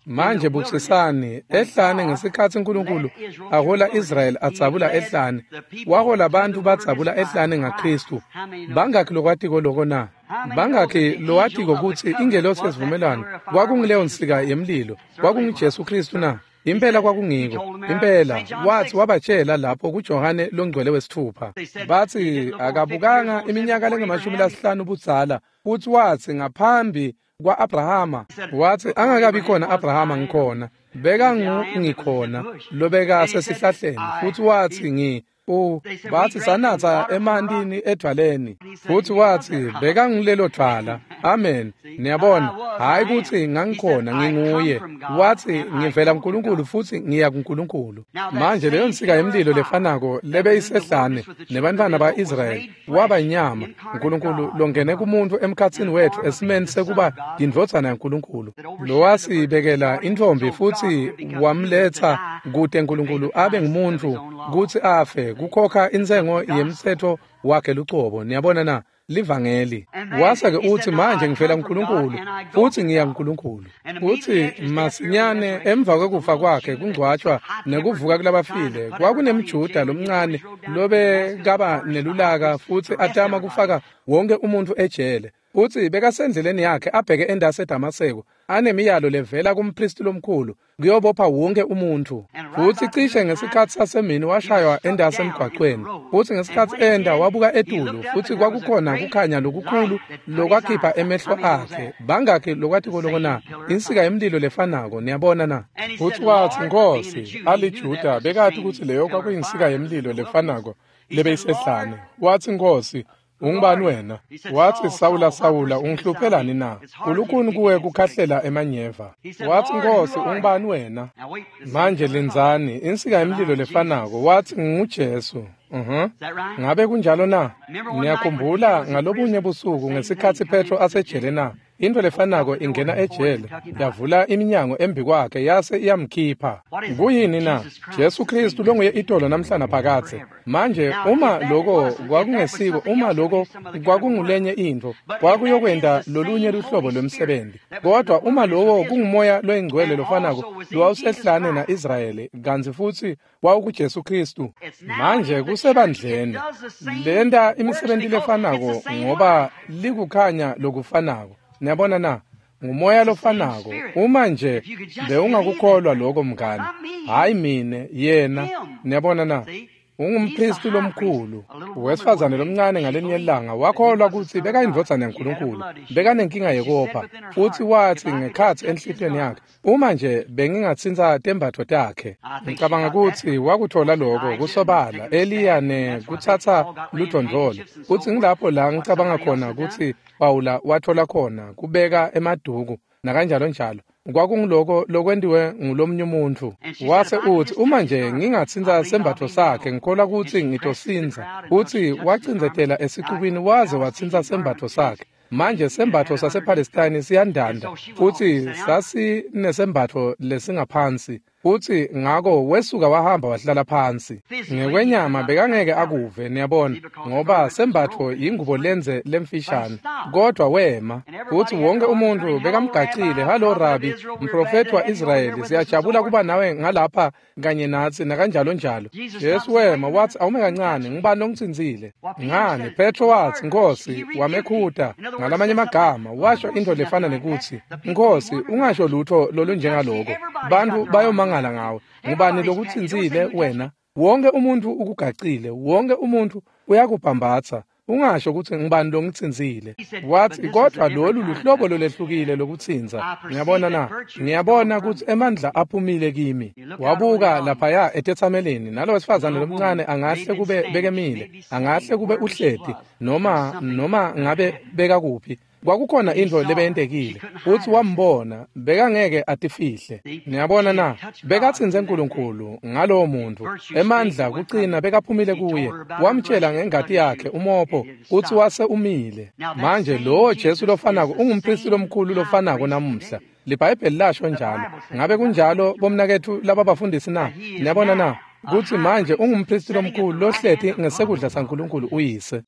Manje bukisisani ehlane ngesikhatsi uNkulunkulu ahola Israel adzabula ehlane, wahola abantu badzabula ehlane ngaKristu. Bangakhi lokwatiko loko na? Bangakhi lowatiko kutsi ingelosi yesivumelwano kwakungileyo nsika yemlilo, kwakunguJesu Kristu na? Impela kwakungiko. Impela wathi wabatshela lapho kuJohane longcwele wesithupha. Bathi akabukanga iminyaka lengamashumi lasihlanu budzala, futhi wathi ngaphambi kwa-Abrahama, wathi angakabi khona Abrahama ngikhona, beka ngikhona lobeka sesihlahleni. Futhi wathi ngi u bathi sanatha emantini edvwaleni. Futhi wathi beka ngilelo dvwala. Amen. Niyabona, hayi kuthi ngangikhona nginguye. Wathi ngivela kuNkulunkulu futhi ngiya kuNkulunkulu. Manje leyo nsika yemlilo lefanako lebeyisehlane nebantwana ba-Israyeli waba inyama. uNkulunkulu longene kumuntu emkhatsini wethu esimeni sekuba yindvodzana yaNkulunkulu, lowasibekela intfombi futhi wamletsa kute uNkulunkulu abe ngumuntu kutsi afe kukhokha intsengo yemtsetfo wakhe lucobo. Niyabona na? Livangeli. Wase-ke uthi manje ngivela kuNkulunkulu futhi ngiya kuNkulunkulu. Uthi masinyane emva kwekufa kwakhe kungcwatshwa nekuvuka kulabafile kwakunemjuda lomncane lobekaba nelulaka futhi atama kufaka wonke umuntu ejele. Uthi bekasendleleni yakhe abheke endase eDamaseko anemiyalo levela kumpristi lomkhulu kuyobopha wonke umuntu. Futhi cishe ngesikhatsi sasemini washaywa endase emgwaqweni. Futhi ngesikhatsi enda wabuka etulu futhi kwakukhona kukhanya lokukhulu lokwakhipha emehlo akhe. Bangakhi lokwatiko loko na? Insika yemlilo lefanako. Niyabona na? Futhi wathi Nkosi, aliJuda bekati kutsi leyo kwakuyinsika yemlilo lefanako lebeyisehlane. Wathi Nkosi, Ungubani wena? Watsi, Sawula, Sawula, ungihluphelani na? Kulukhuni kuwe kukhahlela emanyeva. Watsi, Nkosi, ungubani wena? Manje lindzani, insika yemlilo lefanako. Watsi, nginguJesu. Uh-huh. Ngabe kunjalo na? Niyakhumbula ngalobunye busuku ngesikhatsi Petro asejele na? Into lefanako ingena ejele, yavula iminyango embi kwakhe yase iyamkhipha. Kuyini na? Jesu Kristu longuye itolo namhlana phakadze. Manje uma lokho kwakungesiko, uma lokho kwakungulenye intfo, kwakuyokwenta lolunye luhlobo lwemsebenzi. Kodwa uma lowo kungumoya loyingcwele lofanako lowawusehlane na-Israyeli, kantsi futsi wawukuJesu Kristu. Manje kusebandleni lenta imisebenti lefanako ngoba likukhanya lokufanako. Niyabona na? Ngumoya lofanako. Uma nje bewungakukholwa lokho mngani, hayi mine, yena. Niyabona na? Ungumpristi lomkhulu. Wesifazane lomncane ngalenye ilanga wakholwa kutsi bekayindvodzana yaNkulunkulu, bekanenkinga yekopha, futsi watsi ngekhatsi enhlitiyweni yakhe, uma nje bengingatsintsa tembatfo takhe. Ngicabanga kutsi wakuthola lokho kusobala Eliya ne kutsatsa ludvondvolo, futsi ngilapho la ngicabanga khona kutsi Pawula wathola khona kubeka emaduku nakanjalo njalo. Kwakunguloko lokwentiwe ngulomnye umuntfu. Wase utsi, uma nje ngingatsintsa sembatfo sakhe, ngikholwa kutsi ngitosindza. Utsi wacindzetela esicubini waze watsintsa sembatfo sakhe. Manje sembatfo sasePalestine siyandanda, futsi sasinesembatfo lesingaphansi. Futsi ngako wesuka wahamba wahlala phansi. Ngekwenyama bekangeke akuve, niyabona, ngoba sembatfo yingubo lenze lemfishane. Kodwa wema, futsi wonke umuntu bekamgacile. Halo Rabi, mprofethi wa-Israyeli, siyajabula kuba nawe ngalapha kanye natsi nakanjalo njalo. Jesu wema watsi, awume kancane, ngubani longitsintsile? Ngani? Petro watsi, Nkosi, wamekhuta. Ngalamanye amagama washo into lefana nekutsi, Nkosi, ungasho lutho lolunjengaloko. Bantu bayomangala ngawe. Ngubani lokutsintsile wena? Wonke umuntu ukugacile, wonke umuntu uyakubhambatsa. Ungasho kutsi ngubani longitsintsile. Watsi, kodwa lolu luhlobo lolehlukile lokutsintsa. Ngiyabona na? Ngiyabona kutsi emandla aphumile kimi. Wabuka laphaya etetsamelini, nalo wesifazane lomncane angahle kube bekemile, angahle kube uhleti, noma noma ngabe bekakuphi. Kwakukhona intfo lebeyentekile, futsi wambona, bekangeke atifihle. Niyabona na? Bekatsintse Nkulunkulu ngalowo muntfu. Emandla kucina bekaphumile kuye. Wamtshela ngengati yakhe umopho kutsi wase umile. Manje lowo Jesu lofanako ungumpristi lomkhulu lofanako namuhla. LiBhayibheli lasho njalo. Ngabe kunjalo bomnaketfu lababafundisi na? Niyabona na? Kutsi manje ungumpristi lomkhulu lohleti ngesekudla saNkulunkulu uyise.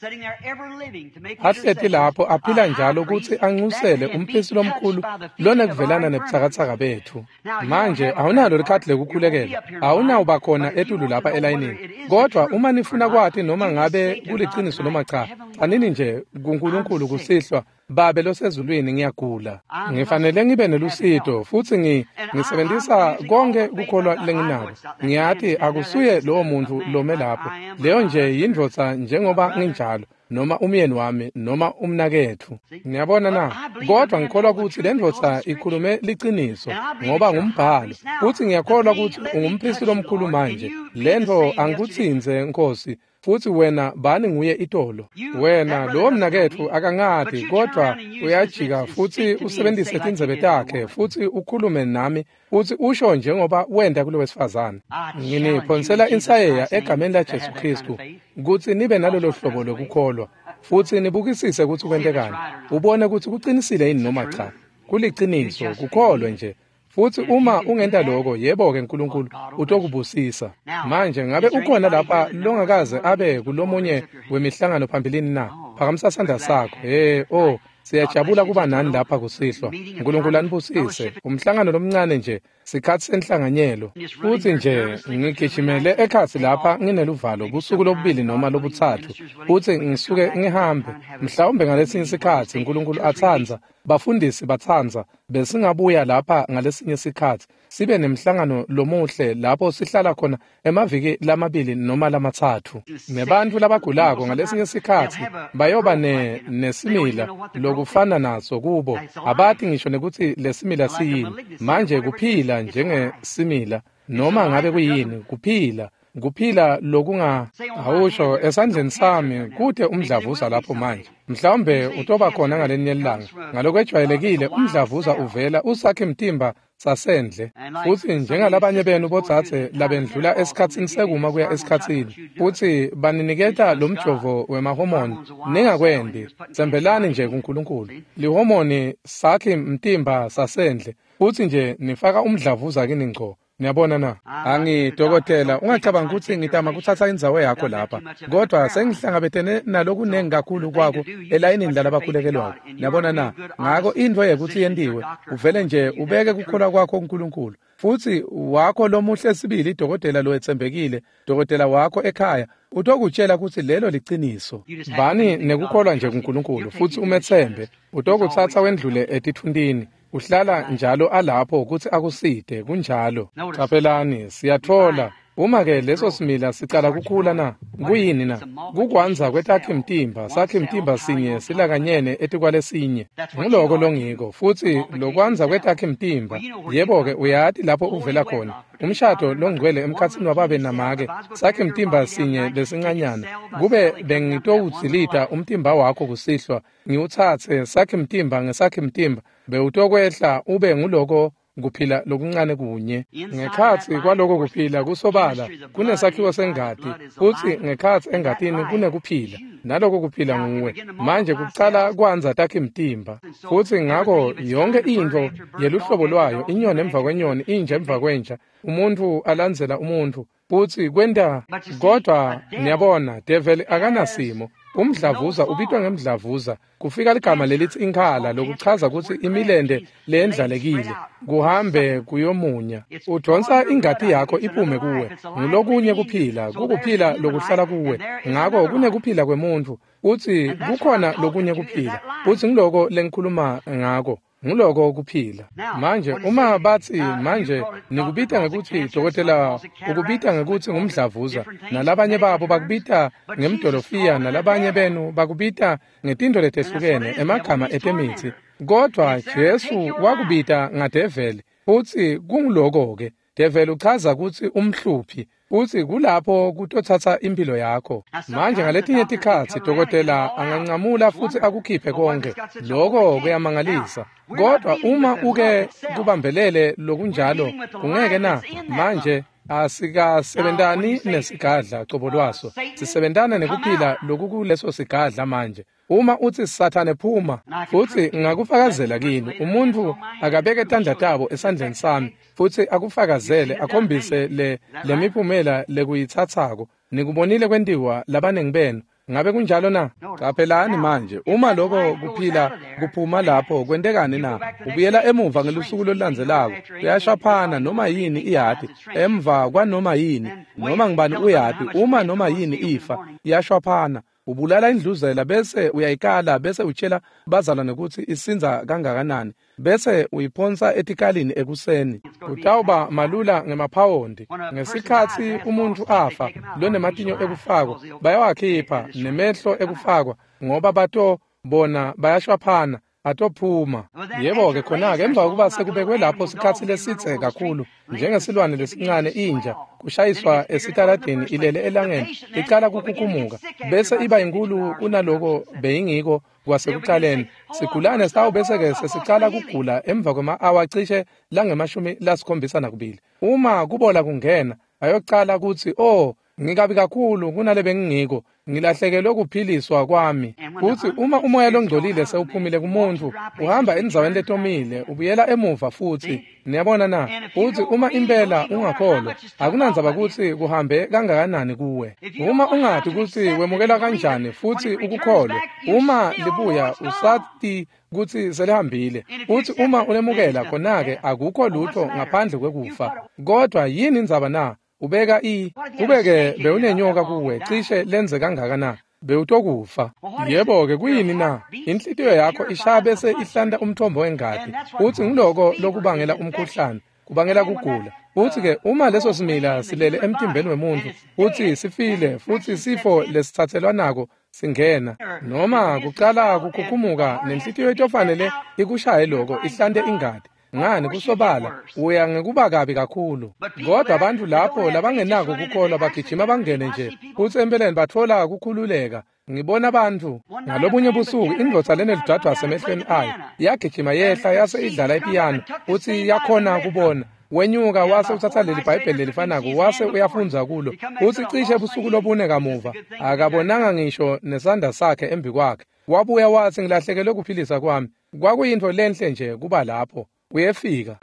Ahleti lapho aphila njalo kutsi ancusele umpristi lomkhulu lonekuvelana nebutsakatsaka betfu. Manje awunalo likhadi lekukhulekela, awunawuba khona etulu lapha elayinini. Kodwa uma nifuna kwati noma ngabe kuliciniso noma cha, tsanini nje kuNkulunkulu kusihlwa, Babe losezulwini, ngiyagula. Ngifanele ngibe nelusito futsi ngi ngisebenzisa konke kukholwa lenginako. Ngiyati akusuye lowo muntu lome lapho. Leyo nje yindvodza njengoba nginjalo, noma umyeni wami noma umnaketfu. Ngiyabona na? Kodwa ngikholwa kutsi le ndvodza ikhulume liciniso ngoba ngumbhalo. Futsi ngiyakholwa kutsi ungumpristi lomkhulu manje. Le ntfo angikutsintse, Nkosi. Futsi wena bani nguye itolo. Wena lowo mnaketfu akangati, kodwa uyajika futsi usebenzise tindzebe takhe futsi ukhulume nami futsi usho njengoba wenta kulo wesifazane. Nginiphonsela insayeya egameni laJesu Kristu kutsi nibe nalolo hlobo lokukholwa futsi nibukisise kutsi kwentekani, ubone kutsi kucinisile yini noma cha. Kuliciniso, kukholwe nje. Futsi uma ungenta lokho, yebo-ke Nkulunkulu utokubusisa. Manje ngabe ukhona lapha longakaze abe kulomunye wemihlangano phambilini na? Phakamisa sandla sakho. Hey, oh, siyajabula kuba nani lapha kusihlwa. Nkulunkulu anibusise. Umhlangano lomncane nje, sikhatsi senhlanganyelo. Futsi nje ngigijimele ekhatsi lapha ngineluvalo busuku lobubili noma lobutsatfu. Futsi ngisuke ngihambe. Mhlawumbe ngalesinye sikhatsi Nkulunkulu atsandza, bafundisi batsandza, besingabuya lapha ngalesinye sikhatsi sibe nemhlangano lomuhle lapho sihlala khona emaviki lamabili noma lamatsatfu. Nebantfu labagulako ngalesinye sikhatsi bayoba ne nesimila lokufana naso kubo, abati ngisho nekutsi lesimila siyini. Manje kuphila njengesimila noma ngabe kuyini, kuphila. Kuphila lokunga awusho esandleni sami kute umdlavuza lapho manje. Mhlawumbe utoba khona ngalenye ilanga. Ngalokwejwayelekile umdlavuza uvela usakhe mtimba sasendle. Futhi njengalabanye benu botsatse labendlula esikhatsini sekuma kuya esikhatsini futhi baniniketa lo mjovo wemahomoni, ningakwendi. Tsembelani nje kuNkulunkulu. Lihomoni sakhe mtimba sasendle futhi nje nifaka umdlavuza kini ngco. Niyabona na? Angi dokotela, ungacabanga ukuthi ngitama kuthatha indzawo yakho lapha, kodwa sengihlangabetene nalokunengi kakhulu kwako elayinini lalabakhulekelwako. Niyabona na? Ngako intfo yekuthi yentiwe, uvele nje ubeke kukholwa kwakho kuNkulunkulu. Futhi wakho lomuhle sibili dokotela lowetsembekile, dokotela wakho ekhaya, utokutshela ukuthi lelo liciniso. Bani nekukholwa nje kuNkulunkulu futhi umethembe, utokutsatsa wendlule etithuntini. Uhlala njalo alapho ukuthi akuside, kunjalo. Caphelani, siyathola uma ke leso simila sicala kukhula na, kuyini na? Kukwanza kwetakhe mtimba, sakhe mtimba sinye silakanyene etikwalesinye. Nguloko longiko, futhi lokwanza kwetakhe mtimba. Yebo-ke uyati lapho uvela khona. Umshado longcwele emkhatsini wababe namake, sakhe mtimba sinye lesincanyana. Kube bengitowudzilita umtimba wakho kusihlwa, ngiwutsatse sakhe mtimba ngesakhe mtimba, bewutokwehla ube nguloko kuphila lokuncane kunye. Ngekhatsi kwaloko kuphila kusobala kunesakhiwo sengati, futsi ngekhatsi engatini kunekuphila, naloko kuphila nguwe. Manje kucala kwanza takhe mtimba, futsi ngako yonke intfo yeluhlobo lwayo, inyoni emva kwenyoni, inja emva kwenja, umuntfu alandzela umuntfu, futsi kwenta. Kodwa niyabona, devil akanasimo. Umdlavuza ubitwa ngemdlavuza. Kufika ligama lelithi inkhala, lokuchaza ukuthi imilende leyendlalekile kuhambe kuyomunya. Udonsa ingati yakho iphume kuwe. Ngulokunye kuphila, kukuphila lokuhlala kuwe. Ngako kunekuphila kwemuntfu, uthi kukhona lokunye kuphila. Futhi ngiloko lengikhuluma ngako. Nguloko kuphila. Manje uma bathi manje nikubita ngekuthi dokotela ukubita ngekuthi ngumdlavuza, nalabanye babo bakubita ngemdolofiya, nalabanye benu bakubita ngetinto letehlukene emagama etemithi, kodwa Jesu wakubita ngadeveli. Futhi kunguloko ke, develi uchaza ukuthi umhluphi, futhi kulapho kutothatha impilo yakho. Manje ngaletinye tikhatsi dokotela angancamula futhi akukhiphe konke. Lokho kuyamangalisa. Kodwa uma uke kubambelele lokunjalo, kungeke na? Manje asikasebentani nesigadla cobo lwaso, sisebentana nekuphila lokukuleso sigadla manje. Uma uthi Sathane phuma, futhi ngakufakazela kini, umuntu akabeke tandla tabo esandleni sami futhi akufakazele, akhombise le lemiphumela lekuyitsatsako. Nikubonile kwentiwa labanengi benu. Ngabe kunjalo na? Caphelani manje, uma lokho kuphila kuphuma lapho, kwentekani na? Ubuyela emuva ngelusuku lolulandzelako, uyashaphana noma yini iyati, emva kwanoma yini, noma ngibani uyati, uma noma yini ifa, iyashwaphana. Ubulala indluzela bese uyayikala, bese utshela bazalwane ukuthi isinza kangakanani, bese uyiphonsa etikalini ekuseni. Kutawuba malula ngemaphawondi. Ngesikhatsi umuntu afa lonematinyo ekufakwa, bayawakhipha nemehlo ekufakwa, ngoba bato bona bayashwaphana, atophuma. Yebo-ke khona-ke emva kokuba sekubekwe lapho sikhatsi lesitse kakhulu, njengesilwane lesincane inja, kushayiswa esitaladini ilele elangeni, icala kukukumuka, bese iba inkulu kunaloko beyingiko kwasekucaleni. Sigulane sitawubese-ke sesicala kugula emva kwema-awa cishe langemashumi lasikhombisa nakubili. Uma kubola kungena, ayocala kutsi, oh, ngikabi kakhulu kunale bengingiko, ngilahlekelwe kuphiliswa kwami. Futhi uma umoya longcolile sewuphumile kumuntu, uhamba endzaweni letomile, ubuyela emuva futhi. Niyabona na? Futhi uma impela ungakholwa, akunandzaba ukuthi kuhambe kangakanani kuwe. Uma ungati ukuthi wemukela kanjani futhi ukukholwe, uma libuya usati kutsi selihambile. Futhi uma ulemukela khona-ke akukho lutho ngaphandle kwekufa. Kodwa yini indzaba na? Ubeka i kubeke bewunenyoka kuwe cishe lenze kangaka bewutokufa. Yebo-ke kuyini na? Inhlitiyo yakho ishaya bese ihlanta umthombo wengati, futhi nguloko lokubangela umkhuhlane, kubangela kugula. Futhi-ke uma leso simila silele emtimbeni wemuntu futhi sifile, futhi sifo lesitsatselwanako singena, noma kucala kukhukhumuka, nenhlitiyo itofanele ikushaye loko ihlante ingati. Ngani kusobala uya ngekuba kabi kakhulu. Kodwa abantu lapho labangenako kukholwa bagijima bangene nje futsi empeleni batfola kukhululeka. Ngibona abantu ngalobunye busuku indvodza lenelidwadvwasi emehlweni ayo yagijima yehla yase idlala ipiyano futsi yakhona kubona. Wenyuka wase utsatsa leli Bhayibheli lelifanako wase uyafundza kulo futsi cishe busuku lobune kamuva akabonanga ngisho nesandla sakhe embi kwakhe. Wabuya watsi ngilahlekelwe kuphilisa kwami. Kwakuyintfo lenhle nje kuba lapho. Uyefika.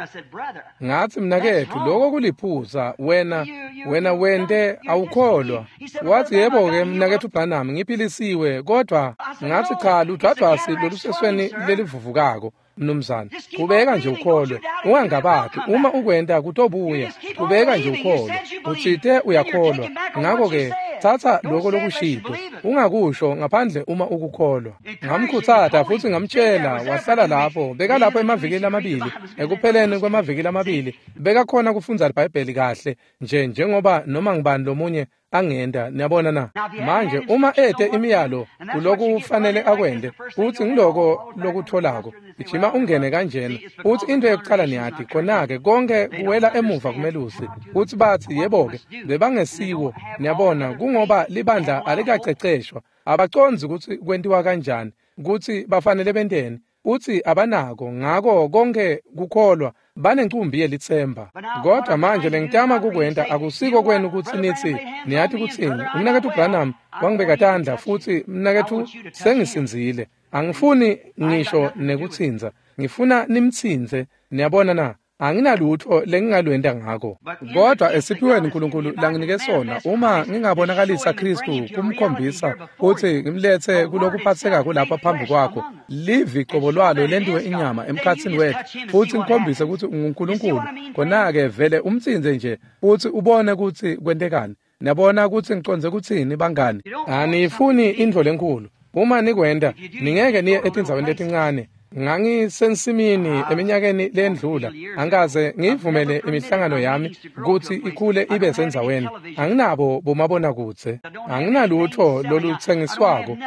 Ngatsi mnaketfu lokho kuliphuza wena wena wente awukholwa. Watsi yebo-ke mnaketfu Branham ngiphilisiwe kodwa ngatsi cha ludwadvwasi lolusesweni lelivuvukako mnumzane. Qhubeka nje ukholwe ungangabati uma ukwenta kutobuya. Qhubeka nje ukholwe utsite uyakholwa. Ngakho-ke tsatsa lokho lokushito ungakusho ngaphandle uma ukukholwa. Ngamkhutsata futsi ngamtshela wahlala lapho bekalapho emavikini lamabili. Ekupheleni kwemaviki lamabili bekakhona kufundza iBhayibheli kahle nje njengoba noma ngibani lomunye angenda. Niyabona na? Manje uma ete imiyalo kuloku kufanele akwende futsi ngiloko lokutholako gijima ungene kanjena futsi into yokucala niyati khona-ke konke kuwela emuva kumelusi futsi batsi yebo-ke bebangesiwo. Niyabona kungoba libandla alikaceceshwa abacondzi kutsi kwentiwa kanjani kutsi bafanele benteni utsi abanako ngako konke kukholwa banencumbi yelitsemba. Kodwa manje lengitama kukwenta akusiko kwenu kutsi nitsi niyati kutsini umnaketfu Branham wangibeka tandla futsi mnaketfu sengisindzile. Angifuni ngisho nekutsintsa ngifuna nimtsintse. Niyabona na? Anginalutho lengingalwenta ngako. Kodwa esiphiweni uNkulunkulu langinike sona uma ngingabonakalisa Kristu kumkhombisa kutsi ngimletse kulokuphathekako lapha phambi kwakho livi qobo lwalo lentiwe inyama emkhatsini wethu futsi ngikhombise kutsi unguNkulunkulu khona-ke vele umtsintse nje futsi ubone kutsi kwentekani. Niyabona kutsi ngicondze kutsini bangani? Aniyifuni intfo lenkhulu. Uma nikwenta ningeke niye etindzaweni letincane. Ngangisensimini eminyakeni lendlula angikaze ngiyivumele imihlangano yami kutsi ikhule ibe sendzaweni. Anginabo bomabonakudze, anginalutho lolutsengiswako,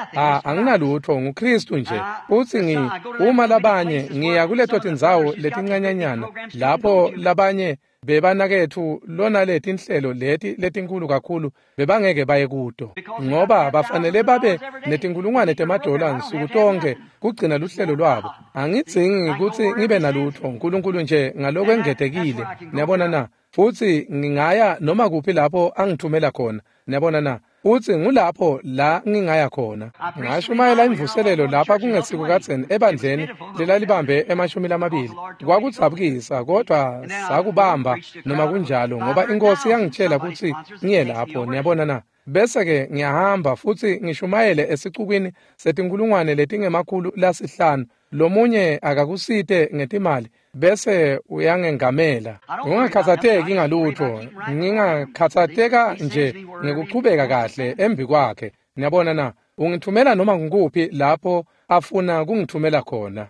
anginalutho nguKristu nje. Futsi ngi uma labanye ngiya kuleto tindzawo letincanyanyana lapho labanye bebanaketfu lona letinhlelo leti letinkulu kakhulu bebangeke baye kuto ngoba bafanele babe netinkulungwane temadola nsuku tonke kugcina luhlelo lwabo. Angidzingi kutsi ngibe nalutho uNkulunkulu nje ngalokwengetekile. Niyabona na? Futsi ngingaya noma kuphi lapho angithumela khona. Niyabona na? Futsi ngulapho la ngingaya khona. Ngashumayela imvuselelo lapha kungesiko kadzeni ebandleni lelalibambe emashumi lamabili. Kwakudzabukisa kodwa sakubamba noma kunjalo ngoba inkosi yangitshela kutsi ngiye lapho. Niyabona na? Bese-ke ngiyahamba futsi ngishumayele esicukwini setinkulungwane letingemakhulu lasihlanu. Lomunye akakusite ngetimali bese uyangengamela. Ungakhathatseki ngalutho, ngingakhathatseka nje ngekuchubeka kahle embi kwakhe. Niyabona na? Ungithumela noma ngikuphi lapho afuna kungithumela khona.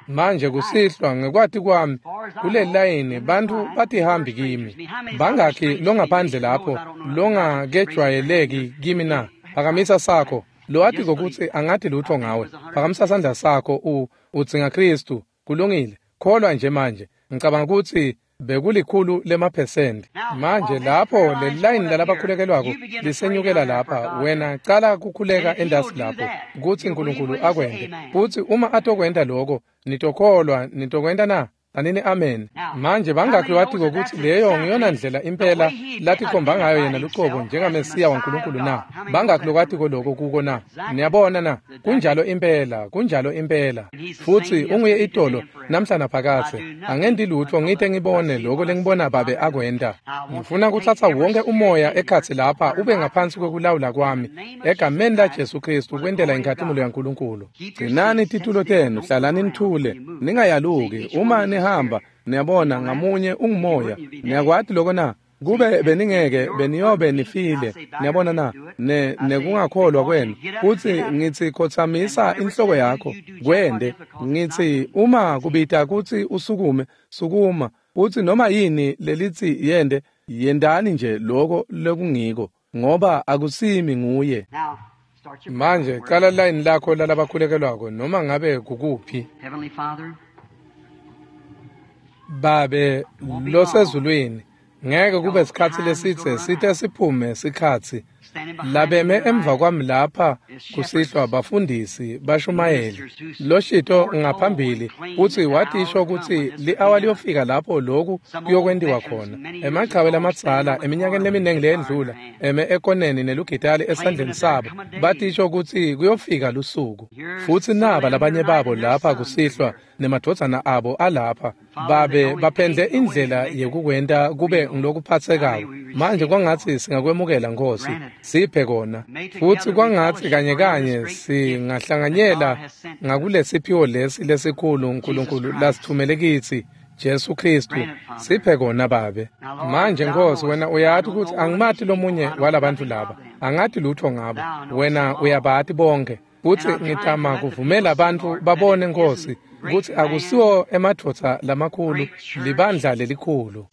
Manje kusihlwa ngekwati kwami kuleli layini bantfu batihambi kimi. Bangakhi longaphandle lapho longakejwayeleki kimi na? Phakamisa sakho. Lowatiko kutsi angati lutho ngawe. Phakamisa sandla sakho u udzinga Kristu. Kulungile. Kholwa nje manje. Ngicabanga kutsi bekulikhulu lemaphesenti. Manje lapho leli layini lalabakhulekelwako lisenyukela lapha wena cala kukhuleka endasi lapho kutsi uNkulunkulu akwente. Futsi uma atokwenta lokho nitokholwa nitokwenta na? Anini amen. Manje bangakhi watiko kutsi leyo ngiyona ndlela impela latikhomba ngayo yena lucobo njengaMesiya waNkulunkulu na? Bangakhi lokwatiko lokho kuko na? Niyabona na? Kunjalo impela, kunjalo impela. Futsi unguye itolo namhla naphakadze. Angenti lutho ngite ngibone lokho lengibona babe akwenta. Ngifuna kutsatsa wonke umoya ekhatsi lapha ube ngaphansi kwekulawula kwami egameni la Jesu Kristu kwentela inkhatimulo yaNkulunkulu. Gcinani titulo tenu, hlalani nithule, ningayaluki uma nihamba. Niyabona ngamunye ungumoya. Niyakwati lokho na? Kube beningeke beniyobe nifile. Niyabona na? Ne nekungakholwa kwenu. Futsi ngitsi khotsamisa inhloko yakho kwende. Ngitsi uma kubita kutsi usukume, sukuma. Futsi noma yini lelitsi yende, yendani nje lokho lekungiko ngoba akusimi nguye. Manje cala line lakho lalabakhulekelwako noma ngabe kukuphi. Babe losezulwini, ngeke kube sikhatsi lesidze site siphume sikhatsi. Labeme emva kwami lapha kusihlwa bafundisi bashumayeli loshito ngaphambili kutsi watisho kutsi li-awa liyofika lapho loku kuyokwentiwa khona. Emachawe lamadzala eminyakeni leminingi leyendlula eme ekoneni nelugitali esandleni sabo batisho kutsi kuyofika lusuku. Futsi naba labanye babo lapha kusihlwa nemadvodzana abo alapha babe baphendle indlela yekukwenta kube ngilokuphatsekako. Manje kwangatsi singakwemukela Nkosi, siphe kona. Futsi kwangatsi kanye kanye singahlanganyela ngakulesiphiwo lesi lesikhulu uNkulunkulu lasithumele kitsi, Jesu Kristu. Siphe kona Babe. Manje Nkosi, wena uyati kutsi angimati lomunye walabantu laba, angati lutho ngabo. Wena uyabati bonke. Futsi ngitama kuvumela abantu babone Nkosi kutsi akusiwo emadvodza lamakhulu, libandla lelikhulu.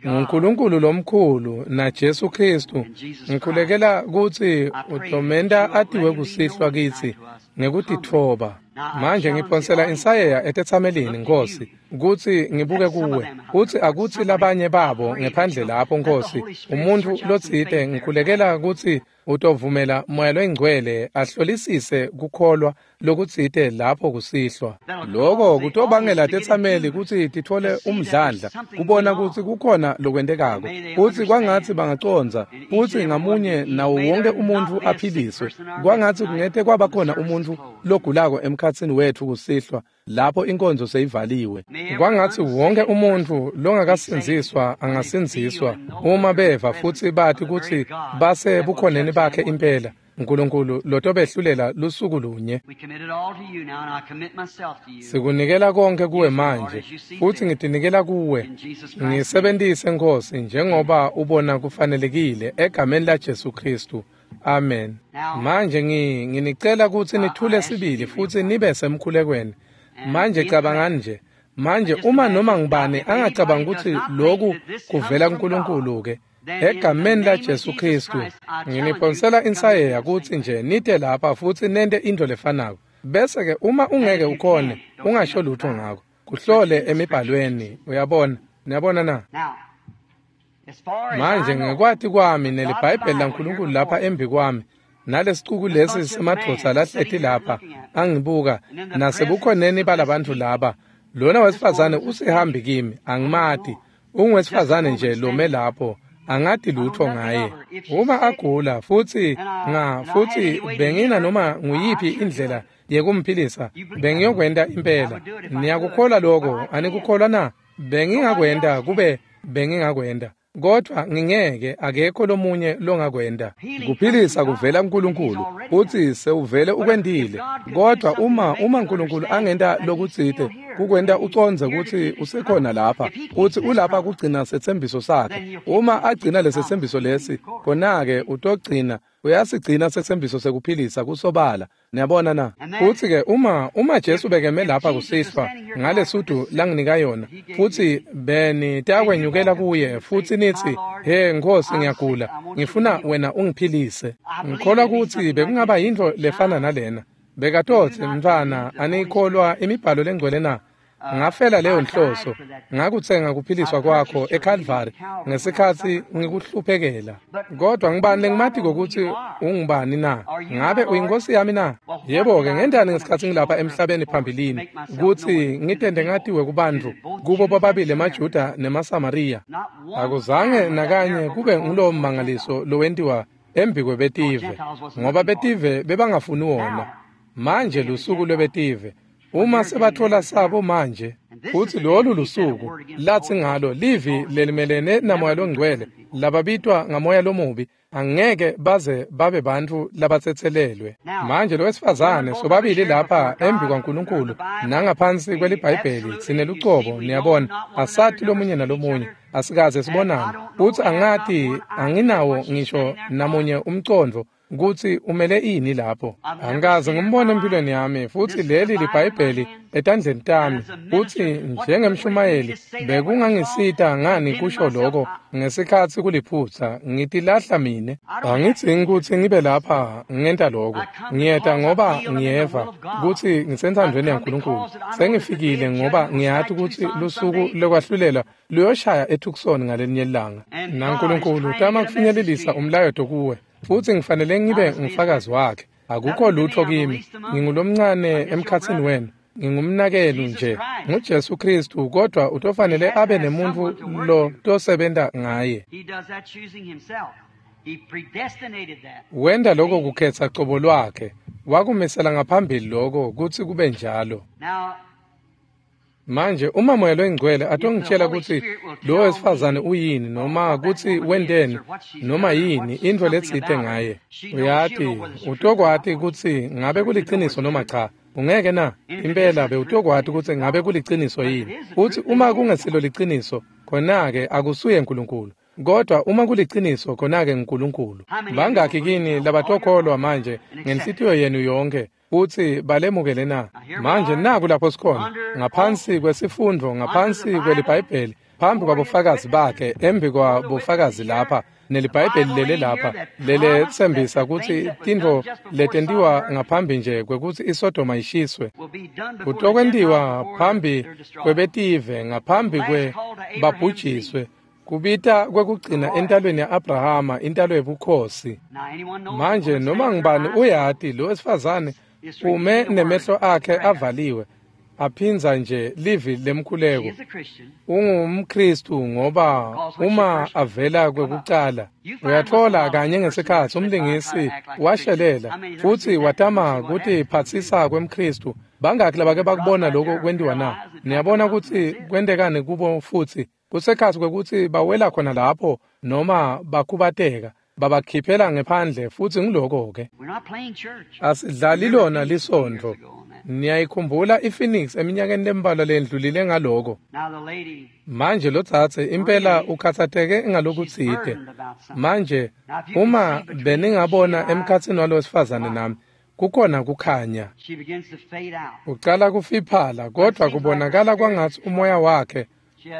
NguNkulunkulu lomkhulu na Jesu Kristu. Ngikhulekela kutsi utomenta atiwe kusihlwa kitsi ngekutitfoba. Manje ngiphonsela insayeya etetsamelini Nkosi kutsi ngibuke kuwe, kutsi akutsi labanye babo ngephandle lapho Nkosi, umuntfu lotsite ngikhulekela kutsi utovumela Moya loyiNgcwele ahlolisise kukholwa lokutsite lapho kusihlwa. Loko kutobangela tetsameli kutsi titfole umdlandla kubona kutsi kukhona lokwentekako, futsi kwangatsi bangacondza, futsi ngamunye nawo wonke umuntfu aphiliswe. Kwangatsi kungete kwaba khona umuntfu logulako emkhatsini wetfu kusihlwa lapho inkonzo seyivaliwe. Kwangatsi wonke umuntfu longakasindziswa angasindziswa uma beva futsi bati kutsi base bukhoneni bakhe impela, uNkulunkulu lotobehlulela lusuku lunye. Sikunikela konke kuwe manje, futsi ngitinikela kuwe. Ngisebentise Nkosi njengoba ubona kufanelekile egameni la Jesu Kristu. Amen. Manje ngi nginicela kutsi nithule sibili futsi nibe semkhulekweni. Manje cabangani nje. Manje uma noma ngibani angacabanga kutsi loku kuvela kuNkulunkulu ke, egameni la Jesu Kristu nginiphonsela insayeya kutsi nje nite lapha futsi nente intfo lefanako. Bese ke uma ungeke ukhone ungasho lutho ngako, kuhlole emibhalweni. Uyabona? Niyabona na? Manje ngekwati kwami neliBhayibheli laNkulunkulu lapha embi kwami, nalesicuku lesi semadvodza lahleti lapha angibuka, nasebukhoneni balabantfu laba, lona wesifazane usihambi kimi, angimati. Ungwesifazane nje lome lapho, angati lutho ngaye. Uma agula futsi nga futsi bengina noma nguyiphi indlela yekumphilisa, bengiyokwenta impela. Niyakukholwa lokho? Anikukholwa na? Bengingakwenta kube bengingakwenta, kodvwa ngingeke, akekho lomunye longakwenta. Kuphilisa kuvela kuNkulunkulu, futsi sewuvele ukwentile. Kodvwa uma uma uNkulunkulu angenta lokutsite kukwenta ucondze kutsi usekhona lapha, kutsi ulapha kugcina setsembiso sakhe. Uma agcina lesetsembiso lesi, khona-ke utogcina, uyasigcina setsembiso sekuphilisa kusobala. Niyabona na? Futsi ke uma uma Jesu bekeme lapha kusihlwa ngalesudu langinika yona, futsi benitakwenyukela kuye futsi nitsi, "He Nkosi, ngiyagula, ngifuna wena ungiphilise." Ngikholwa kutsi bekungaba yintfo lefana nalena. Bekatotsi, "Mntfwana, anikholwa imibhalo lengcwele na? Ngafela leyo nhloso, ngakutsenga kuphiliswa kwakho eKalvari ngesikhatsi ngikuhluphekela. Kodwa ngibani lengimatiko kutsi ungubani na? Ngabe uyinkosi yami na? Yebo-ke, ngentani ngesikhatsi ngilapha emhlabeni phambilini kutsi ngitente ngatiwe kubantfu, kubo bobabili emaJuda nemaSamariya? Akuzange nakanye kube ngulowo mmangaliso lowentiwa embikwebetive, ngoba betive bebangafuni wona. Manje lusuku lwebetive. Uma sebathola sabo manje, futsi lolu lusuku latsi ngalo livi lelimelene naMoya loNgcwele, lababitwa ngamoya lomubi, angeke baze babe bantfu labatsetselelwe. Manje lowesifazane, sobabili lapha embi kwaNkulunkulu nangaphansi kweliBhayibheli sinelucobo, niyabona, asati lomunye nalomunye, asikaze sibonane, futsi angati, anginawo ngisho namunye umcondvo Kutsi umele ini lapho. Angikaze ngimbone empilweni yami, futsi leli liBhayibheli etandleni tami, futsi njengemshumayeli bekungangisita ngani kusho lokho ngesikhatsi kuliphutsa, ngitilahla mine. Angidzingi kutsi ngibe lapha ngenta lokho. Ngiyeta ngoba ngiyeva kutsi ngisenthandweni yaNkulunkulu. Sengifikile ngoba ngiyati kutsi lusuku lokwahlulela luyoshaya eTucson ngalelinye ilanga. NaNkulunkulu utama kufinyelelisa umlayeto kuwe, futsi ngifanele ngibe ngufakazi wakhe. Akukho lutho kimi, ngingulomncane emkhatsini wenu, ngingumnakenu nje, nguJesu Kristu, kodwa utofanele abe nemuntfu lo tosebenta ngaye. Wenta lokho kukhetsa cobo lwakhe, wakumisela ngaphambili lokho kutsi kube njalo. Manje uma Moya loyiNgcwele atongitshela kutsi lo wesifazane uyini, noma kutsi wenteni, noma yini intfo letsite ngaye, uyati utokwati kutsi ngabe kuliciniso noma cha. Ungeke na? Impela bewutokwati kutsi ngabe kuliciniso yini. Futsi uma kungesilo liciniso, khona-ke akusuye Nkulunkulu. Kodwa uma kuliciniso, khona-ke nguNkulunkulu. Bangakhi kini labatokholwa manje ngenhlitiyo yenu yonke futsi balemukele na? Manje naku lapho sikhona, ngaphansi kwesifundvo, ngaphansi kweliBhayibheli, phambi kwabofakazi bakhe, embi kwabofakazi lapha, neliBhayibheli lele lapha, leletsembisa kutsi tintfo letentiwa ngaphambi nje kwekutsi iSodoma ishiswe, kutokwentiwa phambi kwebetive, ngaphambi kwe babhujiswe, kubita kwekugcina entalweni ya-Abrahama, intalo yebukhosi. Manje noma ngubani uyati lo wesifazane ume nemehlo akhe avaliwe, aphindza nje livi lemkhuleko. UngumKristu ngoba uma avela kwekucala, uyatfola kanye ngesikhatsi umlingisi washelela futsi watama kutiphatsisa kwemKristu. Bangakhi labake bakubona lokho kwentiwa na? Niyabona kutsi kwentekani kubo futsi kusekhatsi kwekutsi bawela khona lapho noma bakhubateka, babakhiphela ngephandle, futsi ngiloko-ke. Asidlali lona lisontfo. Niyayikhumbula iPhoenix eminyakeni lembalwa lendlulile ngaloko. Manje lotsatse impela ukhatsateke ngalokutsite. Manje uma beningabona emkhatsini walowesifazane nami, kukhona kukhanya. Ucala kufiphala, kodwa kubonakala kwangatsi umoya wakhe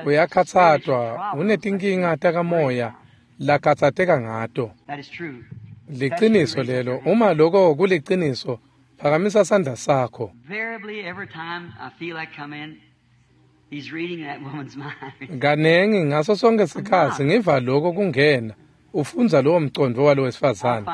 uyakhatsatwa, unetinkinga takamoya lakhatsateka ngato. Liciniso lelo. Uma lokho kuliciniso, phakamisa sandla sakho. Kanengi ngaso sonke sikhatsi ngiva lokho kungena, ufundza lowo mcondvo walowesifazane.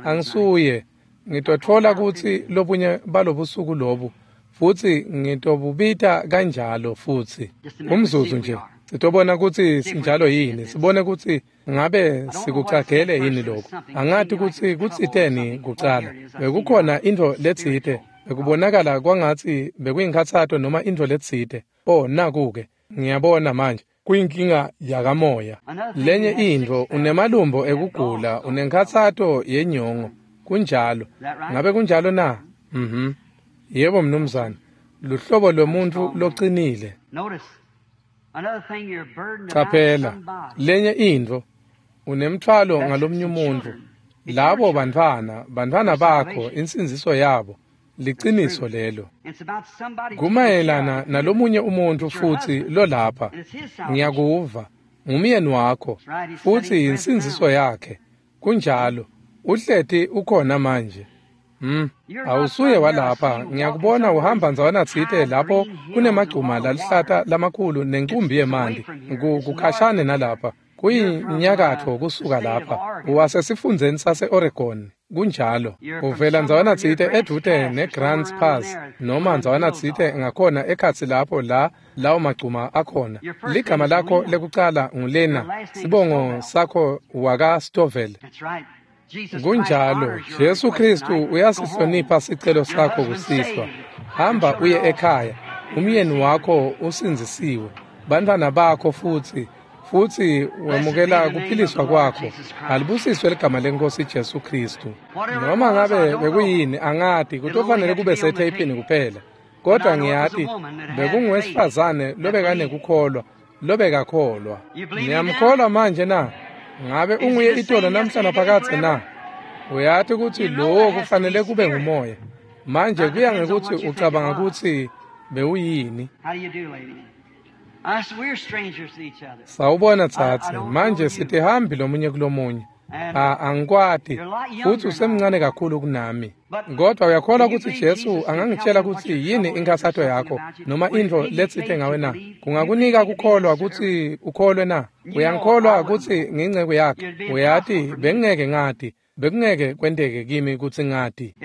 Angisuye, ngitotfola kutsi lobunye balobusuku lobu, futsi ngitobubita kanjalo futsi. Umzuzu nje, sitobona kutsi sinjalo yini, sibone kutsi ngabe sikucagele yini lokho. Angati kutsi kutsiteni kucala. Bekukhona intfo letsite, bekubonakala kwangatsi bekuyinkhatsato noma intfo letsite. Oh, naku-ke, ngiyabona manje, kuyinkinga yakamoya. Lenye intfo, unemalumbo ekugula, unenkhatsato yenyongo. Kunjalo. Ngabe kunjalo na? Mhm. Yebo mnumzane, luhlobo lwemuntfu locinile. Caphela, lenye intfo, unemthwalo ngalomnye umuntfu. Labo bantfwana, bantfwana bakho, insindziso yabo, liciniso lelo. Kumayelana nalomunye umuntfu futsi lolapha, ngiyakuva, ngumyeni wakho, futsi insindziso yakhe. Kunjalo, uhleti ukhona manje. Mm. Awusuye walapha, ngiyakubona uhamba ndzawana tsite lapho kunemagcuma lalihlata lamakhulu nencumbi yemanti. Kukhashane nalapha, kuyinyakatfo kusuka lapha. Wasesifundzeni sase-Oregon, kunjalo. Uvela ndzawana tsite edvute ne-Grants Pass, noma ndzawana tsite ngakhona ekhatsi lapho la lawo magcuma akhona. Ligama lakho lekucala ngulena, sibongo sakho waka-Stovell. Kunjalo, Jesu Kristu uyasihlonipha sicelo sakho kusihlwa. Hamba uye ekhaya, umyeni wakho usindzisiwe, bantfwana bakho futsi, futsi wemukela kuphiliswa kwakho. Alibusiswe ligama leNkosi Jesu Kristu. Noma ngabe bekuyini angati, kutofanele kube setheyphini kuphela. Kodwa ngiyati bekunguwesifazane lobekanekukholwa, lobekakholwa. Niyamkholwa manje na? Ngabe unguye itolo namhla naphakadze na? Uyati kutsi lowo kufanele kube ngumoya. Manje kuya ngekutsi ucabanga kutsi bewuyini. Sawubona tsatse, manje sitihambi lomunye kulomunye. A angikwati, futsi usemncane kakhulu kunami. Kodwa uyakholwa kutsi Jesu angangitshela kutsi yini inkhatsato yakho noma intfo letsite ngawe na? Kungakunika kukholwa kutsi ukholwe na? Uyangikholwa kutsi ngiyinceku yakhe? Uyati bengingeke ngati, bekungeke kwenteke kimi kutsi ngati.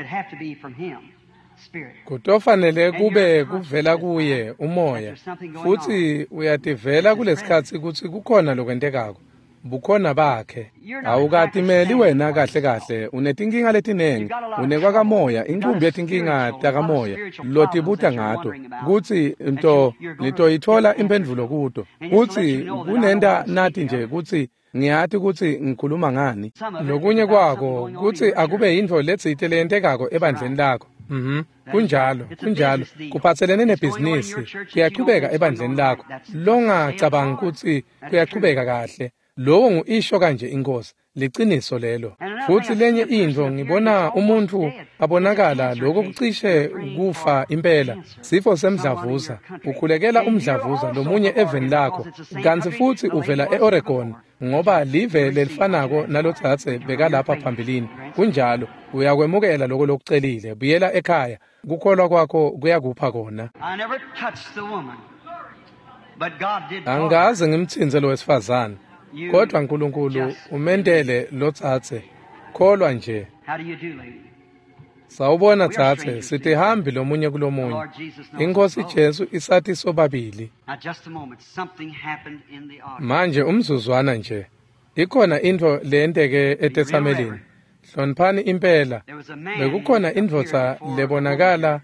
Kutofanele kube kuvela kuye umoya, futsi uyativela kulesikhatsi kutsi kukhona lokwentekako. Bukhona bakhe. Awukatimeli wena kahle kahle, unetinkinga letinengi, unekwakamoya, inqumbi yetinkinga takamoya lotibuta ngato, kutsi nto nitoyithola imphendvulo kuto, kutsi kunenta nati nje kutsi ngiyati kutsi ngikhuluma ngani. Lokunye kwako kutsi akube yintfo letsite leyentekako ebandleni lakho. Mhm. Kunjalo, kunjalo. Kuphatselene nebhizinisi, kuyachubeka ebandleni lakho. Longacabangi kutsi kuyachubeka kahle. Lowo ngu-isho kanje inkosi, liciniso lelo. Futsi lenye intfo ngibona umuntfu abonakala lokho kucishe kufa impela, sifo semdlavuza, ukhulekela umdlavuza lomunye eveni lakho, kantsi futsi uvela e-Oregon, ngoba live lelifanako nalotsatse bekalapha phambilini. Kunjalo, uyakwemukela lokho lokucelile, buyela ekhaya, kukholwa kwakho kuyakupha kona. Angikaze ngimtsintse lo wesifazane. Kodwa Nkulunkulu umentele lotsatse, kholwa nje. Sawubona tsatse, sitihambi lomunye kulomunye. Inkosi Jesu isathi sobabili. Manje umzuzwana nje, ikhona intfo leyenteke etetsamelini. Hloniphani impela, bekukhona indvodza lebonakala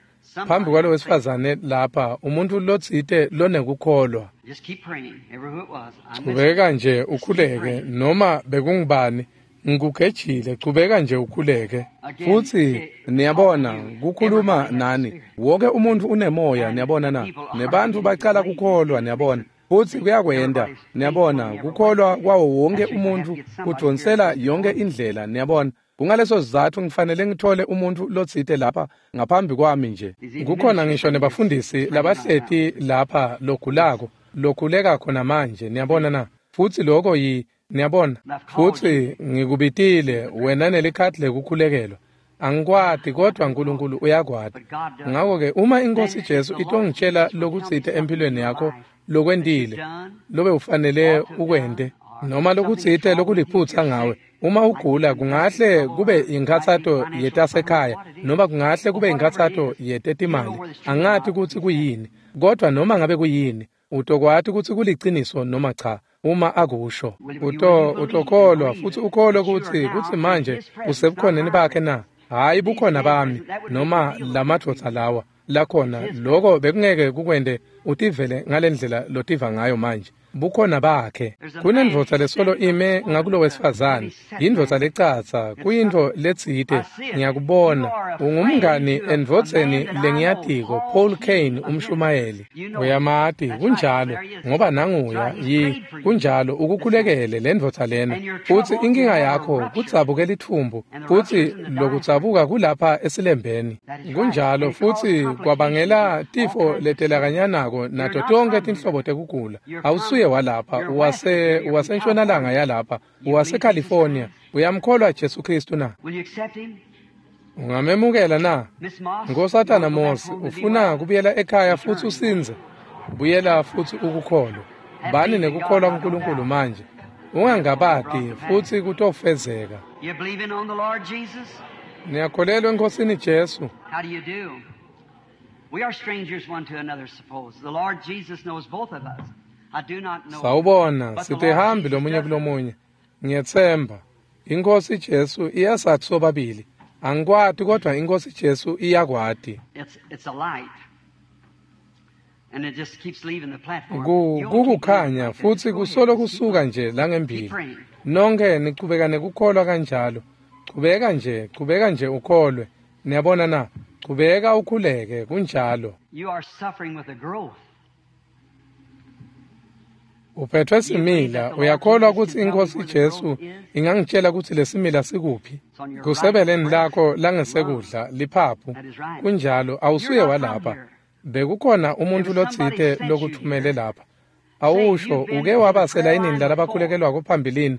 phambi kwalo wesifazane lapha, umuntfu lotsite lonekukholwa. Chubeka nje ukhuleke, noma bekungubani, ngikugejile, chubeka nje ukhuleke. Futsi niyabona, kukhuluma nani, wonke umuntfu unemoya, niyabona na? Nebantfu bacala kukholwa, niyabona. Futsi kuyakwenta, niyabona, kukholwa kwawo wonke umuntfu kudvonsela yonke indlela, niyabona. Kungaleso sizatfu ngifanele ngithole umuntfu lotsite lapha ngaphambi kwami nje. Kukhona ngisho nebafundisi labahleti lapha logulako, lokhuleka khona manje, niyabona na? Futsi lokho yi, niyabona. Futsi ngikubitile wena nelikhadi lekukhulekelwa. Angikwati kodwa Nkulunkulu uyakwati. Ngakho-ke uma iNkosi Jesu itongitshela lokutsite empilweni yakho lokwentile, lobe ufanele ukwente, noma lokutsite lokuliphutsa ngawe, uma ugula kungahle kube inkhatsato yetasekhaya noma kungahle kube inkhatsato yetetimali, angati kutsi kuyini, kodwa noma ngabe kuyini, utokwati kutsi kuliciniso noma cha. Uma akusho, uto utokholwa futsi ukholwe kutsi kutsi manje usebukhoneni bakhe na? Hayi bukhona bami noma lamadvodza lawa lakhona, lokho bekungeke kukwente utivele ngalendlela lotiva ngayo manje. Bukhona bakhe. Kunendvodza lesolo ime ngakulo wesifazane, yindvodza lecatsa, kuyintfo letsite, ngiyakubona. Ungumngani endvodzeni lengiyatiko, Paul Kane umshumayeli. Uyamati, kunjalo, ngoba nanguya, yi, kunjalo, ukukhulekele lendvodza lena. Futsi inkinga yakho kudzabuke litfumbu, futsi lokudzabuka kulapha esilembeni. Kunjalo, futsi kwabangela tifo letelakanyanako nato tonkhe tinhlobo tekugula. Awusuye walapha, uwase uwasentshonalanga yalapha, uwaseCalifornia. Uyamkholwa Jesu Kristu na? Ungamemukela na? Nkosatana Mosi, ufuna kubuyela ekhaya futsi usindze? Buyela futsi ukukholwe. Bani nekukholwa kuNkulunkulu manje. Ungangabati futsi kutofezeka. Niyakholelwa eNkosini Jesu? We are strangers one to another, suppose. The Lord Jesus knows both of us. I do not know. Sawubona, sitihambi lomunye kulomunye. Ngiyetsemba. Inkosi Jesu iyasathi sobabili. Angikwati kodwa iNkosi Jesu iyakwati. It's it's a light. And it just keeps leaving the platform. Kukukhanya futsi kusolo kusuka nje langembili. Nonke nichubeka nekukholwa kanjalo. Chubeka nje, chubeka nje ukholwe. Niyabona na? Chubeka ukhuleke kunjalo. You are suffering with a growth. Uphethwe simila, uyakholwa kutsi iNkhosi Jesu ingangitjela kutsi lesimila sikuphi? Kusebeleni lakho langesekudla, liphaphu. Kunjalo, awusuye walapha. Bekukhona umuntfu lotsite lokuthumele lapha. Awusho, uke waba selayinini lalabakhulekelwako phambilini.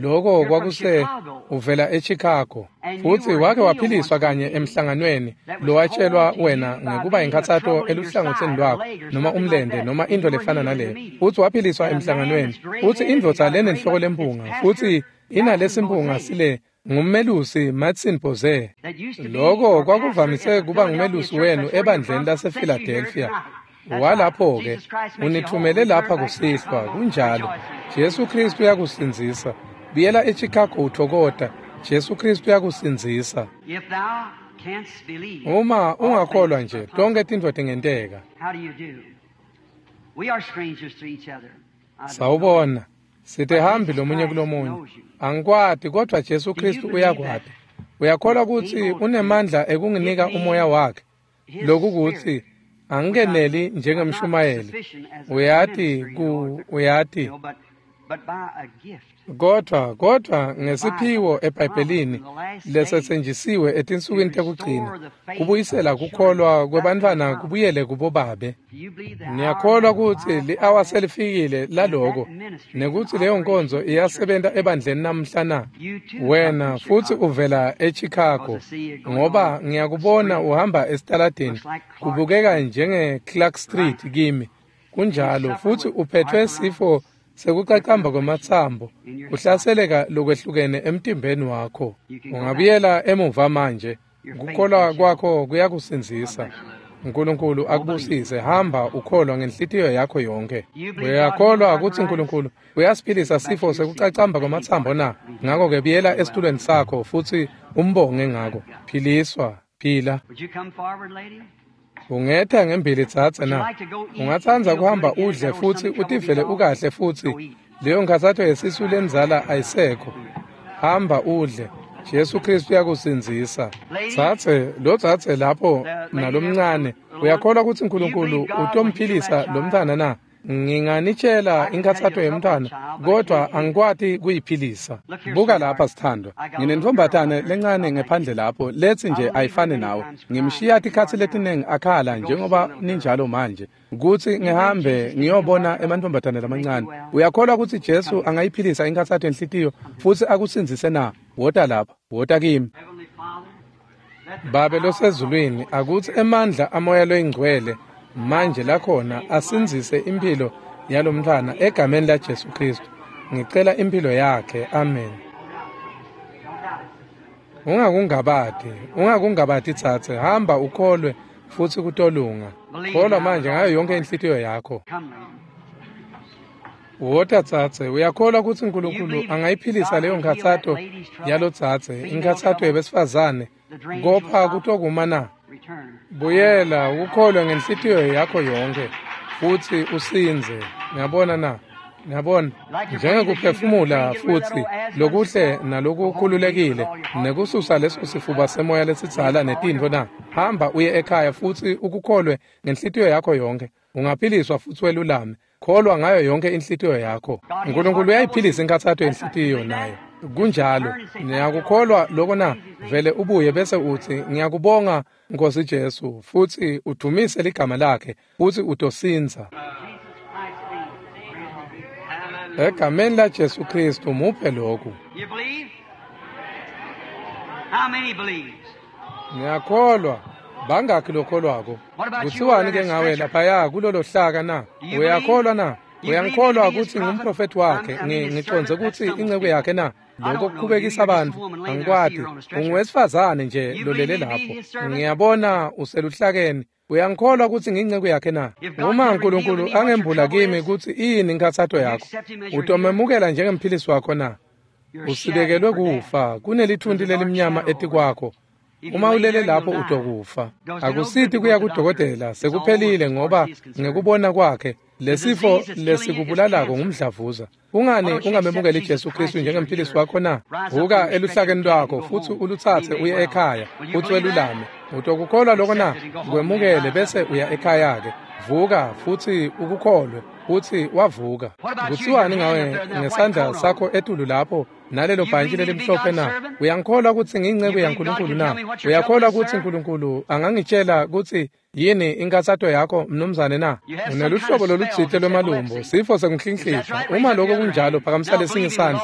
Loko kwakuse uvela eChicago. Futsi wake waphiliswa kanye emhlanganweni lowatshelwa wena ngekuba inkhatsato eluhlangotsini lwakho noma umlente noma intfo lefana naleyo. Futsi waphiliswa emhlanganweni. Futsi indvodza lenenhloko lempunga futsi inalesimpunga sile ngummelusi Martin Bose. Loko kwakuvamise kuba ngumelusi wenu ebandleni lasePhiladelphia. Walapho-ke unithumele lapha kusihlwa. Kunjalo, Jesu Kristu uyakusindzisa. Buyela eChicago uthokota. Jesu Kristu uyakusindzisa. Uma ungakholwa nje, tonkhe tintfo tingenteka. Sawubona, sitihambi lomunye kulomunye. Angikwati, kodvwa Jesu Kristu uyakwati. Uyakholwa kutsi unemandla ekunginika umoya wakhe? Loku kutsi angikeneli njengemshumayeli. Uyati ku uyati. Kodvwa kodvwa ngesiphiwo eBhayibhelini lesetsenjisiwe etinsukwini tekugcina kubuyisela kukholwa kwebantfwana kubuyele kubobabe. Ngiyakholwa kutsi li-awa selifikile laloko nekutsi leyo nkonzo iyasebenta ebandleni namhla na. Wena futsi uvela eChicago ngoba ngiyakubona uhamba esitaladini kubukeka njenge Clark Street kimi. Kunjalo, futsi uphethwe sifo sekucacamba kwematsambo, kuhlaseleka lokwehlukene emtimbeni wakho. Ungabuyela emuva manje, kukholwa kwakho kuyakusindzisa. Nkulunkulu akubusise. Hamba ukholwa ngenhlitiyo yakho yonke. Uyakholwa kutsi Nkulunkulu uyasiphilisa sifo sekucacamba kwematsambo na? Ngako-ke buyela esitulweni sakho futsi umbonge ngako. Philiswa, phila. Ungetha ngembili dzadze na? Ungatsandza kuhamba udle futsi utivele ukahle futsi leyo nkhatsato yesisu lendzala ayisekho. Hamba udle. Jesu Kristu uyakusindzisa. Dzadze, lo dzadze lapho nalomncane, uyakholwa kutsi Nkulunkulu utomphilisa lo mntfwana na? Nginganitshela inkhatsato yemntfwana, kodvwa angikwati kuyiphilisa. Buka lapha sithandwa, nginentfombatane lencane ngephandle lapho letsi nje ayifani nawe. Ngimshiya tikhatsi letinengi akhala njengoba ninjalo manje, kutsi ngihambe ngiyobona emantfombatane lamancane. Uyakholwa kutsi Jesu angayiphilisa inkhatsato yenhlitiyo futsi akusindzise na? Wota lapha, wota kimi. Babe losezulwini, akutsi emandla amoya loyingcwele manje lakhona asindzise impilo yalomntfwana egameni laJesu Kristu. Ngicela impilo yakhe. Amen. Ungakungabati, ungakungabati tsatse, hamba ukholwe futsi kutolunga. Kholwa manje ngayo yonke inhlitiyo yakho. Wota tsatse, uyakholwa kutsi Nkulunkulu angayiphilisa leyo nkhatsato yalotsatse, inkhatsato yebesifazane, kopha kutokuma na? Buyela ukholwe ngenhlitiyo yakho yonke futsi usindze. Ngiyabona na? Ngiyabona njengekuphefumula futsi lokuhle nalokukhululekile nekususa leso sifuba semoya lesidzala netintfo na. Hamba uye ekhaya futsi ukukholwe ngenhlitiyo yakho yonke. Ungaphiliswa futsi welulame. Kholwa ngayo yonke inhlitiyo yakho. Nkulunkulu uyayiphilisa inkhatsato yenhlitiyo nayo. Kunjalo, ngiyakukholwa loko na? Vele ubuye bese utsi ngiyakubonga Nkosi Jesu, futsi udumise ligama lakhe futsi utosindza. Egameni la Jesu Kristu muphe lokhu. Ngiyakholwa. Bangakhi lokholwako? Kuthiwani ke ngawe laphaya kulolo hlaka na? Uyakholwa na? Uyangikholwa kutsi ngumprofethi wakhe, ngicondze kutsi inceku yakhe na? Lokho kukhubekisa abantu, angikwati. Unguwesifazane nje lolele lapho. Ngiyabona useluhlakeni. Uyangikholwa kutsi ngiyinceku yakhe na? Uma Nkulunkulu angembula kimi kutsi iyini inkhatsato yakho, utomemukela njengemphilisi wakho na? Usibekelwe kufa, kunelithunti lelimnyama etikwakho. Uma ulele lapho utokufa. Akusiti kuya kudokotela, sekuphelile ngoba ngekubona kwakhe lesifo lesikubulalako ngumdlavuza. Kungani ungamemukeli Jesu Kristu njengemphilisi wakho na? Vuka eluhlakeni lwakho futsi ulutsatse uye ekhaya futsi welulame. Utokukholwa lokho na? Kwemukele bese uya ekhaya-ke. Vuka futsi ukukholwe futsi wavuka. Kutsiwani ngawe ngesandla sakho etulu lapho nalelo bhantshi lelimhlophe na? Uyangikholwa kutsi ngiyinceku yaNkulunkulu na? Uyakholwa kutsi Nkulunkulu angangitshela kutsi yini inkatsato yakho mnumzane na? Uneluhlobo lolutsite lwemalumbo, sifo sekunhlinhlitha. Uma lokho kunjalo, phakamisa lesinye isandla.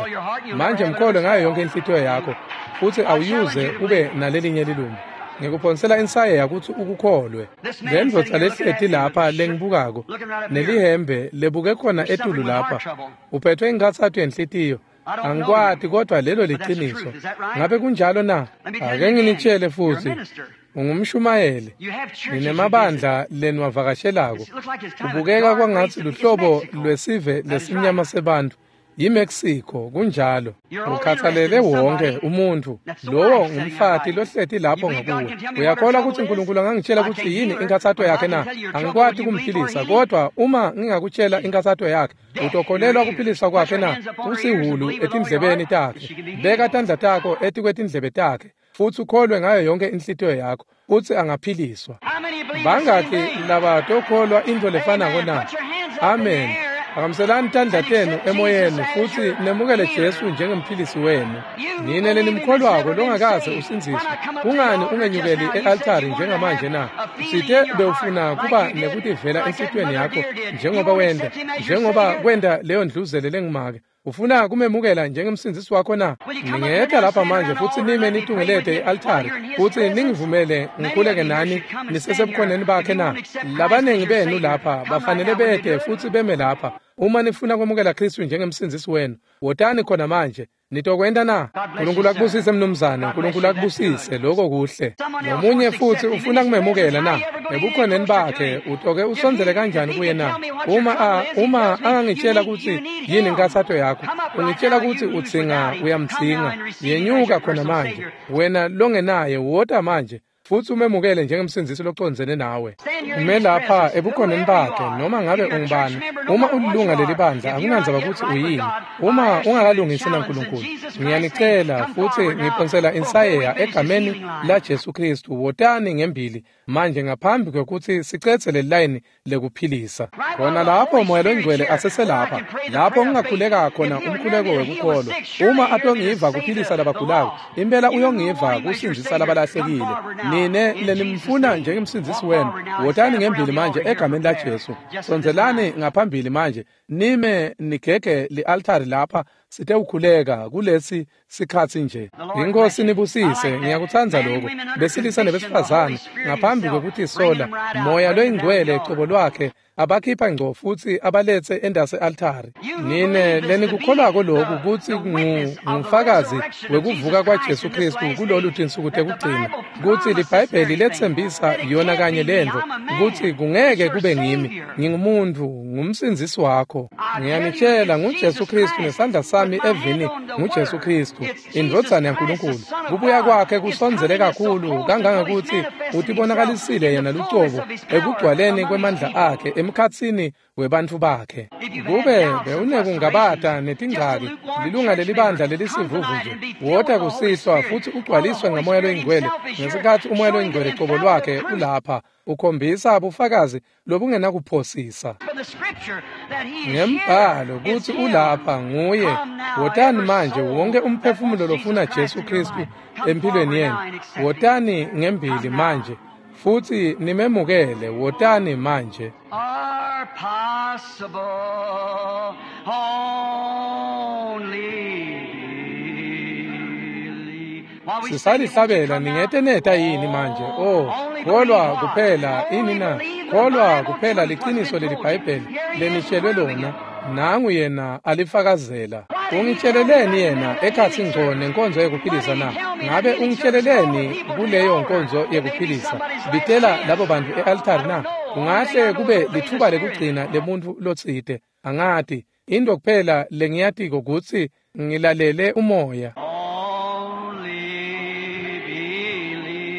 Manje mkholwe ngayo yonke inhlitiyo yakho futsi awuyuze ube nalelinye lilumbo. Ngikuphonsela insayeya kutsi ukukholwe. Le ndvodza lehleti lapha lengibukako nelihembe lebuke khona etulu lapha, uphethwe inkatsato yenhlitiyo. Angikwati kodwa lelo liciniso. Ngabe kunjalo na? Ake nginitshele futsi, ungumshumayeli. Ninemabandla leniwavakashelako. Kubukeka kwangatsi luhlobo lwesive lesimnyama sebantfu. YiMexico, kunjalo. Ukhathalele wonke umuntfu. Lowo ngumfati lohleti lapho ngakuwe. Uyakholwa kutsi Nkulunkulu angangitshela kutsi yini inkatsato yakhe na? Angikwati kumphilisa, kodwa uma ngingakutshela inkatsato yakhe, utokholelwa kuphiliswa kwakhe na? Usihulu etindlebeni takhe. Beka tandla takho etikwetindlebe takhe futsi ukholwe ngayo yonke inhlitiyo yakho futsi angaphiliswa. Bangakhi labatokholwa intfo lefanako na? Amen. Phakamiselani tandla tenu emoyeni futsi nemukele Jesu njengemphilisi wenu. Nine lenimkholwako longakaze usindziswe, kungani ungenyukeli e-altari njengamanje na? Usite bewufuna kuba nekutivela enhlitiyweni yakho njengoba wenda, njengoba kwenda leyo ndluzele lengumake. Ufuna kumemukela njengemsindzisi wakho na? Ningeta lapha manje futsi nime nitungelete i-altari futsi ningivumele ngikhuleke nani nisesebukhoneni bakhe na? Labaningi benu lapha bafanele bete futsi beme lapha. Uma nifuna kwemukela Kristu njengemsindzisi wenu, wotani khona manje. Nitokwenta na? Nkulunkulu akubusise mnumzane, Nkulunkulu akubusise, lokho kuhle. Nomunye futsi ufuna kumemukela na? Ebukhoneni bakhe utoke usondzele kanjani kuye na? Uma a, uma angangitshela kutsi yini inkatsato yakho, ungitshela kutsi udzinga uyamdzinga. Yenyuka khona manje. Wena longenaye wota manje futsi umemukele njengemsindzisi locondzene nawe. Ume lapha ebukhoneni bakhe noma ngabe ungubani. Uma ulilunga lelibandla, akunandzaba kutsi uyini. Uma ungakalungisi naNkulunkulu, ngiyanicela futsi ngiphonsela insayeya egameni la Jesu Kristu, wotani ngembili manje ngaphambi kwekutsi sicetse lelilayini lekuphilisa. Khona lapho Moya loNgcwele aseselapha, lapho ngingakhuleka khona umkhuleko wekukholwa. Uma atongiva kuphilisa labagulako, impela uyongiva kusindzisa labalahlekile. Nine lenimfuna njengemsindzisi wenu, wotani ngembili manje egameni la Jesu. Sondzelani ngaphambili manje, nime nigege li-altari lapha sitewukhuleka kulesi sikhatsi nje. Inkosi nibusise, ngiyakutsandza lokho. Besilisa nebesifazane ngaphambi kwekutisola, Moya loyingcwele cobo lwakhe abakhipha ngco futsi abaletse endase altari. Nine lenikukholwako lokhu kutsi ngufakazi wekuvuka kwaJesu Kristu kulolu tinsuku tekugcina, kutsi liBhayibheli letsembisa yona kanye lentfo, kutsi kungeke kube ngimi, ngingumuntfu, ngumsindzisi wakho. Ngiyanitshela nguJesu Kristu nesandla sami evini nguJesu Kristu, indvodzana yaNkulunkulu. Kubuya kwakhe kusondzele kakhulu kangangekutsi utibonakalisile yena lucobo ekugcwaleni kwemandla akhe emkhatsini webantfu bakhe. Kube bewunekungabata netingcaki, lilunga lelibandla lelisivuvu nje, wota kusihlwa futsi ugcwaliswe ngaMoya loyiNgcwele ngesikhatsi uMoya loyiNgcwele cobo lwakhe ulapha ukhombisa bufakazi lobungenakuphosisa ngembhalo kutsi ulapha nguye. Wotani manje wonke umphefumulo lofuna Jesu Kristu empilweni yenu, wotani ngembili manje futsi nimemukele. Wotani manje. Are possible only. Sisalihlabela ningete neta yini manje? Oh, kholwa kuphela ini na? Kholwa kuphela liciniso leliBhayibheli lenitshelwe lona. Nangu yena alifakazela. Ungitsheleleni yena ekhatsi ngco nenkonzo yekuphilisa na? Ngabe ungitsheleleni kuleyo nkonzo yekuphilisa? Bitela labo bantu e-altari na? Kungahle kube lithuba lekugcina lemuntfu lotsite. Angati. Into kuphela lengiyatiko kutsi ngilalele umoya. Only believe.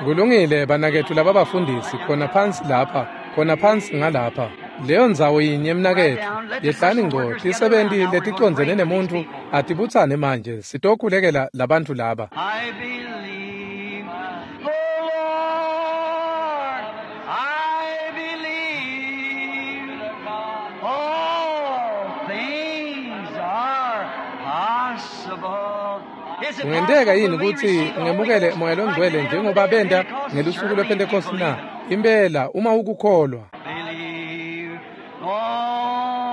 Kulungile banakethu laba bafundisi khona phansi lapha, khona phansi ngalapha. Leyo ndzawo yinye mnaketfu. Yehlani ngco tisebenti leticondzene nemuntfu atibutsane manje sitokhulekela labantfu laba. I believe the Lord. I believe all things are possible. Is it Kungenteka possible yini for me to kutsi receive the Holy ngemukele Ghost moya longcwele like they did on njengoba the day of benta Pentecost? ngelusuku Certainly lwePhentekosti if you na? believe it. Impela uma ukukholwa. Believe,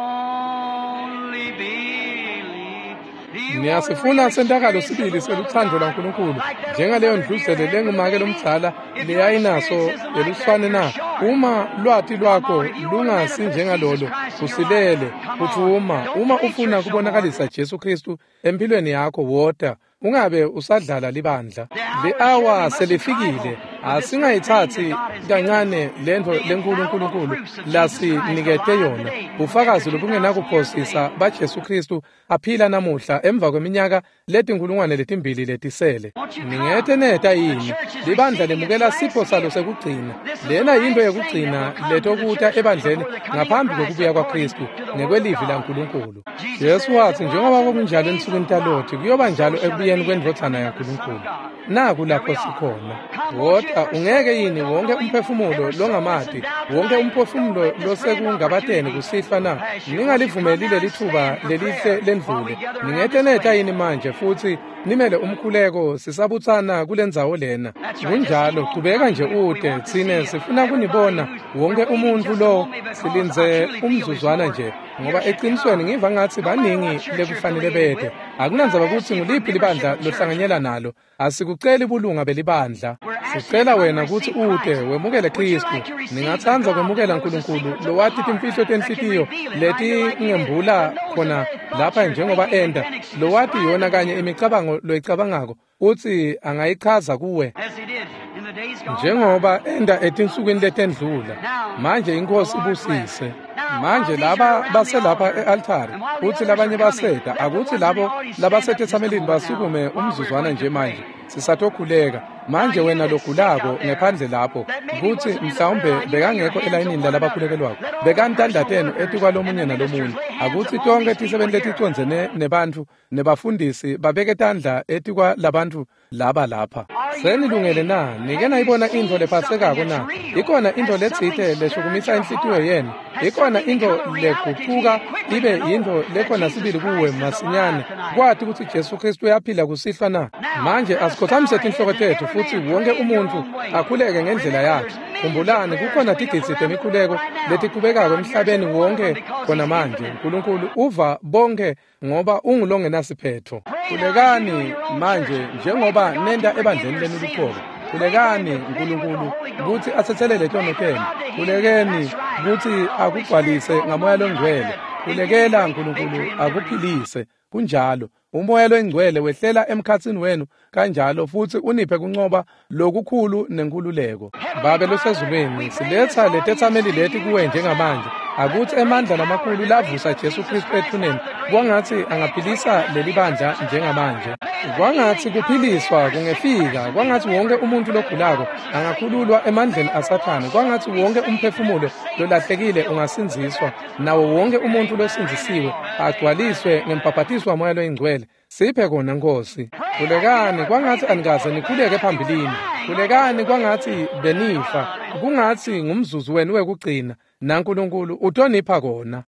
only believe. Do you want to Niyasifuna really sentakalo experience sibili the love of selutsandvo God lwaNkulunkulu like that old njengaleyo mother dear ndluzele had with the lengumake baby? lomdzala If your leyayinaso experience isn't like that, yeluswane you're na? short. Uma lwati Come lwakho on, if you want to lungasi manifest Jesus njengalolo Christ in your life, usilele come on. phuthuma. Don't Uma play ufuna church no more. kubonakalisa Jesu Kristu empilweni yakho wota ungabe usadlala libandla. The hour Le is here, we awa mustn't trifle selifikile, with this great thing asingayitsatsi that God has given us. kancane lentfo The lenkulu infallible uNkulunkulu proofs of Jesus Christ lasinikete alive yona, today bufakazi after two thousand years lobungenakuphosisa today. baJesu Kristu aphila namuhla emva kweminyaka letinkulungwane letimbili letisele. Won't you Ningete come? neta The yini? church is Libandla receiving its lemukela last sipho salo gift. sekugcina. This is the Lena yintfo last thing that yekugcina will come to the letokuta church ebandleni before the coming of ngaphambi Christ kwekubuya according kwaKristu to the Word of ngekwelivi God. laNkulunkulu. Jesus Jesu said, as watsi it njengoba was in the kwakunjalo days ensukwini of Lot, taloti kuyoba njalo so shall it ekubuyeni be in the kwendvodzana coming of the Son of yaNkulunkulu. God. Naku Here lapho we are. sikhona. Come, won't you, Wota every ungeke soul yini that don't wonke know Him, umphefumulo every soul that's in longamati, doubt wonke tonight, don't umphefumulo let this grand losekungabateni opportunity kusihlwa na? pass you. Won't you come Ningalivumeli now leli and thuba stand for lelihle prayer while we lendlule. gather around Ningete this neta flame? yini manje futhi nimele umkhuleko sisabutsana kulendzawo lena. That's right. Just keep Kunjalo, on chubeka coming. nje We, we ute want to see tsine you. sifuna Everybody kunibona who's we're wonke waiting umuntu just a lo moment because I silindze truly feel there's umzuzwana more nje here ngoba should eqinisweni come. ngiva ngathi No matter what baningi church you're lekufanele affiliated bete. with, we're not Akunandzaba kutsi asking for nguliphi membership libandla of church. lohlanganyela nalo, asikuceli bulunga belibandla. We're asking you to Sicela come and wena kutsi receive ute Christ. wemukele Would you Kristu. like to receive the Ningatsandza God that kwemukela knows the uNkulunkulu secrets of the lowati heart, timfihlo that can tenhlitiyo reveal it right here like he did, letingembula that knows the khona very thoughts lapha you're njengoba thinking and enta, can lowati describe yona them to kanye you imicabango loyicabangako utsi angayichaza kuwe as he did in the days gone by. njengoba enda etinsukwini letendlula. Now, Manje the inkosi Lord bless. ibusise. Now, while Manje these are laba around the baselapha altar, e-altari and while the kutsi others are labanye coming, baseta let the akutsi ones in the labo audience stand up just a labasetetsamelini moment now basukume while we're umzuzwana going nje to manje pray. sisatokhuleka. Now, Manje you wena that's sick logulako out there, ngephandle lapho that maybe kutsi wasn't in the prayer mhlawumbe line, you lay your bekangekho hands on elayinini one another. lalabakhulekelwako Let all the bekani tandla personal tenu workers and etikwalomunye the nalomunye ministers lay hands akutsi upon tonkhe these people tisebenti here. leticondzene nebantfu nebafundisi babeke tandla etikwalabantfu laba lapha. Are you Senilungele ready? na? Nike Have you nayibona intfo seen something lephatsekako that's na? real? Ikhona intfo Has something letsite stirred leshukumisa your inhlitiyo heart? yenu. Has Ikhona something intfo become a reality to you legucuka quickly ibe to know yintfo that lekhona Jesus sibili kuwe Christ is masinyane alive tonight? kwati kutsi Jesu Kristu uyaphila kusihlwa na? Now, Manje let us bow asikhothamise our heads tinhloko and tetfu every futsi man wonke pray in your umuntfu own way. akhuleke ngendlela Remember, yakhe. there's millions of Khumbulani prayers kukhona going up tigidzi around the world temikhuleko right now. letichubekako God hears emhlabeni every one of them wonke because khona He's manje. infinite. Nkulunkulu uva bonke ngoba ungulongenasiphetho. Pray now as you do in Khulekani your own church. manje Pray for njengoba God to nenta forgive ebandleni your lenu sins. luqobo. Pray for Him Khulekani to fill you with the uNkulunkulu Holy Ghost. kutsi atsetselele Pray tono for tenu. God to heal you. Khulekeni That's right. kutsi The Holy Spirit akugcwalise fall ngamoya among you like longcwele. that and give you Khulekela great uNkulunkulu victory and liberty. akuphilise. Kunjalo. Umoya longcwele wehlela emkhatsini wenu kanjalo futsi uniphe kuncoba lokukhulu nenkhululeko. Heavenly Babe Father, losezulwini, we bring this siletha audience letetsameli to leti you kuwe just now. njengamanje. Let Akutsi the great emandla power lamakhulu that raised lavusa up Jesu Jesus Kristu Christ out ethuneni of the grave, kwangatsi may it quicken angaphilisa this leli new bandla church just now. njengamanje. May the Kwangatsi healing come to kuphiliswa every sick kungefika, person be kwangatsi wonke delivered umuntu from the logulako powers of Satan. angakhululwa emandleni May every aSathane, lost kwangatsi soul be wonke saved and every umphefumulo saved person lolahlekile filled with the ungasindziswa, baptism of the nawo Holy wonke Spirit. umuntfu Amen losindzisiwe and agcwaliswe ngembhabhatiso waMoya loyiNgcwele. Siphe kona Nkosi. Pray like you Khulekani never kwangatsi prayed anikaze before. nikhuleke Pray like you were phambilini. dying, like you Khulekani were kwangatsi benifa, kungatsi ngumzuzu wenu wekugcina, naNkulunkulu utonipha kona.